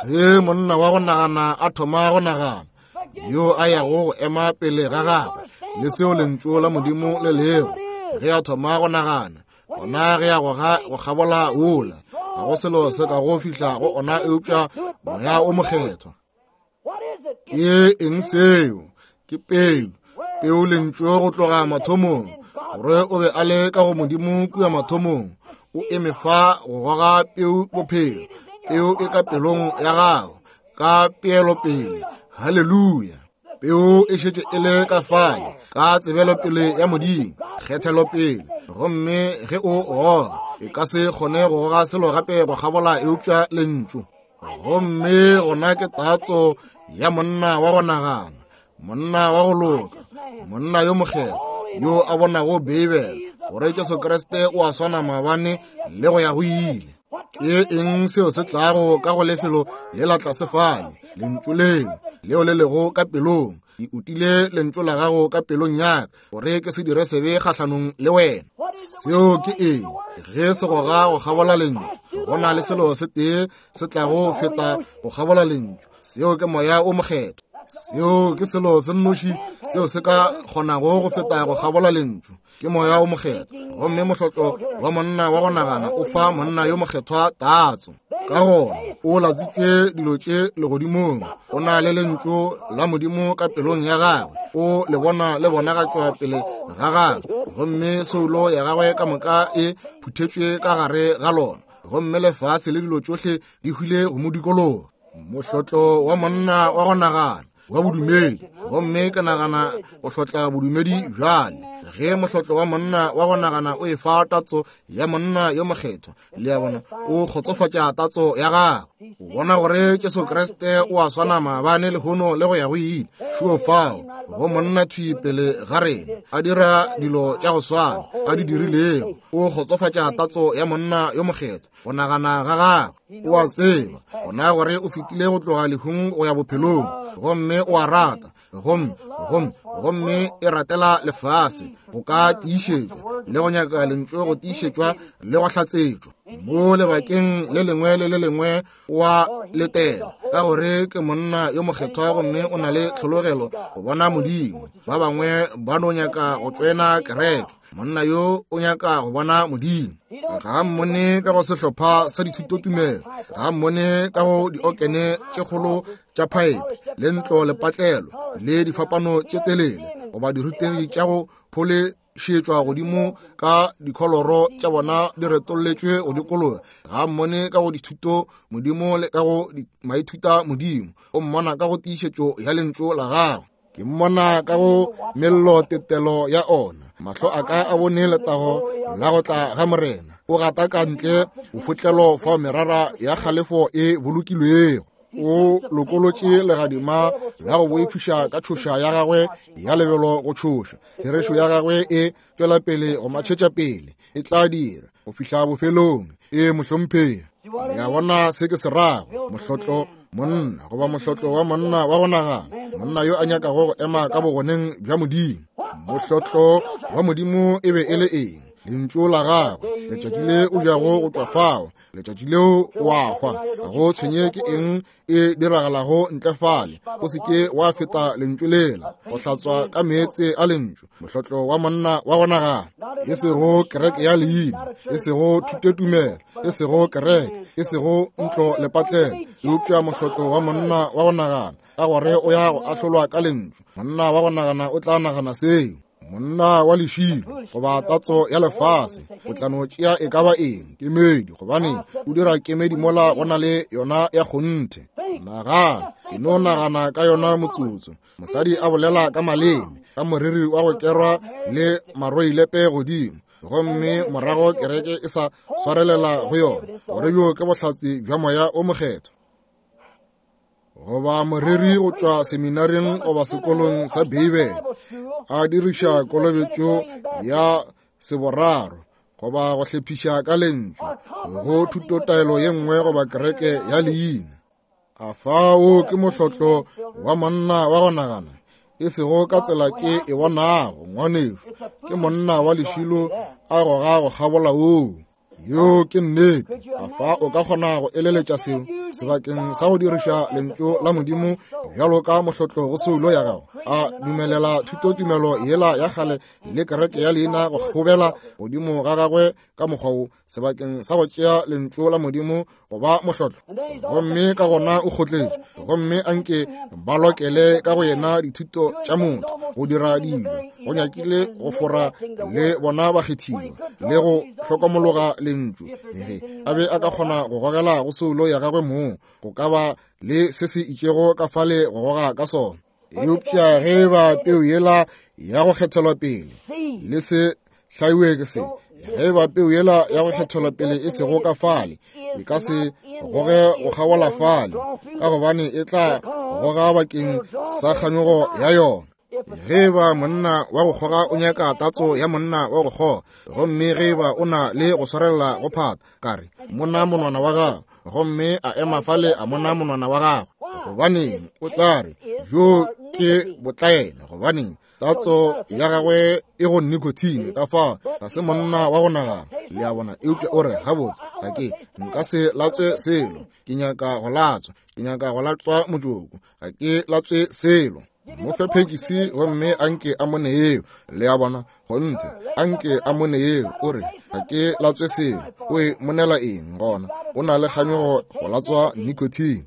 Ge monna wa go nagana a thoma go nagana, yo a yago go ema pele ga gagwe le seo lentšu la Modimo le lego, ge a thoma go nagana, gona ge a goga go kgabola wola, ga go selo se ka go fihla go ona eupša moya o mokgethwa. Ke eng seo? Ke peu, peu lentšu go tloga mathomong, gore o be a le ka go Modimo kua mathomong, o eme fa go goga peu bophelo, peu e ka pelong ya gago ka peelopele. Haleluya! Peu e šetše e le ka fale ka tsebelopele ya Modimo, kgethelopele. Gomme ge o goga, e ka se kgone go goga selo gape go kgabola eupša lentšu. Gomme gona ke tatso ya monna wa go nagana, monna wa go loka, monna yo mokgethwa, yo a bonago Beibele gore Jesu Kriste o a swana maabane le go ya go ile. Ke eng seo se tlago ka go lefelo le la tlase fale? Lentšu leo, leo le lego ka pelong. Ke utile lentšu la gago ka pelong ya ka, gore ke se dire sebe kgahlanong le wena. Seo ke eng? Ge se goga go kgabola lentšu, go na le selo se tee se tlago feta go kgabola lentšu, seo ke moya o mokgethwa. Seo ke selo se nnoši seo se ka kgonago go feta go kgabola lentšu, ke Moya o Mokgethwa. Gomme mohlotlo wa monna wa go nagana o fa monna yo mokgethwa tatso. Ka gona o latsitše dilo tše legodimong, o na le lentšu la Modimo ka pelong ya gagwe, o le bona le bonagatšwa pele ga gagwe, gomme soulo ya gagwe ka moka e phuthetšwe ka gare ga lona, gomme lefase le dilo tšohle di hwile go mo dikologa. Mohlotlo wa monna wa go nagana wa bodumedi, gomme ke nagana go hlotla bodumedi bjale. Ge mohlotlo wa monna wa go nagana o e fa tatso ya monna yo mokgethwa, le a bona, o kgotsofatša tatso ya gagwe. O bona gore Jesu Kriste o a swana maabane, lehono le go ya go ile. Šuo fao go monna thwi pele ga rena, a dira dilo tša go swana a di dirilego. O kgotsofatša tatso ya monna yo mokgethwa, go nagana ga gagwe. O a tseba gona gore o fetile go tloga lehung go ya bophelong, gomme o a rata, gomme gomme gomme e ratela lefase go ka tiišetšwa le go nyaka lentšu go tiišetšwa le go hlatsetšwa. Mo lebakeng le lengwe le le lengwe wa letela, ka gore ke monna yo mokgethwa gomme o na le tlhologelo go bona Modimo. Ba bangwe ba no nyaka go tswena kereke, monna yo o nyaka go bona Modimo. Ga mmone ka go sehlopha sa dithutotumelo, ga mmone ka go diokene tše kgolo tša phaepe le ntlo lepatlelo le difapano tše telele, goba dirutegi tša go pholešetšwa godimo ka dikholoro tša bona di retolletšwe go dikologa. Ga mmone ka go dithuto Modimo le ka go maithuta Modimo, o mmona ka go tiišetšo ya lentšu la gagwe. Ke mmona ka go mello tetelo ya ona. Mahlo a ka a bone letago la go tla ga Morena. O gata ka ntle bofotlelo fao merara ya kgalefo e bolokilwego. O lokolotše legadima la go boifiša ka tšhoša ya gagwe ya lebelo go tšhoša. Therešo ya gagwe e tšwela pele go matšhetša pele, e tla dira go fihla bofelong. E mohlomphegi, ya bona se ke se rago, mohlotlo monna goba mohlotlo wa monna wa go nagana, monna yo a nyakago go ema ka bogoneng bja Modimo. Mohlotlo wa Modimo e be e le eng? Lentšu la gagwe. Letšatši le o jago go tšwa fao, letšatši leo o a hwa. Ga go tshwenye ke eng e diragalago ntle fale, o se ke wa feta lentšu lela, go hlatswa ka meetse a lentšu. Mohlotlo wa monna wa go nagana, e sego kereke ya leina, e sego thutotumelo, e sego kereke, e sego ntlo lepatlelo, eupša mohlotlo wa monna wa go nagana, ka gore o ya go ahlolwa ka lentšu. Monna wa go nagana o tla nagana seo. Monna wa lešilo goba tatso ya lefase o tla no tšea e ka ba eng kemedi, gobane o dira kemedi mola go na le yona ya kgonthe. Nagana, e no nagana ka yona motsotso. Mosadi a bolela ka maleme, ka moriri wa go kerwa le maroilepe godimo, gomme morago kereke e sa swarelela go yona, gore bjo ke bohlatse bja Moya o Mokgethwa. Goba moreri go tšwa seminaring goba sekolong sa Beibele a diriša kolobetšo ya seboraro goba go hlephiša ka lentšu go thutotaelo ye nngwe goba kereke ya leina. A fao ke mohlotlo wa monna wa go nagana, e sego ka tsela ke e bonago, ngwanešu. Ke monna wa lešilo a goga go kgabola woo. Yo ke nnete. A fa o ka kgona go eleletša seo sebakeng sa go diriša lentšu la Modimo bjalo ka mohlotlo go soulo ya gago, a dumelela thutotumelo yela ya kgale le kereke ya leina go kgobela godimo ga gagwe ka mokgwa wo, sebakeng sa go tšea lentšu la Modimo go ba mohlotlo. Gomme ka gona o kgotletše, gomme anke ba lokele ka go yena dithuto tša motho go dira dilo, go nyakile go fora le bona bakgethiwa le go hlokomologa lentšu. Ge a be a ka kgona go gogela go soulo ya gagwe mong, go ka ba le se se itšego ka fale go goga ka sona. Eupša ge ba peu yela ya go kgethelwa pele le se hlaiwe ke se, ge ba peu yela ya go kgethelwa pele e sego ka fale, e ka se goge go kgabola fale, ka gobane e tla goga bakeng sa kganyogo ya yona. Ge ba monna wa go kgoga o nyaka tatso ya monna wa go kgoga, gomme ge ba o na le go swarelela go phata, ka re monna monwana wa gagwe, gomme a ema fale a mona monwana wa gagwe, gobaneng o tla re jo ke botlaela, gobaneng tatso ya gagwe e go nicotine. Ka fao ga se monna wa go nagana. Le a bona? Eupša o re, gabotse, ga ke, nka se latswe selo. Ke nyaka go latswa, ke nyaka go latswa motšoko. Ga ke latswe selo. Mo fe phekisi gomme a nke a mone yeo. Le a bona? Kgonthe, a nke a mone yeo. O re, ga ke latswe selo. O e monela eng gona? O na le kganyogo go latswa nicotine.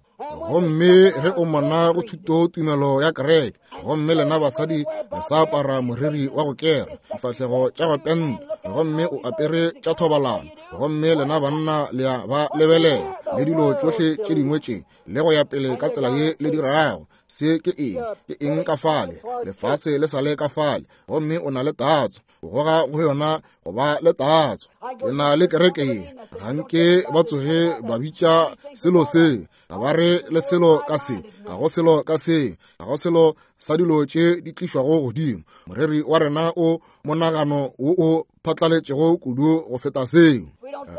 Gomme ge o mona go thuto tumelo ya kereke, gomme lena basadi le sa apara moriri wa go kera, difahlego tša go penta, gomme o apere tša thobalano, gomme lena banna le a ba lebelela, le dilo tšohle tše dingwe tše, le go ya pele ka tsela ye le dirago. Se ke eng? Ke eng ka fale? Lefase le sa le ka fale, gomme o na le tatso. O goga go yona go ba le tatso. Ke na le kereke ye, ga nke ba tsoge ba bitša selo se, ga ba re le selo ka se, ga go selo ka se, ga go selo sa dilo tše di tlišwago godimo. Moreri wa rena o monagano wo o phatlaletšego kudu go feta seo.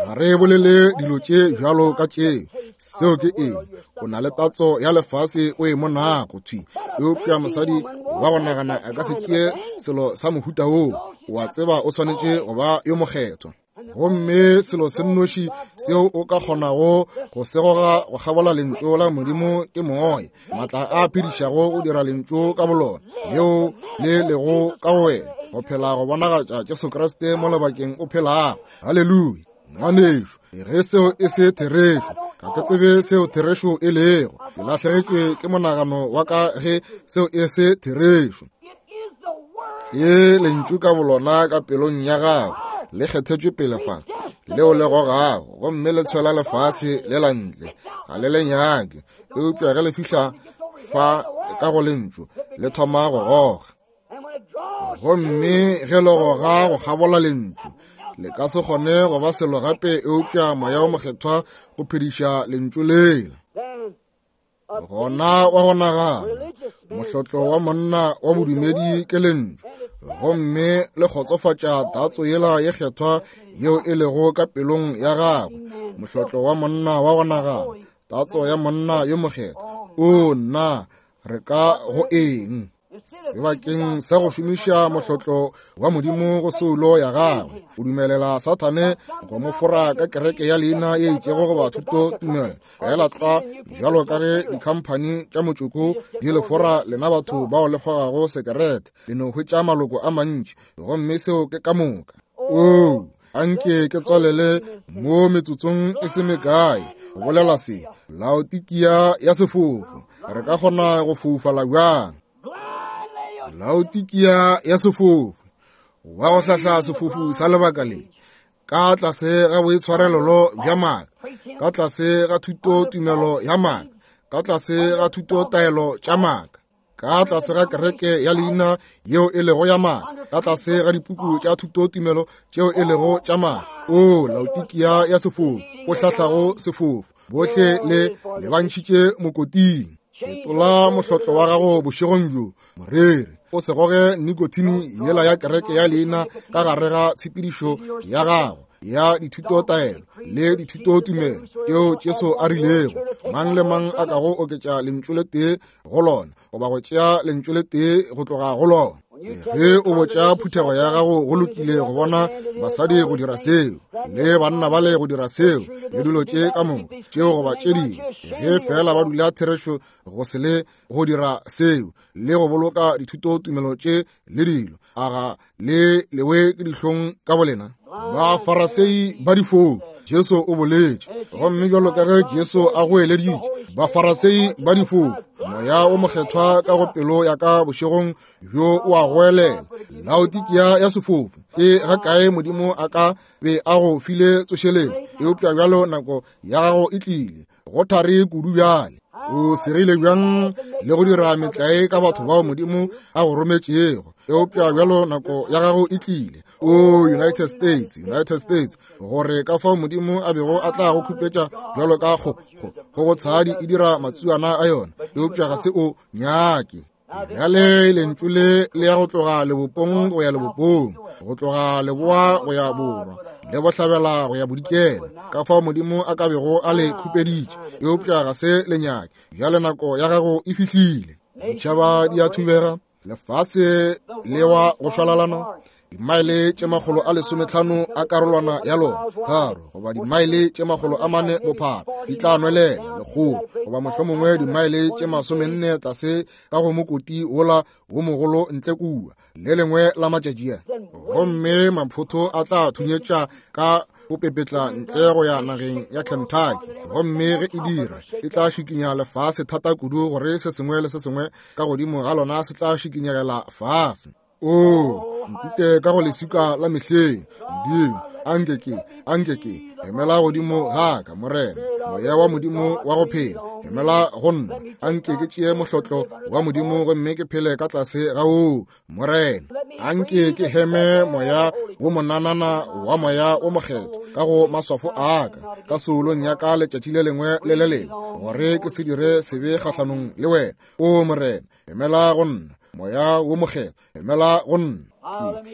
Ga re bolele dilo tše bjalo ka tše. Seo ke eng? O na le tatso ya lefase o e monago thwi. Eupša mosadi wa go nagana a ka se tšee selo sa mohuta woo. O a tseba o swanetše go ba yo mokgethwa. Gomme selo se nnoši seo o ka kgonago go se goga go kgabola lentšu la Modimo ke moya, maatla a phedišago go dira lentšu ka bolona leo le lego ka go wena, go phela go bonagatša Jesu Kriste mo lebakeng o phelago. Haleluya! Ngwanešu, ge seo e se therešo, ga ke tsebe seo therešo e lego. Ke lahlegetšwe ke monagano wa ka ge seo e se therešo. Ke lentšu ka bolona ka pelong ya gago, le kgethetšwe pele fa, leo le gogago, gomme le tshwela lefase le la ntle. Ga le le nyake, eupša ge le fihla fa ka go lentšu, le thoma go goga. Gomme ge le goga go kgabola lentšu, le ka se kgone go ba selo gape eupša moya o mokgethwa go phediša lentšu lela. Gona wa go nagana, mohlotlo wa monna wa bodumedi ke lentšu, gomme le kgotsofatša tatso yela ye kgethwa yeo e lego ka pelong ya gagwe. Mohlotlo wa monna wa go nagana, tatso ya monna yo mokgethwa. O nna, re ka go eng? Sebakeng sa go šomiša mohlotlo wa Modimo go soulo ya gagwe, o dumelela Sathane go mo fora ka kereke ya leina ye itšego goba thuto tumelo. Fela tlwa bjalo ka ge dikhamphani tša motšoko di le fora lena batho bao le kgogago sekerete, le no hwetša maloko a mantši, gomme seo ke ka moka. Oo, anke ke tswalele mo metsotsong e se mekae go bolela se. Laodikia ya sefofu, re ka kgona go foufala bjang? Laodikia ya sefofu, wa go hlahla sefofu sa lebaka le, ka tlase ga boitshwarelelo bja maaka, ka tlase ga thuto tumelo ya maaka, ka tlase ga thuto taelo tša maaka, ka tlase ga kereke ya leina yeo e lego ya maaka, ka tlase ga dipuku tša thuto tumelo tšeo e lego tša maaka. O Laodikia ya sefofu, o hlahlago sefofu, bohle le lebantšhitše mokoting. Fetola mohlotlo wa gago bošegong bjo, moreri. O se goge nikotini yela ya kereke ya leina ka gare ga tshepedišo ya gago ya dithuto taelo le dithuto tumelo tšeo Jesu a rilego mang le mang a kago oketša lentšu le tee go lona goba go tšea lentšu le tee go tloga go lona. Ge o botša phuthego ya gago go lokile go bona basadi go dira seo le banna ba le go dira seo le dilo tše ka moka tšeo goba tše dingwe, ge fela ba dula therešo go se le go dira seo le go boloka dithuto tumelo tše le dilo, a ga le lewe ke dihlong ka bolena? Bafarasei ba difofu, Jesu o boletše, gomme bjalo ka ge Jesu a goeleditše, bafarasei ba difofu, moya o mokgethwa ka go pelo ya ka bošegong bjo o a goelela. Laodikia ya sefofu, ke ga kae Modimo a ka be a go file tsošeletšo, eupša bjalo nako ya gago e tlile, go thari kudu bjale. O segile bjang le go dira metlae ka batho bao Modimo a go rometšego, eupša bjalo nako ya gago e tlile. O United States, United States, gore ka fao Modimo a bego a tla go khupetša bjalo ka go go go tshadi e dira matsuana a yona, eupša ga se o nyake. Bjale lentšu le le ya go tloga lebopong go ya lebopong, go tloga leboa go ya borwa, le bohlabela go ya bodikela, ka fao Modimo a ka bego a le khupeditše, eupša ga se le nyake. Bjale nako ya gago e fihlile. Ditšhaba di a thubega, Lefase le wa go šwalalana, dimaele tše makgolo a lesometlhano a karolwana ya lona, tharo goba dimaele tše makgolo a mane bophara, di tla nwelela lekgolo goba mohlomongwe dimaele tše masomenne tlase ka go mokoti wola wo mogolo ntle kua le lengwe la matšatši a. Gomme maphotho a tla thunyetša ka go pepetla ntle go ya nageng ya Kentucky, gomme ge e dira e tla šikinya lefase thata kudu gore se sengwe le se sengwe ka godimo ga lona se tla šikinyegela fase. O nkute ka go leswika la mehleng, Modimo, anke ke, anke ke emela godimo ga ka, Morena, moya wa Modimo wa go phela, emela go nna, anke ke tšee mohlotlo wa Modimo gomme ke phele ka tlase ga woo, Morena. Anke ke heme moya wo monanana wa moya wo mokgethwa ka go maswafo a ka, ka soulong ya ka letšatši le lengwe le le lengwe, gore ke se dire sebe kgahlanong le wena. O Morena, emela go nna, moya wo mokgethwa, emela go nna.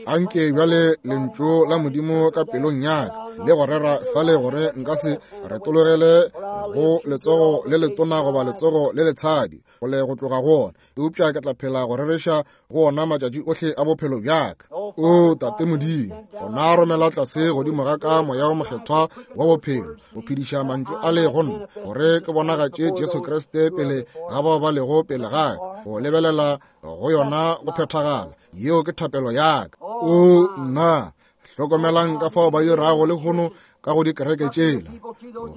Anke bjale lentšu la Modimo ka pelong ya ka le go rera fale, gore nka se retologele go letsogo le letona goba letsogo le letshadi go le go tloga go ona, eupša ke tla phela go rereša go ona matšatši ohle a bophelo bja ka. O Tate Modimo, gona romela tlase godimo ga ka moya wo mokgethwa wa bophelo go phediša mantšu a le go nna, gore ke bonagatše Jesu Kriste pele ga bao ba lego pele ga ka, go lebelela go yona go phethagala. Yeo ke thapelo ya ka. O nna, hlokomelang ka fao ba dirago lehono ka go dikereke tšela,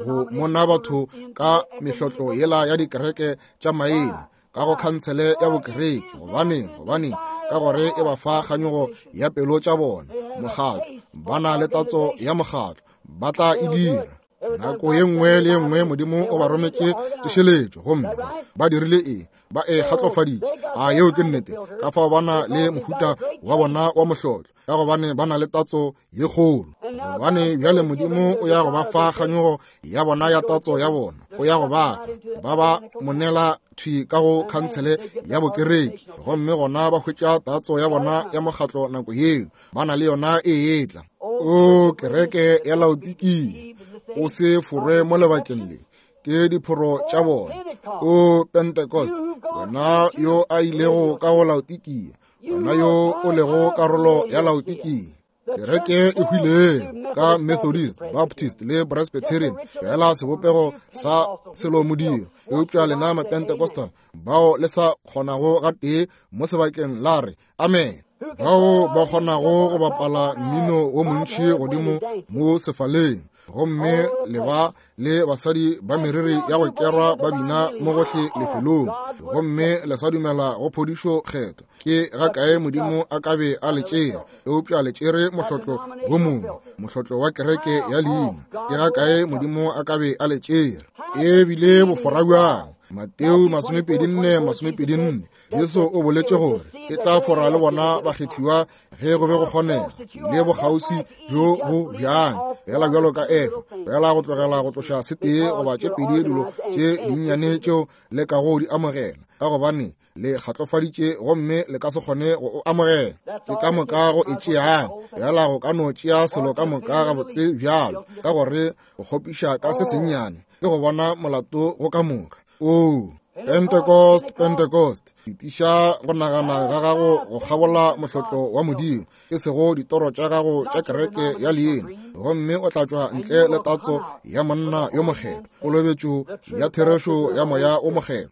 go mona batho ka mehlotlo yela ya dikereke tša maina, ka go khansele ya bokereke. Gobane, gobane ka gore e ba fa kganyogo ya pelo tša bona, mokgatlo, ba na le tatso ya mokgatlo, ba tla e dira. Nako ye nngwe le ye nngwe Modimo o ba rometše tsošeletšo, gomme ba dirile eng? Ba e kgatlofaditše. A yeo ke nnete? Ka fao ba na le mohuta wa bona wa mohlotlo, ka gobane ba na le tatso ye kgolo. Gobane bjale Modimo o ya go ba fa kganyogo ya bona ya tatso ya bona, o ya go ba fa ba ba monela thwi ka go khansele ya bokereke, gomme gona ba hwetša tatso ya bona ya mokgatlo nako yeo ba na le yona e etla. O kereke ya Laodikia, o se forwe mo lebakeng le, ke diphoro tša bona. O Pentecost, wena yo a ilego ka go Laodikia, wena yo o lego karolo ya Laodikia, kereke e hwileng ka Methodist, Baptist le Presbyterian, fela sebopego sa selo modiro. Eupša lena Mapentecostal bao le sa kgonago gatee mo sebakeng la re amen, bao ba kgonago go bapala mmino wo montši godimo mo sefaleng, gomme le ba le basadi ba meriri ya go kerwa ba bina mo gohle lefelong, gomme le sa dumela go phodišo kgetho, ke ga kae Modimo a ka be a le tšere? Eupša le tšere mohlotlo wo mongwe, mohlotlo wa kereke ya leina. Ke ga kae Modimo a ka be a le tšere? E bile bofora bjang? Mateo masomepedi nne masomepedi nne, Jesu o boletše gore e tla fora le bona bakgethiwa ge go be go kgonega, le bokgauswi bjo bo bjang, fela bjalo ka Efa, fela go tlogela go tloša setee goba tše pedi dilo tše dinnyane tšeo le kago di amogela, ka gobane le kgatlofaditše gomme le ka se kgone go o amogela. Ke ka moka go e tšeang, fela go ka no tšea selo ka moka gabotse bjalo, ka gore go kgopiša ka se sennyane ke go bona molato go ka moka. O Pentecost, Pentecost, itiša go nagana ga gago go kgabola mohlotlo wa Modimo, e sego ditoro tša gago tša kereke ya leina, gomme o tla tšwa ntle le tatso ya monna yo mokgethwa, kolobetšo ya therešo ya moya o mokgethwa.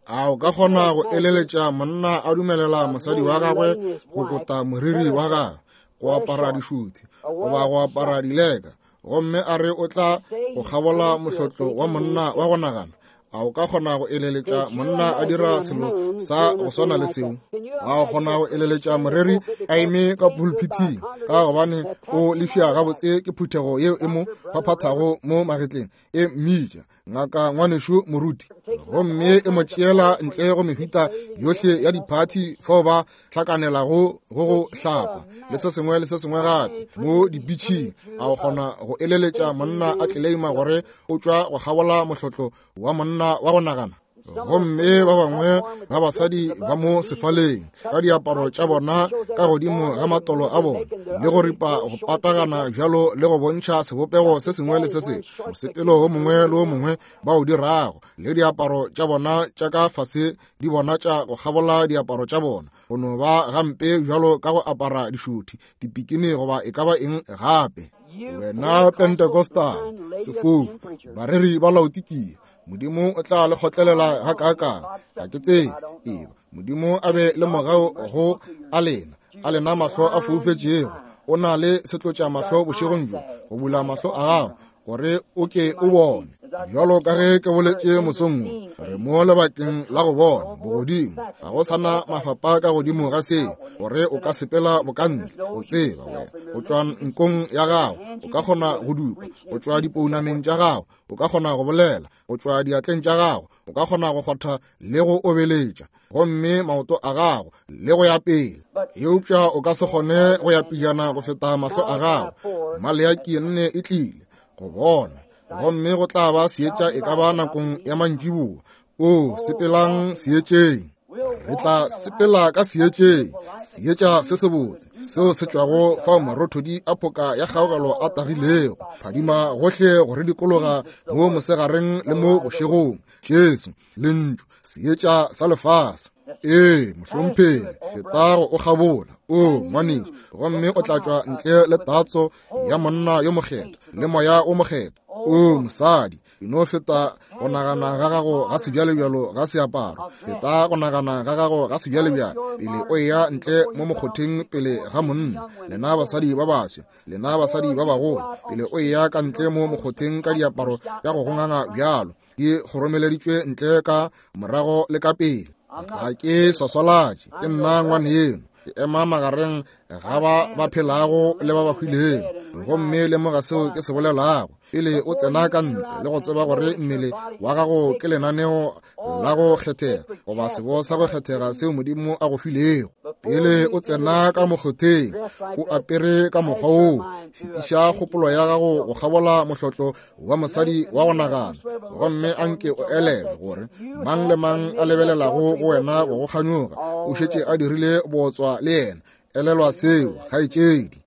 A o ka kgona go eleletša monna a dumelela mosadi wa gagwe go kota moriri wa gagwe, go apara dišuthi goba go apara dileka, gomme a re o tla go kgabola mohlotlo wa monna wa go nagana? A o ka kgona go eleletša monna a dira selo sa go swana le seo? A o kgona go eleletša moreri a eme ka pulpiting, ka gobane o lefša gabotse ke phuthego yeo e mo phaphathago mo magetleng, e mmitša ngaka ngwanešu moruti, gomme e mo tšeela ntle go mehuta yohle ya diphathi fao ba hlakanelago go go hlapa le se sengwe le se sengwe gape mo dibitšhing? A o kgona go eleletša monna a tleleima gore o tšwa go kgabola mohlotlo wa monna wa go nagana? Gomme ba bangwe ba basadi ba mo sefaleng ka diaparo tša bona ka godimo ga matolo a bona, le go ripa go patagana bjalo le go bontšha sebopego se sengwe le se sengwe, mosepelo wo mongwe le wo mongwe ba o dirago, le diaparo tša bona tša ka fase di bona tša go kgabola diaparo tša bona, go no ba gampe bjalo ka go apara dišuthi, dipikini goba e ka ba eng gape. Wena Pentecostal, sefofu, bareri ba Laodikia, Modimo o tla le kgotlelela gakaakang? Ga ke tsebe. Eba Modimo a be le mogau go a lena, a lena mahlo a foufetšego. O na le setlotša mahlo bošegong bjo go bula mahlo a gago gore o ke o bone. Bjalo ka ge ke boletše mosong wo, re mo lebakeng la go bona bogodimo. Ga go sana mafapa ka godimo ga seo gore o ka sepela bokantle. O tseba wena go tšwa nkong ya gago o ka kgona go dupa, go tšwa dipounameng tša gago o ka kgona go bolela, go tšwa diatleng tša gago o ka kgona go kgotha le go obeletša, gomme maoto a gago le go ya pele. Eupša o ka se kgone go ya pejana go feta mahlo a gago. Maleaki nne e tlile go bona, gomme go tla ba seetša e ka ba nakong ya mantšiboa. O sepelang seetšeng. Re tla sepela ka seetšeng, seetša se sebotse seo se tšwago fao marothodi a phoka ya kgaogelo a tagilego, phadima gohle go re dikologa mo mosegareng le mo bošegong. Jesu, lentšu, seetša sa lefase. Ee, mohlomphegi, feta go o kgabola, o ngwanešu, gomme o tla tšwa ntle le tatso ya monna yo mokgethwa le moya o mokgethwa. O mosadi, e no feta go nagana ga gago ga sebjalebjalo ga seaparo, feta go nagana ga gago ga sebjalebjalo pele o eya ntle mo mokgotheng pele ga monna. Lena basadi ba baswa, lena basadi ba bagolo, pele o eya ka ntle mo mokgotheng ka diaparo tša go gonganga bjalo di kgoromeleditšwe ntle ka morago le ka pele. Ga ke swaswalatše, ke nna ngwaneno, ke ema magareng ga ba ba phelago le ba ba hwilego, gomme lemoga seo ke se bolelago pele o tsena ka ntle, le go tseba gore mmele wa gago ke lenaneo la go kgethega goba sebo sa go kgethega seo Modimo a go filego. Pele o tsena ka mokgotheng o apere ka mokgwa woo, fetiša kgopolo ya gago go kgabola mohlotlo wa mosadi wa go nagana, gomme anke o elelwe gore mang le mang a lebelelago go wena go go kganyoga o šetše a dirile bootswa le yena. Elelwa seo, kgaetšedi.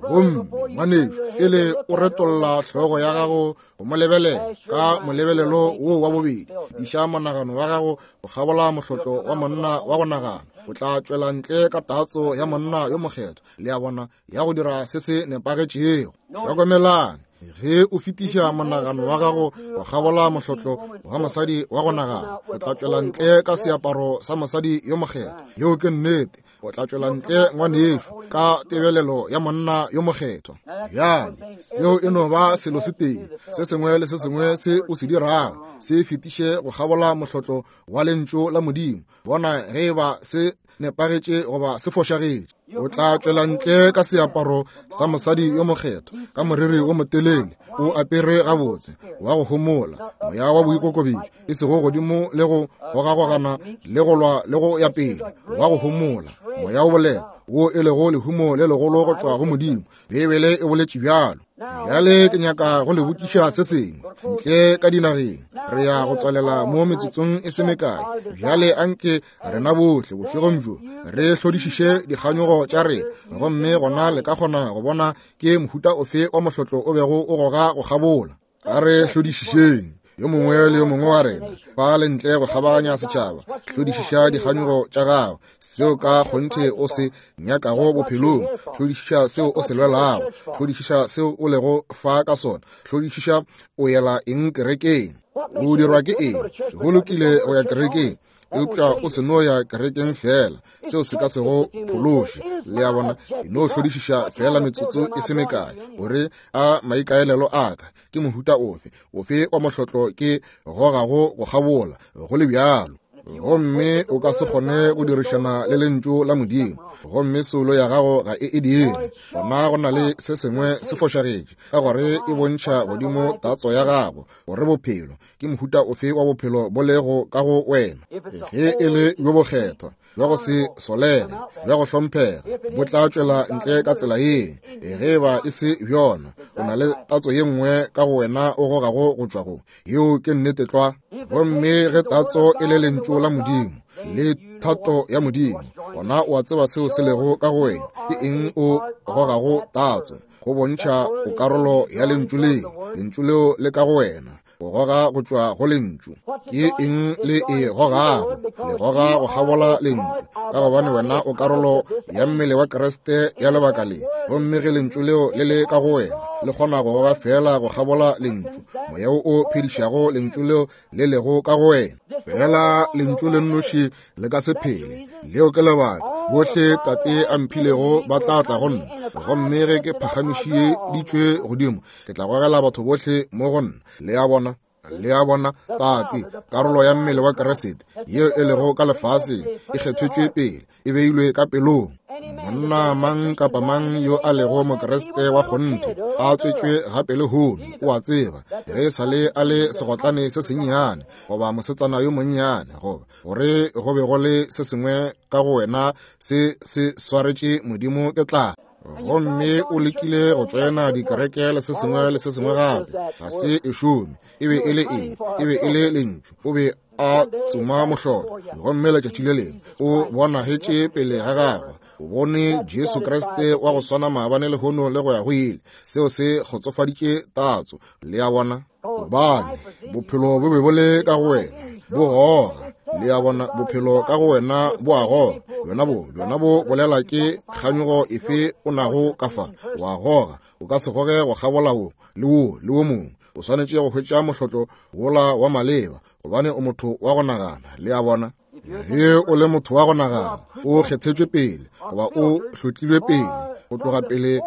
Gomme ngwanešu, pele o retolla hlogo ya gago go mo lebelela ka molebelelo wo wa bobedi, fetiša monagano wa gago go kgabola mohlotlo wa monna wa go nagana. O tla tšwela ntle ka tatso ya monna yo mokgethwa, le a bona, ya go dira se se nepagetšego. Hlokomelang, ge o fetiša monagano wa gago go kgabola mohlotlo wa mosadi wa go nagana, o tla tšwela ntle ka seaparo sa mosadi yo mokgethwa. Yeo ke nnete. O tla tšwela ntle ngwanešu ka tebelelo ya monna yo mokgethwa. Bjale seo e no ba selo se tee. Se sengwe le se sengwe se o se dirago se fetiše go kgabola mohlotlo wa lentšu la Modimo. Bona ge e ba se nepagetše goba se fošagetše. O tla tšwela ntle ka seaparo sa mosadi yo mokgethwa, ka moriri wo motelele, o apere gabotse, wa go homola, moya wa boikokobetšo, e sego godimo le go gogagogana le go lwa le go ya pele, wa go homola, moya o boleta, wo e lego lehumo le legolo go tšwa go Modimo. Beibele e boletše bjalo. Bjale ke nyaka go le botšiša se sengwe ntle ka dinageng. Re ya go tswalela mo metsotsong e se mekae. Bjale anke rena bohle bošegong bjo re hlodišiše dikganyogo tša rena, gomme gona le ka kgona go bona ke mohuta ofe wa mohlotlo o bego o goga go kgabola. A re hlodišišeng yo mongwe le yo mongwe wa rena fa le ntle go kgabaganya setšhaba. Hlodišiša dikganyogo tša gago, seo ka kgonthe o se nyakago bophelong. Hlodišiša seo o se lwelago. Hlodišiša seo o lego fa ka sona. Hlodišiša o yela eng kerekeng, o dirwa ke eng. Go lokile go ya kerekeng, eupša o se no ya kerekeng fela, seo se ka se go phološe. Le a bona, e no hlodišiša fela metsotso e se mekae gore a maikaelelo a ka ke mohuta ofe, ofe wa mohlotlo ke gogago go kgabola, go le bjalo. Gomme o ka se kgone go dirišana le lentšu la Modimo, gomme soulo ya gago ga e e dire. Gona go na le se sengwe se fošagetše, ka gore e bontšha godimo tatso ya gago gore bophelo ke mohuta ofe wa bophelo bo lego ka go wena. Ge e le bjo bokgethwa, bja go se solege, bja go hlomphega, bo tla tšwela ntle ka tsela ye. Ge ba e se bjona, o na le tatso ye nngwe ka go wena o gogago go tšwa go. Yeo ke nnete tlwa. Gomme ge tatso e le lentšu la Modimo le thato ya Modimo, gona o a tseba seo se lego ka go wena. Ke eng o gogago tatso? Go bontšha o karolo ya lentšu leo. Lentšu leo le ka go wena, go goga go tšwa go lentšu. Ke eng le e gogago? Le goga go kgabola lentšu, ka gobane wena o karolo ya mmele wa Kriste ya lebaka le. Gomme ge lentšu leo le le ka go wena, le kgona go goga fela go kgabola lentšu, moya wo o phedišago lentšu leo le lego ka go wena. Fela lentšu le nnoši le ka se phele. Leo ke lebaka bohle Tate a mphilego ba tla tla go nna, gomme ge ke phagamišeditšwe godimo, ke tla gogela batho bohle mo go nna. Le a bona? Le a bona? Tate, karolo ya mmele wa Kriste yeo e lego ka lefaseng, e kgethetšwe pele, e beilwe ka pelong. Monna mang kapa mang yo a lego Mokriste wa kgonthe, a tswetšwe gape lehono, o a tseba ge e sa le a le segotlane se sennyane goba mosetsana yo monnyane, goba gore go be go le se sengwe ka go wena se se swaretše Modimo ke tla. Gomme o lekile go tsena dikereke le se sengwe le se sengwe gape, ga se e šome. E be e le eng? E be e le lentšu. O be a tsoma mohlolo, gomme letšatši le lengwe o bonagetše pele ga gagwe. O bone Jesu Kriste wa go swana maabane, lehono le go ya go ile. Seo se kgotsofaditše tatso. Le a bona? Gobane bophelo bo be bo le ka go wena, bo goga. Le a bona? Bophelo ka go wena bo a goga. Bjona bo, bjona bo bolela ke kganyogo efe o nago ka fa. O a goga. O ka se goge go kgabola wo le wo le wo mongwe. O swanetše go hwetša mohlotlo wola wa maleba, gobane o motho wa go nagana. Le a bona? Ge o le motho wa go nagana, o kgethetšwe pele, goba o hlotlilwe pele, go tloga pele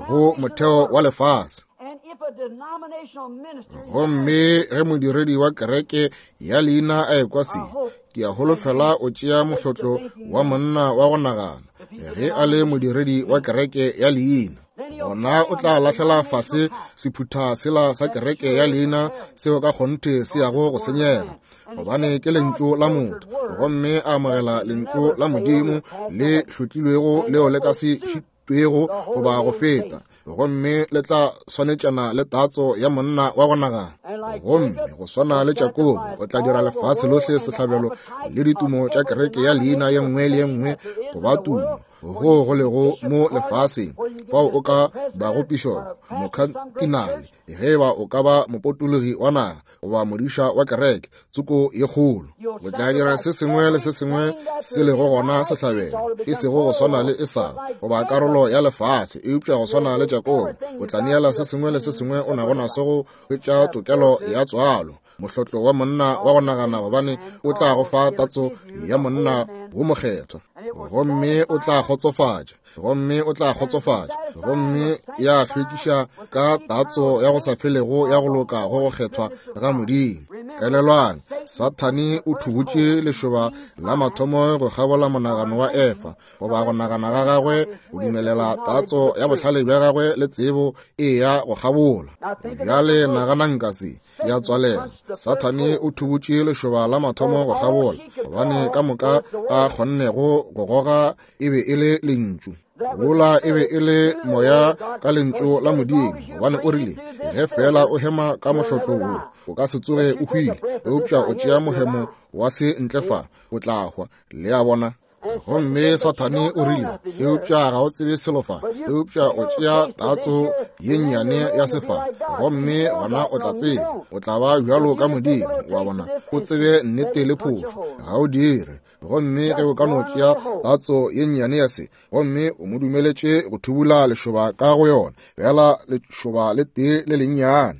go motheo wa lefase. Gomme ge modiredi wa kereke ya leina a ekwa se, ke a holofela o tšea mohlotlo wa monna wa go nagana. Ge a le modiredi wa kereke ya leina, gona o tla lahlela fase sephutha sela sa kereke ya leina seo ka kgonthe se yago go senyega, gobane ke lentšu la motho, gomme a amogela lentšu la Modimo le hlotlilwego leo le ka se šitwego goba go feta, gomme le tla swanetšana le tatso ya monna wa go nagana. Gomme go swana le Jakobo, o tla dira lefase lohle sehlabelo le ditumo tša kereke ya leina ye nngwe le ye nngwe go ba tumo go go lego mo lefaseng, fao o ka bago pišopo, mokhatinale, ge ba o ka ba mopotologi wa naga goba modiša wa kereke tsoko ye kgolo. O tla dira se sengwe le se sengwe se lego gona sehlabelo, e sego go swana le Esau goba karolo ya lefase, eupša go swana le Jakobo, o tla neela se sengwe le se sengwe o nago naso go hwetša tokelo ya tswalo, mohlotlo wa monna wa go nagana, gobane o tla go fa tatso ya monna wo mokgethwa, gomme o tla kgotsofatša, gomme o tla kgotsofatša, gomme ya hlwekiša ka tatso ya go sa felego ya go loka go go kgethwa ga Modimo. Elelwang, Sathane o thubutše lešoba la mathomo go kgabola monagano wa Efa, goba go nagana ga gagwe, go dumelela tatso ya bohlale bja gagwe le tsebo e ya go kgabola. Bjale naganang ka se, ya tswalela. Sathane o thubutše lešoba la mathomo go kgabola, gobane ka moka a kgonnego go goga e be e le lentšu. Wola e be e le moya ka lentšu la Modimo, gobane o rile, ge fela o hema ka mohlotlo wo, o ka se tsoge o hwile, eupša o tšea mohemo wa se ntle fa, o tla hwa. Le a bona? Gomme Sathane o rile, eupša ga o tsebe selo fa, eupša o tšea tatso ye nnyane ya sefa, gomme gona o tla tseba, o tla ba bjalo ka Modimo. Wa bona? O tsebe nnete le phošo, ga o dire. Gomme ge o ka no tšea tatso ye nnyane ya se, gomme o mo dumeletše go thubula lešoba ka go yona, bjala lešoba le tee le lennyane.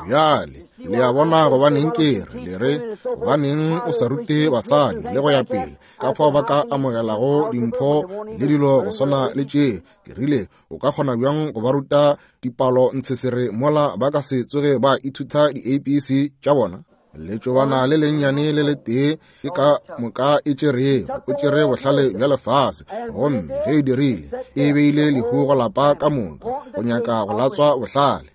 Bjale le a bona gobaneng ke re, le re, gobaneng o sa rute basadi le go ya pele ka fao ba ka amogelago dimpho le dilo go swana le tše. Ke rile, o ka kgona bjang go ba ruta dipalo ntshesere mola ba ka se tsoge ba ithuta di-A B C tša bona? Letšobana le lennyane le letee ke ka moka e tšerego, o tšere bohlale bja lefase, gomme ge e dirile, e beile lehu go lapa ka moka, go nyaka go latswa bohlale.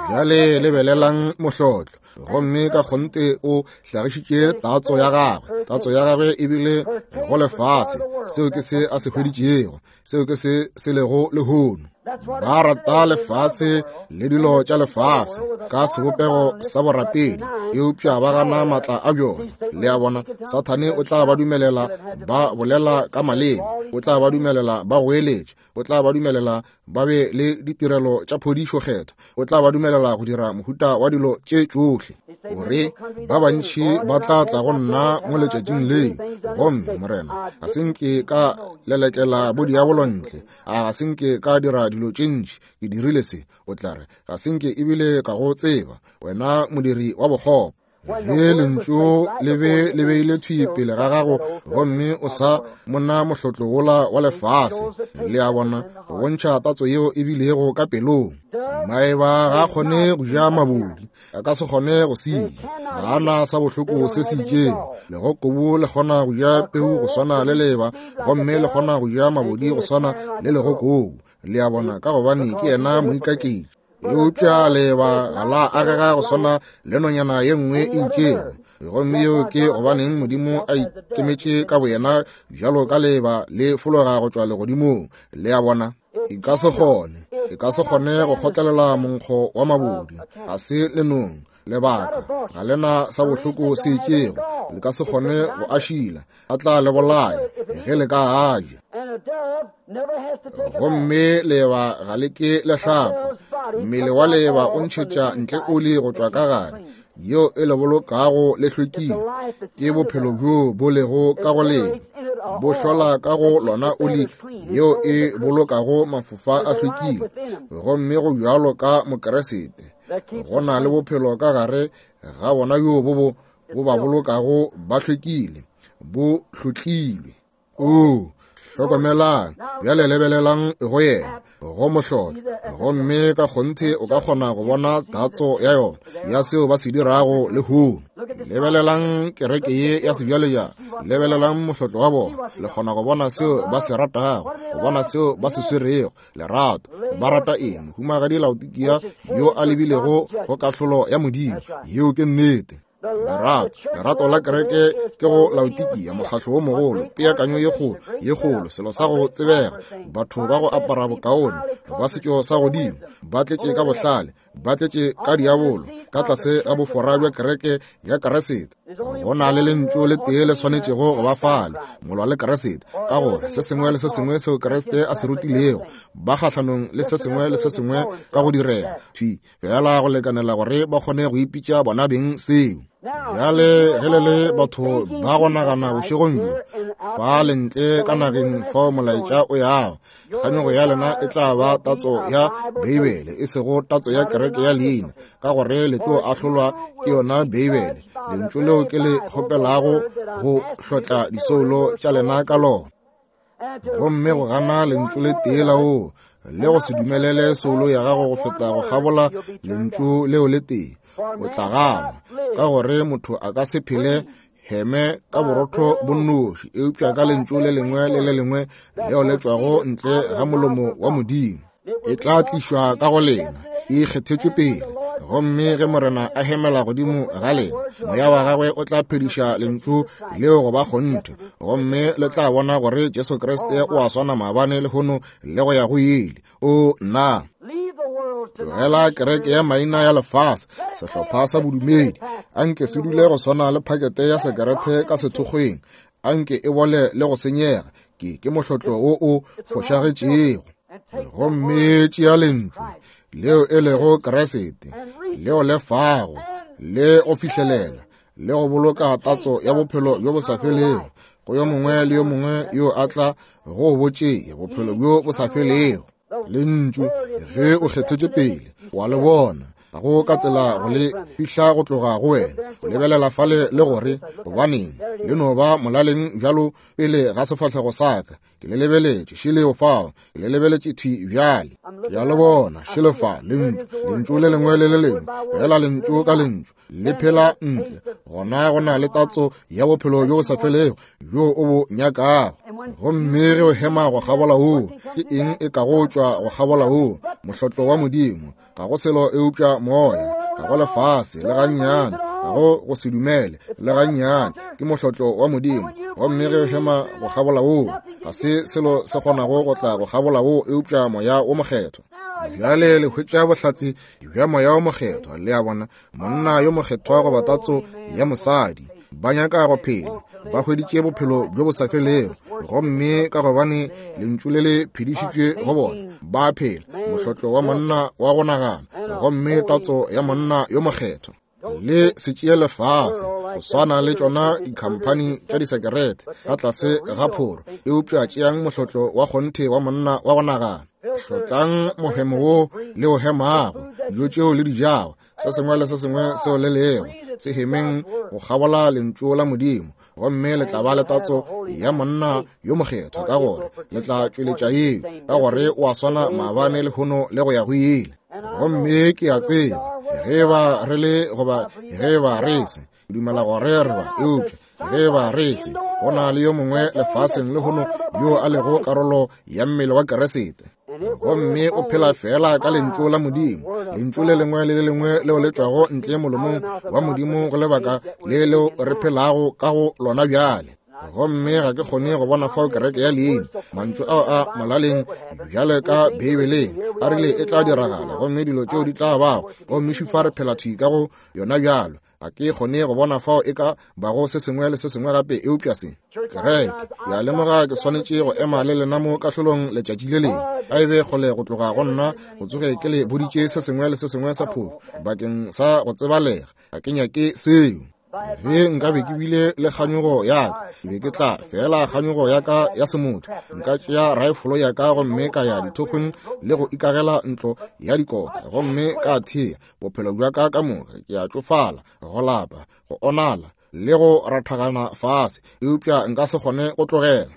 Bjale lebelelang mohlotlo. Gomme ka kgonthe o hlagišitše tatso ya gagwe. Tatso ya gagwe e bile go lefase. Seo ke se a se hweditšego. Seo ke se se lego lehono. Ba rata lefase le dilo tša lefase ka sebopego sa borapedi, eupša ba gana maatla a bjona. Le a bona, Sathane o tla ba dumelela ba bolela ka maleme, o tla ba dumelela ba goeletša, o tla ba dumelela ba be le ditirelo tša phodišo kgetho, o tla ba dumelela go dira mohuta wa dilo tše tšohle. Gore ba bantši ba tla tla go nna mo letšatšing leo, gomme Morena, ga se nke ka lelekela bodiabolo ntle, a ga se nke ka dira dilo tše ntši, ke dirile se. O tla re, ga se nke ebile ka go tseba, wena modiri wa bokgopo. Ge lentšu le be le beile thwi pele ga gago, gomme o sa mona mohlotlo wola wa lefase. Le a bona, go bontšha tatso yeo e bilego ka pelong. Maeba ga a kgone go ja mabodi, a ka se kgone go se ja, ga a na sa bohloko se se itšego. Legokobu le kgona go ja peu go swana le leba, gomme le kgona go ja mabodi go swana le legokobu. Le a bona, ka gobane ke yena moikaketši. Eupša leba ga la agega go swana le nonyana ye nngwe e itšego. Gomme yeo ke gobaneng Modimo a ikemetše ka boyena bjalo ka leba le fologa go tšwa legodimong. Le a bona, e ka se kgone, e ka se kgone go kgotlelela monkgo wa mabodi. Ga se lenong, lebaka ga lena sa bohloko se itšego, le ka se kgone go ašila, a tla le bolaya ge le ka a ja. Gomme leba ga le ke le hlapa. Mmele wa leba o ntšhetša ntle oli go tšwa ka gare, yeo e le bolokago le hlwekile. Ke bophelo bjo bo lego ka go lena, bo hlola ka go lona oli yeo e bolokago mafofa a hlwekile. Gomme go bjalo ka Mokeresete, go na le bophelo ka gare ga bona bjo bo bo bo ba bolokago ba hlwekile, bo hlotlilwe. O hlokomelang bjale, lebelelang go yena, go mohlolo. Gomme ka kgonthe o ka kgona go bona tatso ya yona ya seo ba se dirago lehono. Lebelelang kereke ye ya sebjalebjale, lebelelang mohlotlo wa bona, le kgona go bona seo ba se ratago, go bona seo ba se swerego. Lerato, ba rata eng? Mohumagadi Laodikia yo a lebilego go kahlolo ya Modimo. Yeo ke nnete. Lerato, lerato la kereke ke go Laodikia, mokgahlo wo mogolo, peakanyo ye kgolo, ye kgolo, selo sa go tsebega, batho ba go apara bokaone, ba setšo sa godimo, ba tletše ka bohlale, ba tletše ka diabolo, ka tlase ga bofora bja kereke ya Keresete. Go na le lentšu le tee le swanetšego go ba fale, molwa le Keresete, ka gore se sengwe le se sengwe seo Keresete a se rutilego, ba kgahlanong le se sengwe le se sengwe ka go direga thwi fela go lekanela gore ba kgone go ipitša bona beng seo. Bjale ge le le batho ba go nagana bošegong bjo, fa lentle ka nageng fao molaetša o yago, kganyogo ya lena e tla ba tatso ya Beibele, e sego tatso ya kereke ya leina, ka gore le tlo ahlolwa ke yona Beibele, lentšu leo ke le kgopelago go hlotla disoulo tša lena ka lona. Gomme go gana lentšu le tee la oo, le go se dumelele soulo ya gago go feta go kgabola lentšu leo le tee, o tla gana, ka gore motho a ka se phele heme ka borotho bo nnoši, eupša ka lentšu le lengwe le le lengwe leo le tšwago ntle ga molomo wa Modimo. E tla tlišwa ka go lena, e kgethetšwe pele. Gomme ge Morena a hemela godimo ga lena, moya wa gagwe o tla phediša lentšu leo go ba kgonthe, gomme le tla bona gore Jesu Kriste o a swana maabane lehono le go ya go ile. O nna tlogela kereke ya maina ya lefase, sehlopha sa bodumedi, anke se dule go swana le phakete ya sekerete ka sethokgweng, anke e bole le go senyega. Ke ke mohlotlo wo o fošagetšego. Gomme tšea lentšu leo e lego Keresete, leo le fago le go fihlelela le go boloka tatso ya bophelo bjo bo sa felego go yo mongwe le yo mongwe yo a tla go botšea bophelo bjo bo sa felego. Lentšu ge o kgethetše pele, wa le bona, ga go ka tsela go le fihla go tloga go wena. O lebelela fale le gore gobaneng le no ba molaleng bjalo pele ga sefahlego sa ka. Ke le lebeletše šeleo fao, ke le lebeletše thwi bjale. Ke a le bona šele fa, lentšu, lentšu le lengwe le le lengwe, fela lentšu ka lentšu le phela ntle. Gona go na le tatso ya bophelo bjo bo sa felego bjo o bo nyakago. Gomme ge o hema go kgabola woo, ke eng e ka go tšwa go kgabola woo? Mohlotlo wa Modimo, ga go selo eupša moya. ga go lefase le gannyane, ga go go se dumele le gannyane. Ke mohlotlo wa Modimo. Gomme ge o hema go kgabola woo, ga se selo se kgonago go tla go kgabola woo eupša Moya wo Mokgethwa. Bjale le hwetša bohlatse bja Moya wo Mokgethwa. Le a bona, monna yo mokgethwa goba tatso ya mosadi, ba nyaka go phela, ba hweditše bophelo bjo bo sa felego. Gomme ka gobane lentšu le le phedišitšwe go bona, ba phela mohlotlo wa monna wa go nagana, gomme tatso ya monna yo mokgethwa. Le se tšee lefase go swana le tšona dikhamphani tša disekerete ka tlase ga phoro, eupša tšeang mohlotlo wa kgonthe wa monna wa go nagana. Hlotlang mohemo wo le o hemago, dijo tšeo le di jago, se sengwe le se sengwe seo le lego, se hemeng go kgabola lentšu la Modimo, gomme le tla ba le tatso ya monna yo mokgethwa, ka gore le tla tšweletša yeo, ka gore o a swana maabane lehono le go ya go ile. Gomme ke a tseba ge ba re le goba ge ba re se, ke dumela gore re ba, eupša ge ba re se, go na le yo mongwe lefaseng lehono yo a lego karolo ya mmele wa Keresete, gomme o phela fela ka lentšu la Modimo. Lentšu le lengwe le le lengwe leo le tšwago ntle molomong wa Modimo go lebaka le leo re phelago ka go lona bjale. Gomme ga ke kgone go bona fao kereke ya leina, mantšu ao a molaleng bjale ka Beibeleng a rile e tla diragala, gomme dilo tšeo di tla bago, gomme šufa re phela thwi ka go yona bjalo. Ga ke kgone go bona fao e ka bago se sengwe le se sengwe gape eupša se. Kereke, ke a lemoga ke swanetše go ema le lena mo kahlolong letšatši le lengwe. A e be kgole go tloga go nna go tsoge ke le boditše se sengwe le se sengwe sa phošo bakeng sa go tsebalega. Ga ke nyake seo. Ge nka be ke bile le kganyogo ya ka, ke be ke tla fela kganyogo ya ka ya semotho, nka tšea raefolo ya ka gomme ka ya dithokgweng le go ikagela ntlo ya dikota, gomme ka thea bophelo bja ka ka moka. Ke a tšofala, go lapa, go onala le go rathagana fase, eupša nka se kgone go tlogela.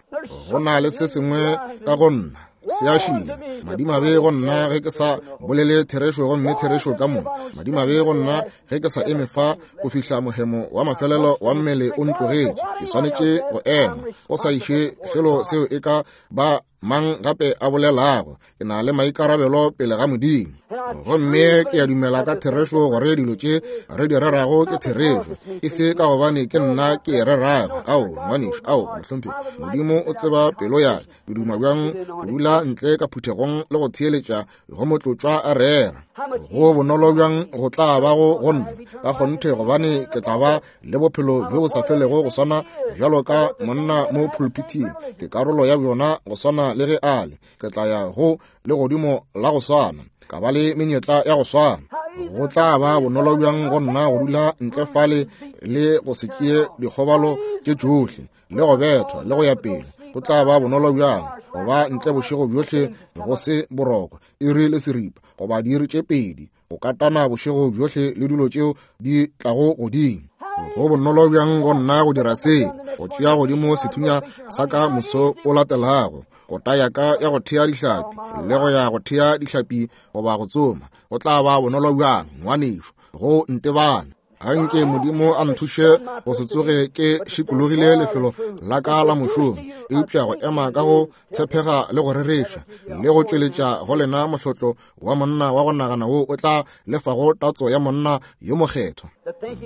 Go na le se sengwe ka go nna se a šila. Madimabe go nna ge ke sa bolele therešo, gomme therešo ka moka. Madimabe go nna ge ke sa eme fa go fihla mohemo wa mafelelo wa mmele o ntlogetše. Ke swanetše go ema go sa iše selo seo e ka ba mang gape a bolelago. Ke na le maikarabelo pele ga Modimo, gomme ke a dumela ka therešo gore dilo tše re di rerago ke therešo, e se ka gobane ke nna ke e rerago. Ao, ngwanešu, ao, mohlomphegi, Modimo o tseba pelo ya ka. Ke duma bjang go dula ntle ka phuthegong le go theeletša go motlotswa a rera. Go bonolo bjang go tla bago go nna ka kgonthe, gobane ke tla ba le bophelo bjo bo sa felego go swana bjalo ka monna mo pulpiting. Ke karolo ya bjona go swana le ge a le. Ke tla ya go le godimo la go swana, ka ba le menyetla ya go swana. Go tla ba bonolo bjang go nna go dula ntle fale le go se tšee dikgobalo tše tšohle le go bethwa le go ya pele. Go tla ba bonolo bjang go ba ntle bošego bjohle go se boroko, iri le seripa goba diiri tše pedi, go katana bošego bjohle le dilo tšeo di tlago godimo. Go bonolo bjang go nna go dira se, go tšea godimo sethunya sa ka moso o latelago, kota ya ka ya go thea dihlapi le go ya go thea dihlapi goba go tsoma. Go tla ba bonolo bjang, ngwanešu, go ntebana. Anke Modimo a nthuše go se tsoge ke šikologile lefelo la ka la mošomo, eupša go ema ka go tshepega le go rereša le go tšweletša go lena mohlotlo wa monna wa go nagana wo o tla lefago tatso ya monna yo mokgethwa.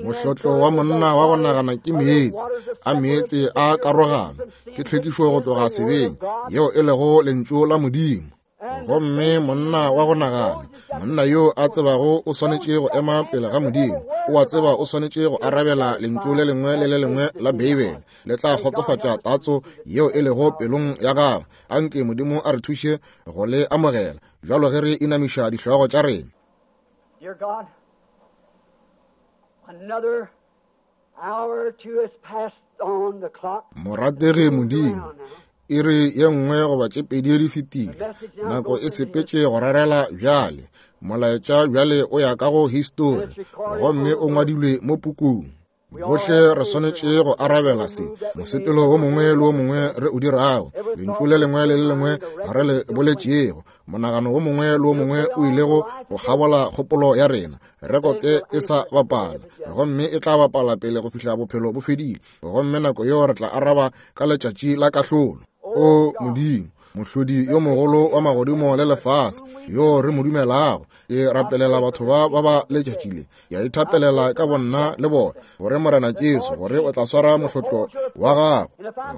Mohlotlo wa monna wa go nagana ke meetse a meetse a karogano, ke tlhwekišo go tloga sebeng, yeo e lego lentšu la Modimo. Gomme monna wa go nagana, monna yo a tsebago o swanetše go ema pele ga Modimo, o a tseba o swanetše go arabela lentšu le lengwe le le lengwe la Beibele, le tla kgotsofatša tatso yeo e lego pelong ya gagwe. Anke Modimo a re thuše go le amogela bjalo ge re inamiša dihlogo tša rena. Dear God, another hour or two has passed on the clock. Morategi Modimo, iri ye nngwe goba tše pedi di fetile, nako e sepetše go rerela bjale. Molaetša bjale o ya ka go histori, gomme o ngwadilwe mo pukung. Bohle re swanetše go arabela se mosepelo wo mongwe le wo mongwe re o dirago, lentšu le lengwe le le lengwe re le boletšego, monagano wo mongwe le wo mongwe o ilego go kgabola kgopolo ya rena. Rekote e sa bapala, gomme e tla bapala pele go fihla bophelo bo fedile, gomme nako yeo re tla araba ka letšatši la kahlolo. O Modimo, Mohlodi yo mogolo wa magodimo le lefase, yo re mo dumelago, ke rapelela batho ba ba ba letšatši le. Ke a ithapelela ka bonna le bona, gore Morena Jesu, gore o tla swara mohlotlo wa gago.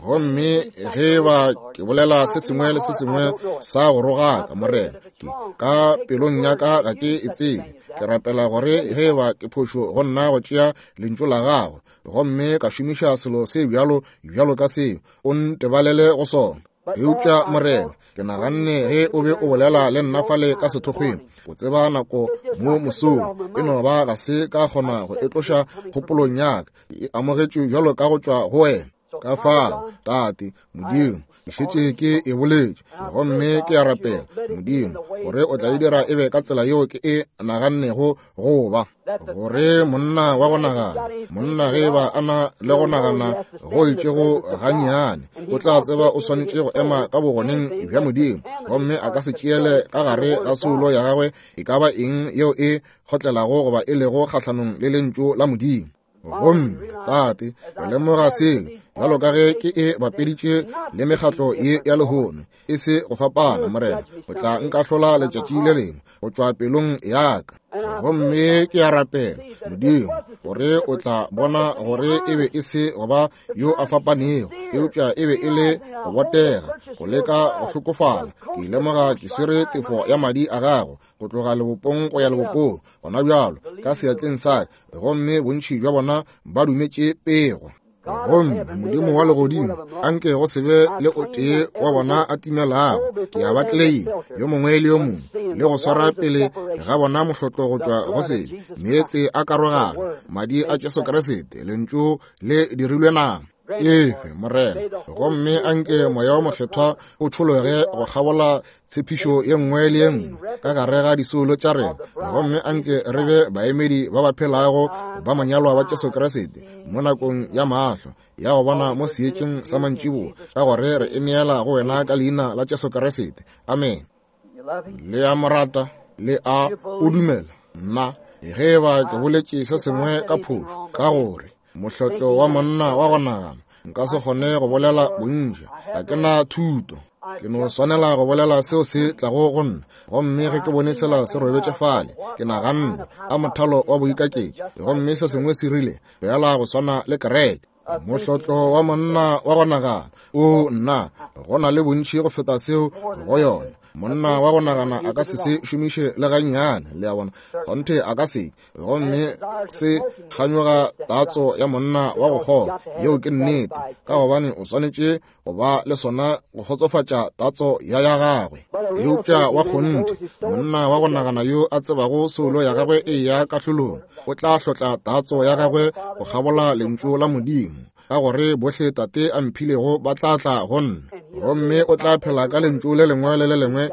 Gomme ge ba ke bolela se sengwe le se sengwe sa go rogaka, Morena, ke ka pelong ya ka ga ke e tsebe. Ke rapela gore ge ba ke phošo go nna go tšea lentšu la gago, gomme ka šomiša selo se bjalo bjalo ka seo, o ntebalele go sona. Eupša Morena, ke naganne ge o be o bolela le nna fale ka sethokgweng, o tseba nako mo mosong, e no ba ga se ka kgona go e tloša kgopolong ya ka, e amogetšwe bjalo ka go tšwa go wena. Ka fao, Tate Modimo, ke šetše ke e boletše, gomme ke a rapela Modimo gore o tla e dira e be ka tsela yeo ke e nagannego go ba, gore monna wa go nagana, monna ge ba a na le go nagana go itšego gannyane, o tla tseba o swanetše go ema ka bogoneng bja Modimo, gomme a ka se tšeele ka gare ga soulo ya gagwe e ka ba eng yeo e kgotlelago goba e lego kgahlanong le lentšu la Modimo. Gomme Tate, re lemoga seo bjalo ka ge ke e bapeditše le mekgatlo ye ya lehono, e se go fapana, Morena, o tla nkahlola letšatši le lengwe go tšwa pelong ya ka. Gomme ke a rapela Modimo gore o tla bona gore e be e se go ba yo a fapanego, eupša e be e le go botega, go leka go hlokofala. Ke lemoga ke swere tefo ya madi a gago go tloga lebopong go ya lebopong gona bjalo ka seatleng sa ka, gomme bontši bja bona ba dumetše pego. Gomme Modimo wa legodimo, anke go se be le o tee wa bona a timelago. Ke a ba tleleima yo mongwe le yo mongwe, le go swara pele ga bona mohlotlo go tšwa go sebe, meetse a karogano, madi a Jesu Kriste, lentšu le dirilwe nama. Efe, Morena, gomme anke moya wa mokgethwa o tšhologe go kgabola tshepišo ye nngwe le ye nngwe ka gare ga disoulo tša rena, gomme anke re be baemedi ba ba phelago ba manyalwa ba Jesu Kriste mo nakong ya mahlo ya go bona mo seetšeng sa mantšiboa, ka gore re e neela go wena ka leina la Jesu Kriste. Amen. Le a mo rata, le a o dumela. Nna ge ba ke boletše se sengwe ka phošo, ka gore mohlotlo wa monna wa go nagana, nka se kgone go bolela bontši, ga ke na thuto, ke no swanela go bolela seo se tlago go nna. Gomme ge ke bone sela se robetše fale, ke naganne a mothalo wa boikaketši, gomme se sengwe se rile bjala go swana le kereke. Mohlotlo wa monna wa go nagana, o nna, go na le bontši go feta seo go yona. Monna wa go nagana a ka se se šomiše le gannyane, le a bona, kgonthe a ka se. Gomme se kganyoga tatso ya monna wa go kgolwa, yeo ke nnete, ka gobane o swanetše go ba le sona go kgotsofatša tatso ya ya gagwe. Eupša wa kgonthe, monna wa go nagana yo a tsebago soulo ya gagwe e ya kahlolong, o tla hlotla tatso ya gagwe go kgabola lentšu la Modimo, ka gore bohle Tate a mphilego ba tla tla go nna. Gomme o tla phela ka lentšu le lengwe le le lengwe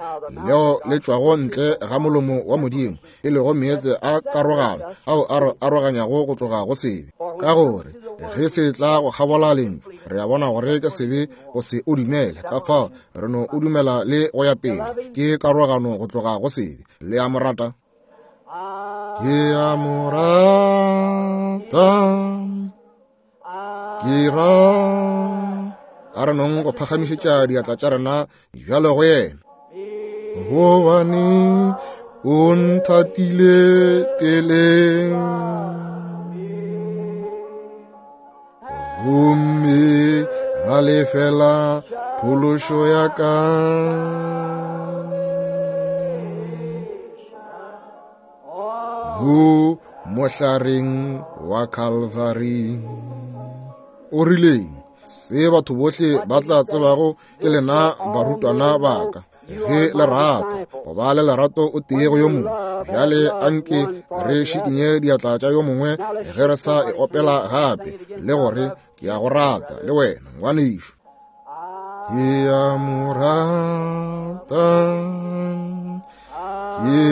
leo le tšwago ntle ga molomo wa Modimo, e lego meetse a karogano ao a re aroganyago go tloga go sebe. Ka gore ge se tla go kgabola lentšu, re a bona gore ke sebe go se o dumele, ka fao re no o dumela le go ya pele, ke karogano go tloga go sebe. Le a mo rata? Ke a mo rata, ke ra. A re nong go phagamišetša diatla tša rena bjalo go yena. Gobane o nthatile pele, gomme a lefela phološo ya ka. Mo mohlareng wa Calvary. O rileng? Se batho bohle ba tla tsebago ke lena barutwana ba ka, ge le rata go ba le lerato o tee go yo mongwe. Bjale anke re šikinye diatla tša yo mongwe ge re sa e opela gape, le gore ke a go rata le wena ngwanešo. Ke a mo rata, ke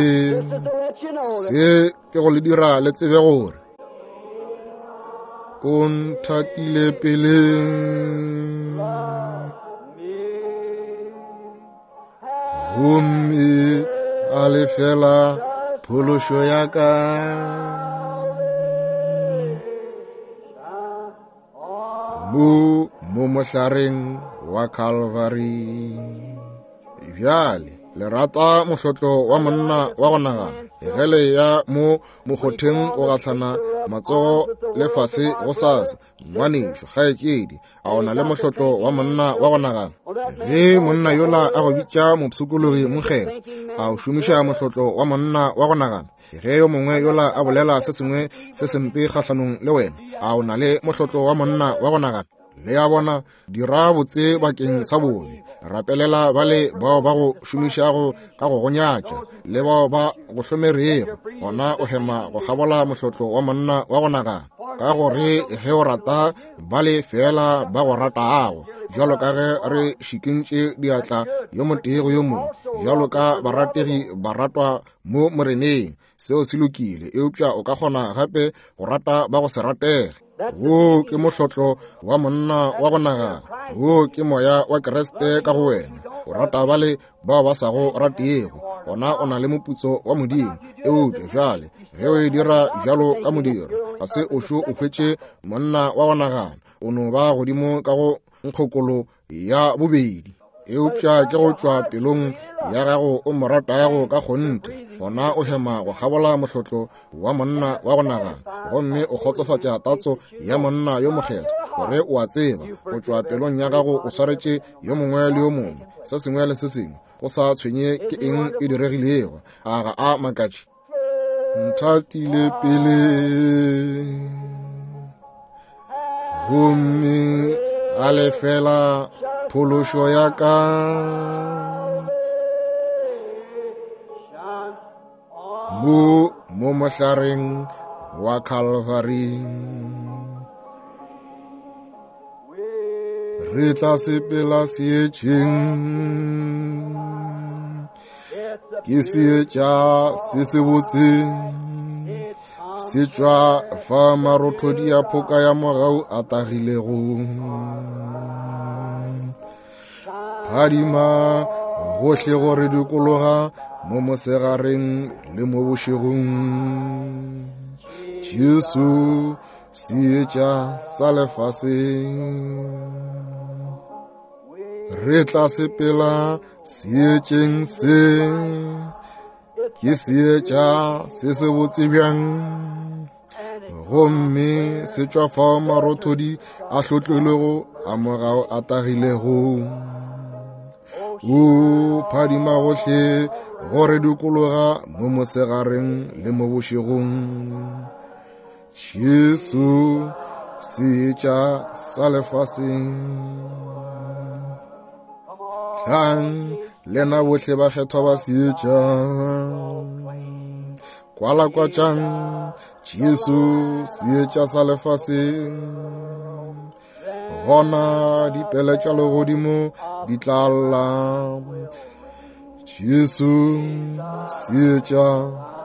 se ke go le dira le tsebe gore o nthatile pele, gomme a lefela phološo ya ka. Mo mo mohlareng wa Calvary. Bjale le rata mohlotlo wa monna wa go nagana. Ge le ya mo mokgotheng go gahlana matsogo le fase go sasa, ngwanešu kgaetšedi, a o na le mohlotlo wa monna wa go nagana? Ge monna yola a go bitša mopshikologi mokgethwa, a o šomiša mohlotlo wa monna wa go nagana? Ge yo mongwe yola a bolela se sengwe se sempe kgahlanong le wena, a o na le mohlotlo wa monna wa go nagana? Le a bona, dira botse bakeng sa bobe. Rapelela bale bao ba go šomišago ka go gonyatša le bao ba go hlomerego. Gona o hema go kgabola mohlotlo wa monna wa go nagana, ka gore ge o rata bale fela ba go ratago, bjalo ka ge re šikintše diatla yo motee go yo mongwe, bjalo ka barategi baratwa mo moreneng. Seo se lokile, eupša o ka kgona gape go rata ba go se ratege. Wo ke mohlotlo wa monna wa go nagana. Wo ke moya wa Kriste ka go wena. O rata bale bao ba sa go ratego, gona o na le moputso wa Modimo. Eupša bjale ge o e dira bjalo ka modiro, ga se o šo o hwetše monna wa go nagana, o no ba godimo ka go nkgokolo ya bobedi. Eupša ke go tšwa pelong ya gago o mo ratago ka kgonthe, gona o hema go kgabola mohlotlo wa monna wa go nagana, gomme o kgotsofatša tatso ya monna yo mokgethwa, gore o a tseba go tšwa pelong ya gago o swaretše yo mongwe le yo mongwe se sengwe le se sengwe, go sa tshwenye ke eng e diregilego. A ga a makatše? Nthatile pele gomme a lefela phološo ya ka. Mo mo mohlareng wa Calvary re tla sepela seetšeng, ke seetša se se botse, se tšwa fa marothodi a phoka ya mogau a tagilego. Phadima gohle go re dikologa mo mosegareng le mo bošegong. Jesu seetša sa lefaseng, re tla sepela seetšeng se, ke seetša se se botse bjang, gomme se tšwa fao marothodi a hlotlilwego a mogau a tagilego. O phadima gohle go re dikologa mo mosegareng le mo bošegong. Jesu seetša sa lefaseng. Tlang lena bohle bakgethwa ba seetša, kwalakwatšang Jesu seetša sa lefaseng. Gona dipele tša legodimo di tla lla, Jesu seetša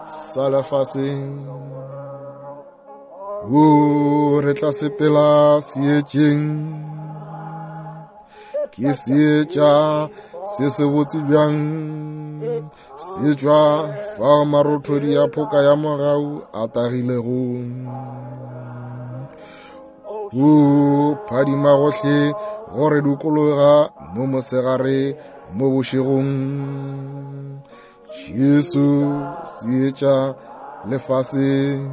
sa lefaseng. O re tla sepela seetšeng, ke seetša se se botse bjang, se tšwa fao marothodi a phoka ya mogau a tagilego. O phadima gohle go re dikologa mo mosegare mo bošegong. Jesu seetša lefaseng.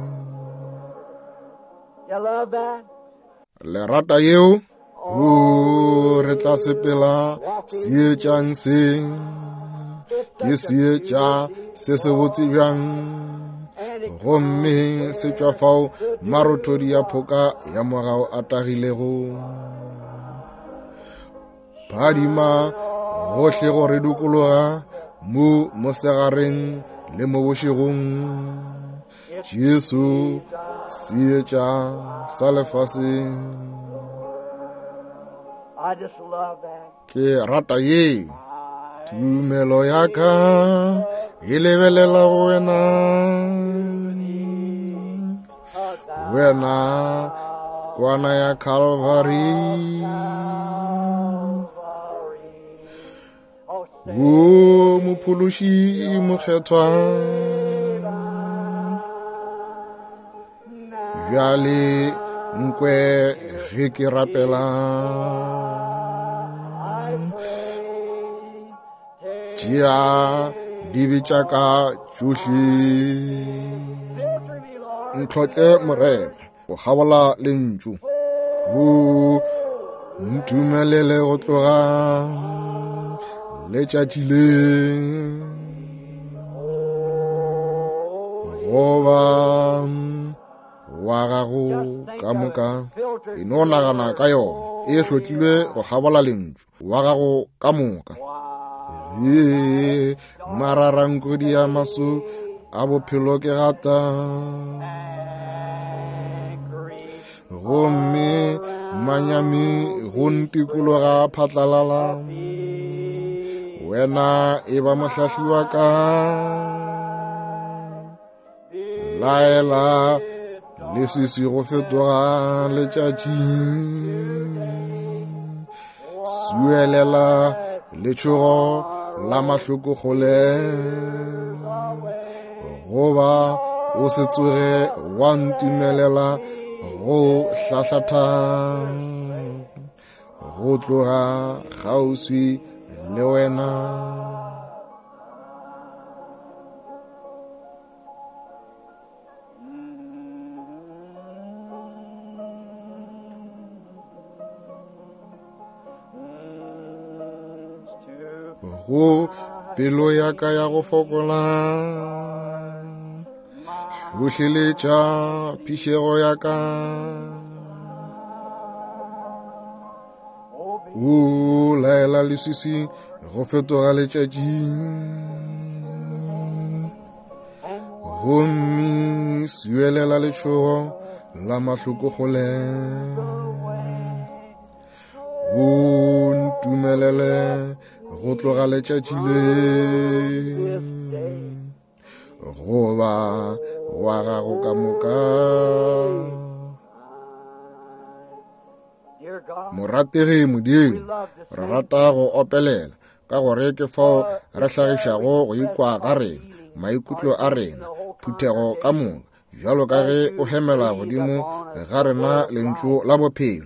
Le rata yeo? O re tla sepela seetšang se, ke seetša se se botse bjang, gomme se tšwa fao marothodi a phoka ya mogau a tagilego. Phadima gohle go re dikologa mo mosegareng le mo bošegong. Jesu seetša sa lefaseng. Ke rata ye. Tumelo ya ka e lebelela go wena, wena kwana ya Calvary. O mophološi mokgethwa, bjale nkwe ge ke rapela. Tšea dibe tša ka tšohle. Ntlhotle Morena go kgabola lentšu. O ntumelele go tloga letšatši le goba wa gago ka moka. E no nagana ka yona, e hlotlilwe go kgabola lentšu wa gago ka moka. Ee, mararankodi ya maso a bophelo ke gata, gomme manyami go ntikologa phatlalala. Wena e ba mohlahli wa ka, laela leswiswi go fetoga letšatši, suelela letšhogo la mahloko kgole, goba o se tsoge wa ntumelela go hlahlatha go tloga kgauswi le wena. Go pelo ya ka ya go fokola, hlohleletša phišego ya ka. O laela leswiswi go fetoga letšatši, gomme suelela letšhogo la mahloko kgole. O ntumelele go tloga letšatši le goba wa gago ka moka. Morategi Modimo, re rata go opelela ka gore ke fao re hlagišago go ikwa ga rena, maikutlo a rena, phuthego ka moka, bjalo ka ge o hemela godimo ga rena lentšu la bophelo.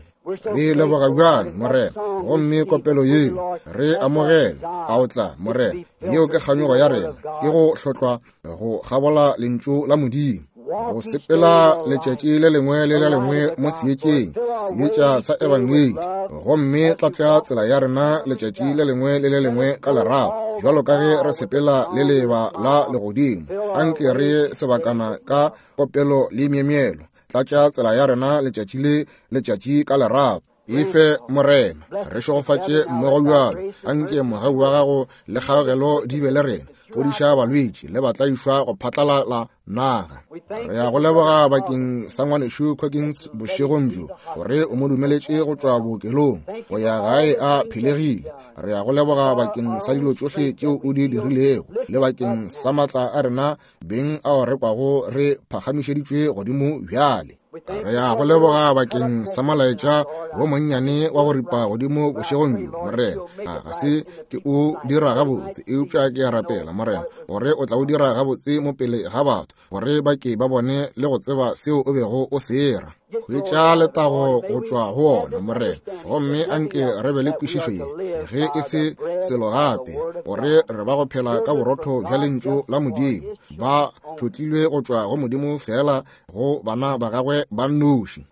Re leboga bjang Morena, gomme kopelo yeo re amogele. A o tla Morena, yeo ke kganyogo ya rena, ke go hlotlwa go kgabola lentšu la Modimo, go sepela letšatši le lengwe le le lengwe mo seetšeng, seetša sa ebangedi, gomme tlatša tsela ya rena letšatši le lengwe le le lengwe ka lerato, bjalo ka ge re sepela le leba la legodimo. Anke re sebakana ka kopelo le myemyelo. Tlatša tsela ya rena letšatši le letšatši ka lerato. Efe Morena, re šegofatše mmogo bjalo. Anke mogau wa gago le kgaogelo di be le rena. Fodiša balwetši le batlaišwa go phatlalala naga. Re ya go leboga bakeng sa ngwanešu Coggins bošegong bjo, gore o mo dumeletše go tšwa bookelong go ya gae a phelegile. Re ya go leboga bakeng sa dilo tšohle tšeo o di dirilego, le bakeng sa matla a rena beng ao re kwago re phagamišeditšwe godimo bjale. Re ya go leboga bakeng sa molaetša wo monnyane wa go ripa godimo bošegong bjo Morena. A ga se ke o dira gabotse, eupša ke a rapela Morena gore o tla o dira gabotse mo pele ga batho, gore ba ke ba bone le go tseba seo o bego o se era. Hwetša letago go tšwa go ona Morena, gomme anke re be le kwešišo ye, ge e se selo gape, gore re ba go phela ka borotho bja lentšu la Modimo, ba hlotlilwe go tšwa go Modimo fela go bana ba gagwe ba nnoši.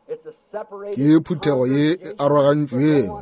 Ke phuthego ye e arogantšwego,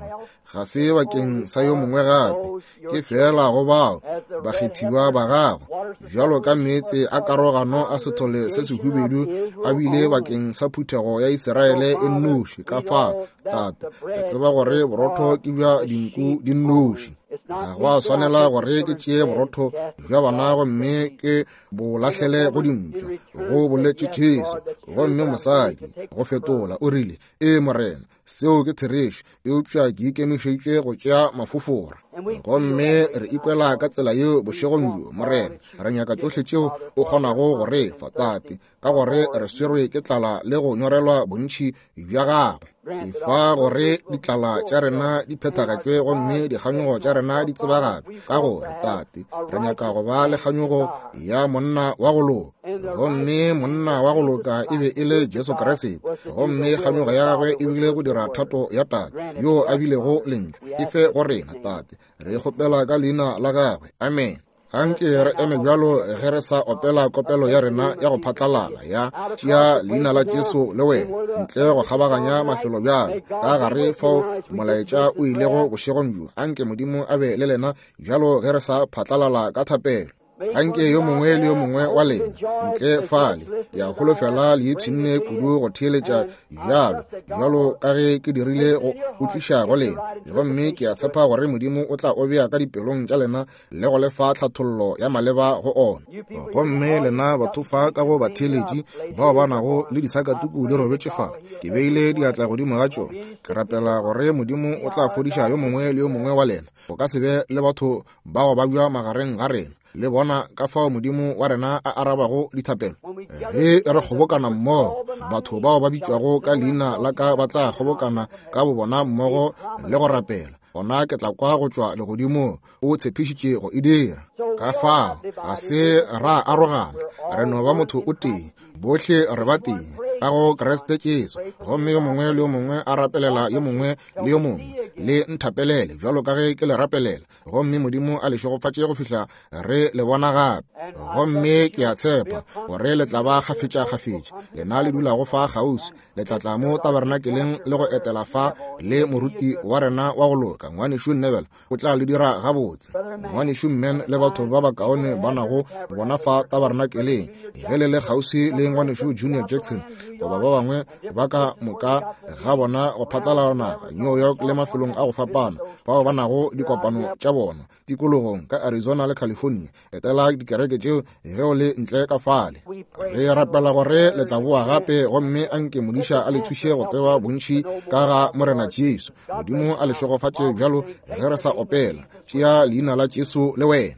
ga se bakeng sa yo mongwe gape, ke fela go bao bakgethiwa ba gago, bjalo ka meetse a karogano a sethole se sehubedu a bile bakeng sa phuthego ya Israele e nnoši. Ka fao Tate, re tseba gore borotho ke bja dinku di nnoši. Ga go a swanela gore ke tšee borotho bja bana gomme ke bo lahlele go dimpša, go boletše Jesu. Gomme mosadi go fetola o rile, ee Morena, seo ke therešo, eupša ke ikemišeditše go tšea mafofora. Gomme re ikwela ka tsela yeo bošegong bjo Morena. Re nyaka tšohle tšeo o kgonago go re fa Tate, ka gore re swerwe ke tlala le go nyorelwa bontši bja gago. Efa gore ditlala tša rena di phethagatšwe gomme dikganyogo tša rena di tsebagatšwe, ka gore Tate re nyaka go ba le kganyogo ya monna wa go loka. Gomme monna wa go loka e be e le Jesu Kriste, gomme kganyogo ya gagwe e bile go dira thato ya Tate yo a bilego lentšu. Efe go rena Tate Re kgopela ka leina la gagwe. Amen. Anke re eme bjalo ge re sa opela kopelo ya rena ya go phatlalala ya tšea leina la Jesu le wena, ntle go kgabaganya mafelo bjalo ka gare fao molaetša o ilego bošegong bjo. Anke Modimo a be le lena bjalo ge re sa phatlalala ka thapelo. Anke yo mongwe le yo mongwe wa lena ntle fale, ke a holofela le ipshinne kudu go theeletša bjalo bjalo ka ge ke dirile go utlwiša go lena, gomme ke a tshepa gore Modimo o tla o bea ka dipelong tša lena le go lefa tlhathollo ya maleba go ona. Gomme lena batho fa ka go batheeletši bao ba nago le disakatuku di robetše fa, ke beile diatla godimo ga tšona. Ke rapela gore Modimo o tla fodiša yo mongwe le yo mongwe wa lena. Go ka se be le batho bao ba bja magareng ga rena, le bona ka fao Modimo wa rena a arabago dithapelo. Ge re kgobokana mmogo, batho bao ba bitšwago ka leina la ka ba tla kgobokana ka bobona mmogo le go rapela, gona ke tla kwa go tšwa legodimong. O tshepišitše go e dira. Ka fao ga se ra arogana, re no ba motho o tee, bohle re ba tee ka go Kriste Jesu. Gomme yo mongwe le yo mongwe a rapelela yo mongwe le yo mongwe, le nthapelele bjalo ka ge ke le rapelela, gomme Modimo a le šegofatše go fihla re le bona gape. Gomme ke a tshepa gore le tla ba kgafetša-kgafetša, lena le dulago fa kgauswi, le tla tla mo tabernakeleng le go etela fa le moruti wa rena wa go loka, ngwanešu Neville, o tla le dira gabotse. Ngwanešu Men le batho ba bakaone ba nago bona fa tabernakeleng, ge le le kgauswi le ngwanešu Junior Jackson goba ba bangwe ba ka moka ga bona go phatlalala naga New York le mafelong a go fapana bao ba nago dikopano tša bona tikologong ka Arizona le California. Etela dikereke tšeo ge o le ntle ka fale. Re rapela gore le tla boa gape, gomme anke modiša a le thuše go tseba bontši ka ga Morena Jesu. Modimo a le šegofatše bjalo ge re sa opela tšea leina la Jesu le wena.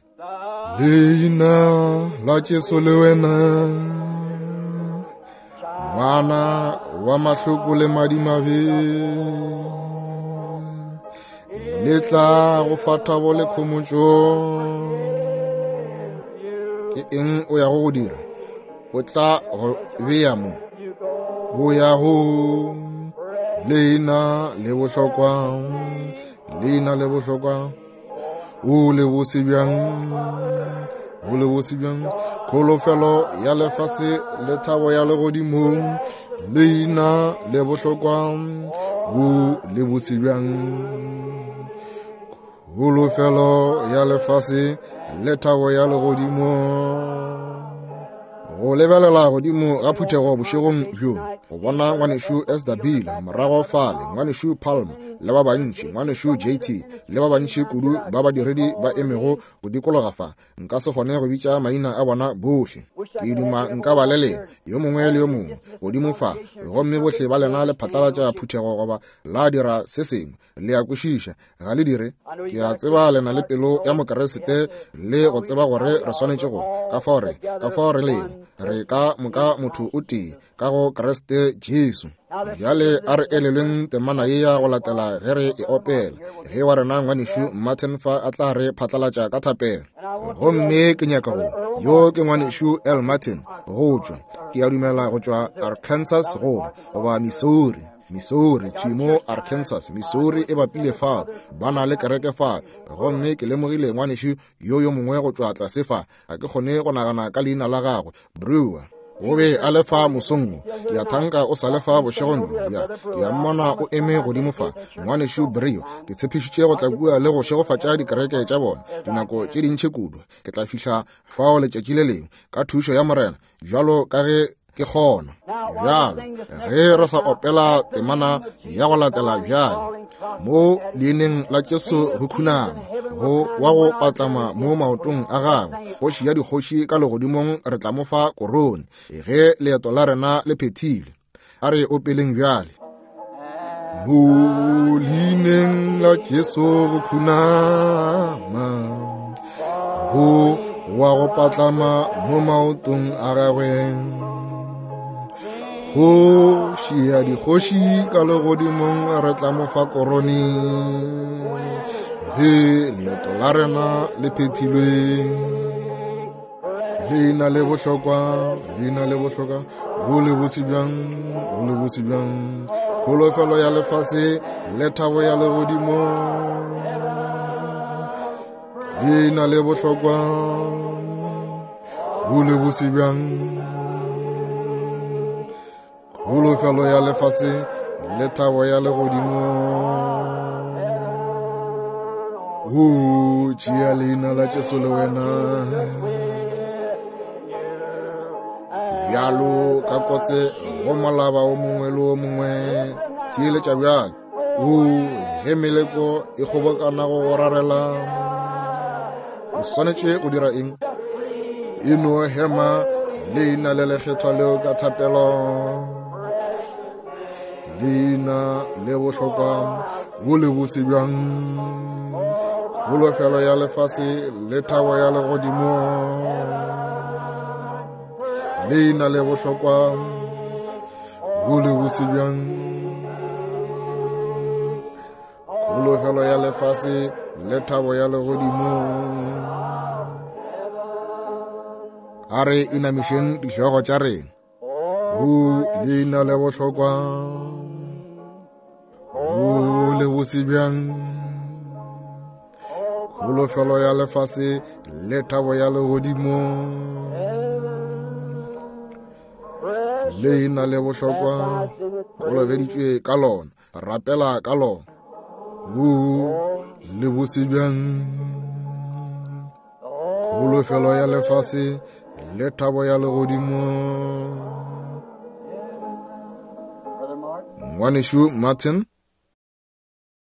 Leina la Jesu le wena, ngwana wa mahloko le madimabe, le tla go fa thabo le khomotšo. Ke eng o yago go dira? O tla go bea mo o ya go leina le bohlokwa, leina le bohlokwa, o le bose bjang, o le bose bjang, kholofelo ya lefase le thabo ya legodimong, leina le bohlokwa, o le bose bjang, kholofelo ya lefase le thabo ya legodimong. Go lebelela godimo ga phuthego bošegong bjo, go bona ngwanešu S W morago fale, ngwanešu Palmer le ba bantši, ngwanešu J T le ba bantši kudu ba badiredi ba emego go dikologa fa, nka se kgone go bitša maina a bona bohle. Ke duma nka ba le lena yo mongwe le yo mongwe godimo fa, gomme bohle ba lena le phatlalatša phuthego goba la dira se sengwe. Le a kwešiša, ga le dire? Ke a tseba le na le pelo ya Mokeresete le go tseba gore re swanetše go ka fao re ka fao re lego, re ka moka motho o tee ka go Kriste Jesu. Bjale a re elelweng temana ye ya go latela ge re e opela, ge wa rena ngwanešu Martin fa a tla re phatlalatša ka thapelo. Gomme ke nyaka go yo ke ngwanešu L Martin go tšwa, ke a dumela go tšwa Arkansas goba goba Missouri, Missouri, thwi mo Arkansas, Missouri e bapile fa, ba na le kereke fa. Gomme ke lemogile ngwanešu yo yo mongwe go tšwa tlase fa, ga ke kgone go nagana ka leina la gagwe, Brewer. O be a le fa mosong, ke a thanka o sa le fa bošegong bjo. Ya, ke a mmona o eme godimo fa, ngwanešu Brio. Ke tshepišitše go tla kua le go šegofatša dikereke tša bona dinako tše dintši kudu. Ke tla fihla fao letšatši le lengwe ka thušo ya Morena, bjalo ka ge ke kgona. Bjalo ge re sa opela temana ya go latela bjale, mo leineng la Jesu go khunama go wa go patlama mo maotong a gagwe, kgoši ya dikgoši ka legodimong, re tla mo fa korone ge leeto la rena le phethile. A re opeleng bjale. Mo leineng la Jesu go khunama go wa go patlama mo maotong a gagwe, kgoši ya dikgoši ka legodimong, re tla mo fa korone ge leeto la rena le phethilwe. Leina le bohlokwa, leina le bohlokwa, go le bose bjang, go le bose bjang, kholofelo ya lefase le thabo ya legodimo. Leina le bohlokwa, bo le bose bjang. Kholofelo ya lefase le thabo ya legodimo. O tšea leina la Jesu le wena. Bjalo ka kotse go molaba o mongwe le o mongwe, theeletša bjale. O ge meleko e kgobokana go go rarela, o swanetše go dira eng? E no hema leina le lekgethwa leo ka thapelo. Leina le bohlokwa, bo le bose bjang. Kholofelo ya lefase le thabo ya legodimo. Leina le bohlokwa, bo le bose bjang. Kholofelo ya lefase le thabo ya legodimo. A re inamišeng dihlogo tša rena. O leina le bohlokwa, bo le bose bjang. Kholofelo ya lefase le thabo ya legodimo. Leina le bohlokwa, kolobeditšwe ka lona, rapela ka lona. O le bose bjang. Kholofelo ya lefase le thabo ya legodimo. Ngwanešu Martin.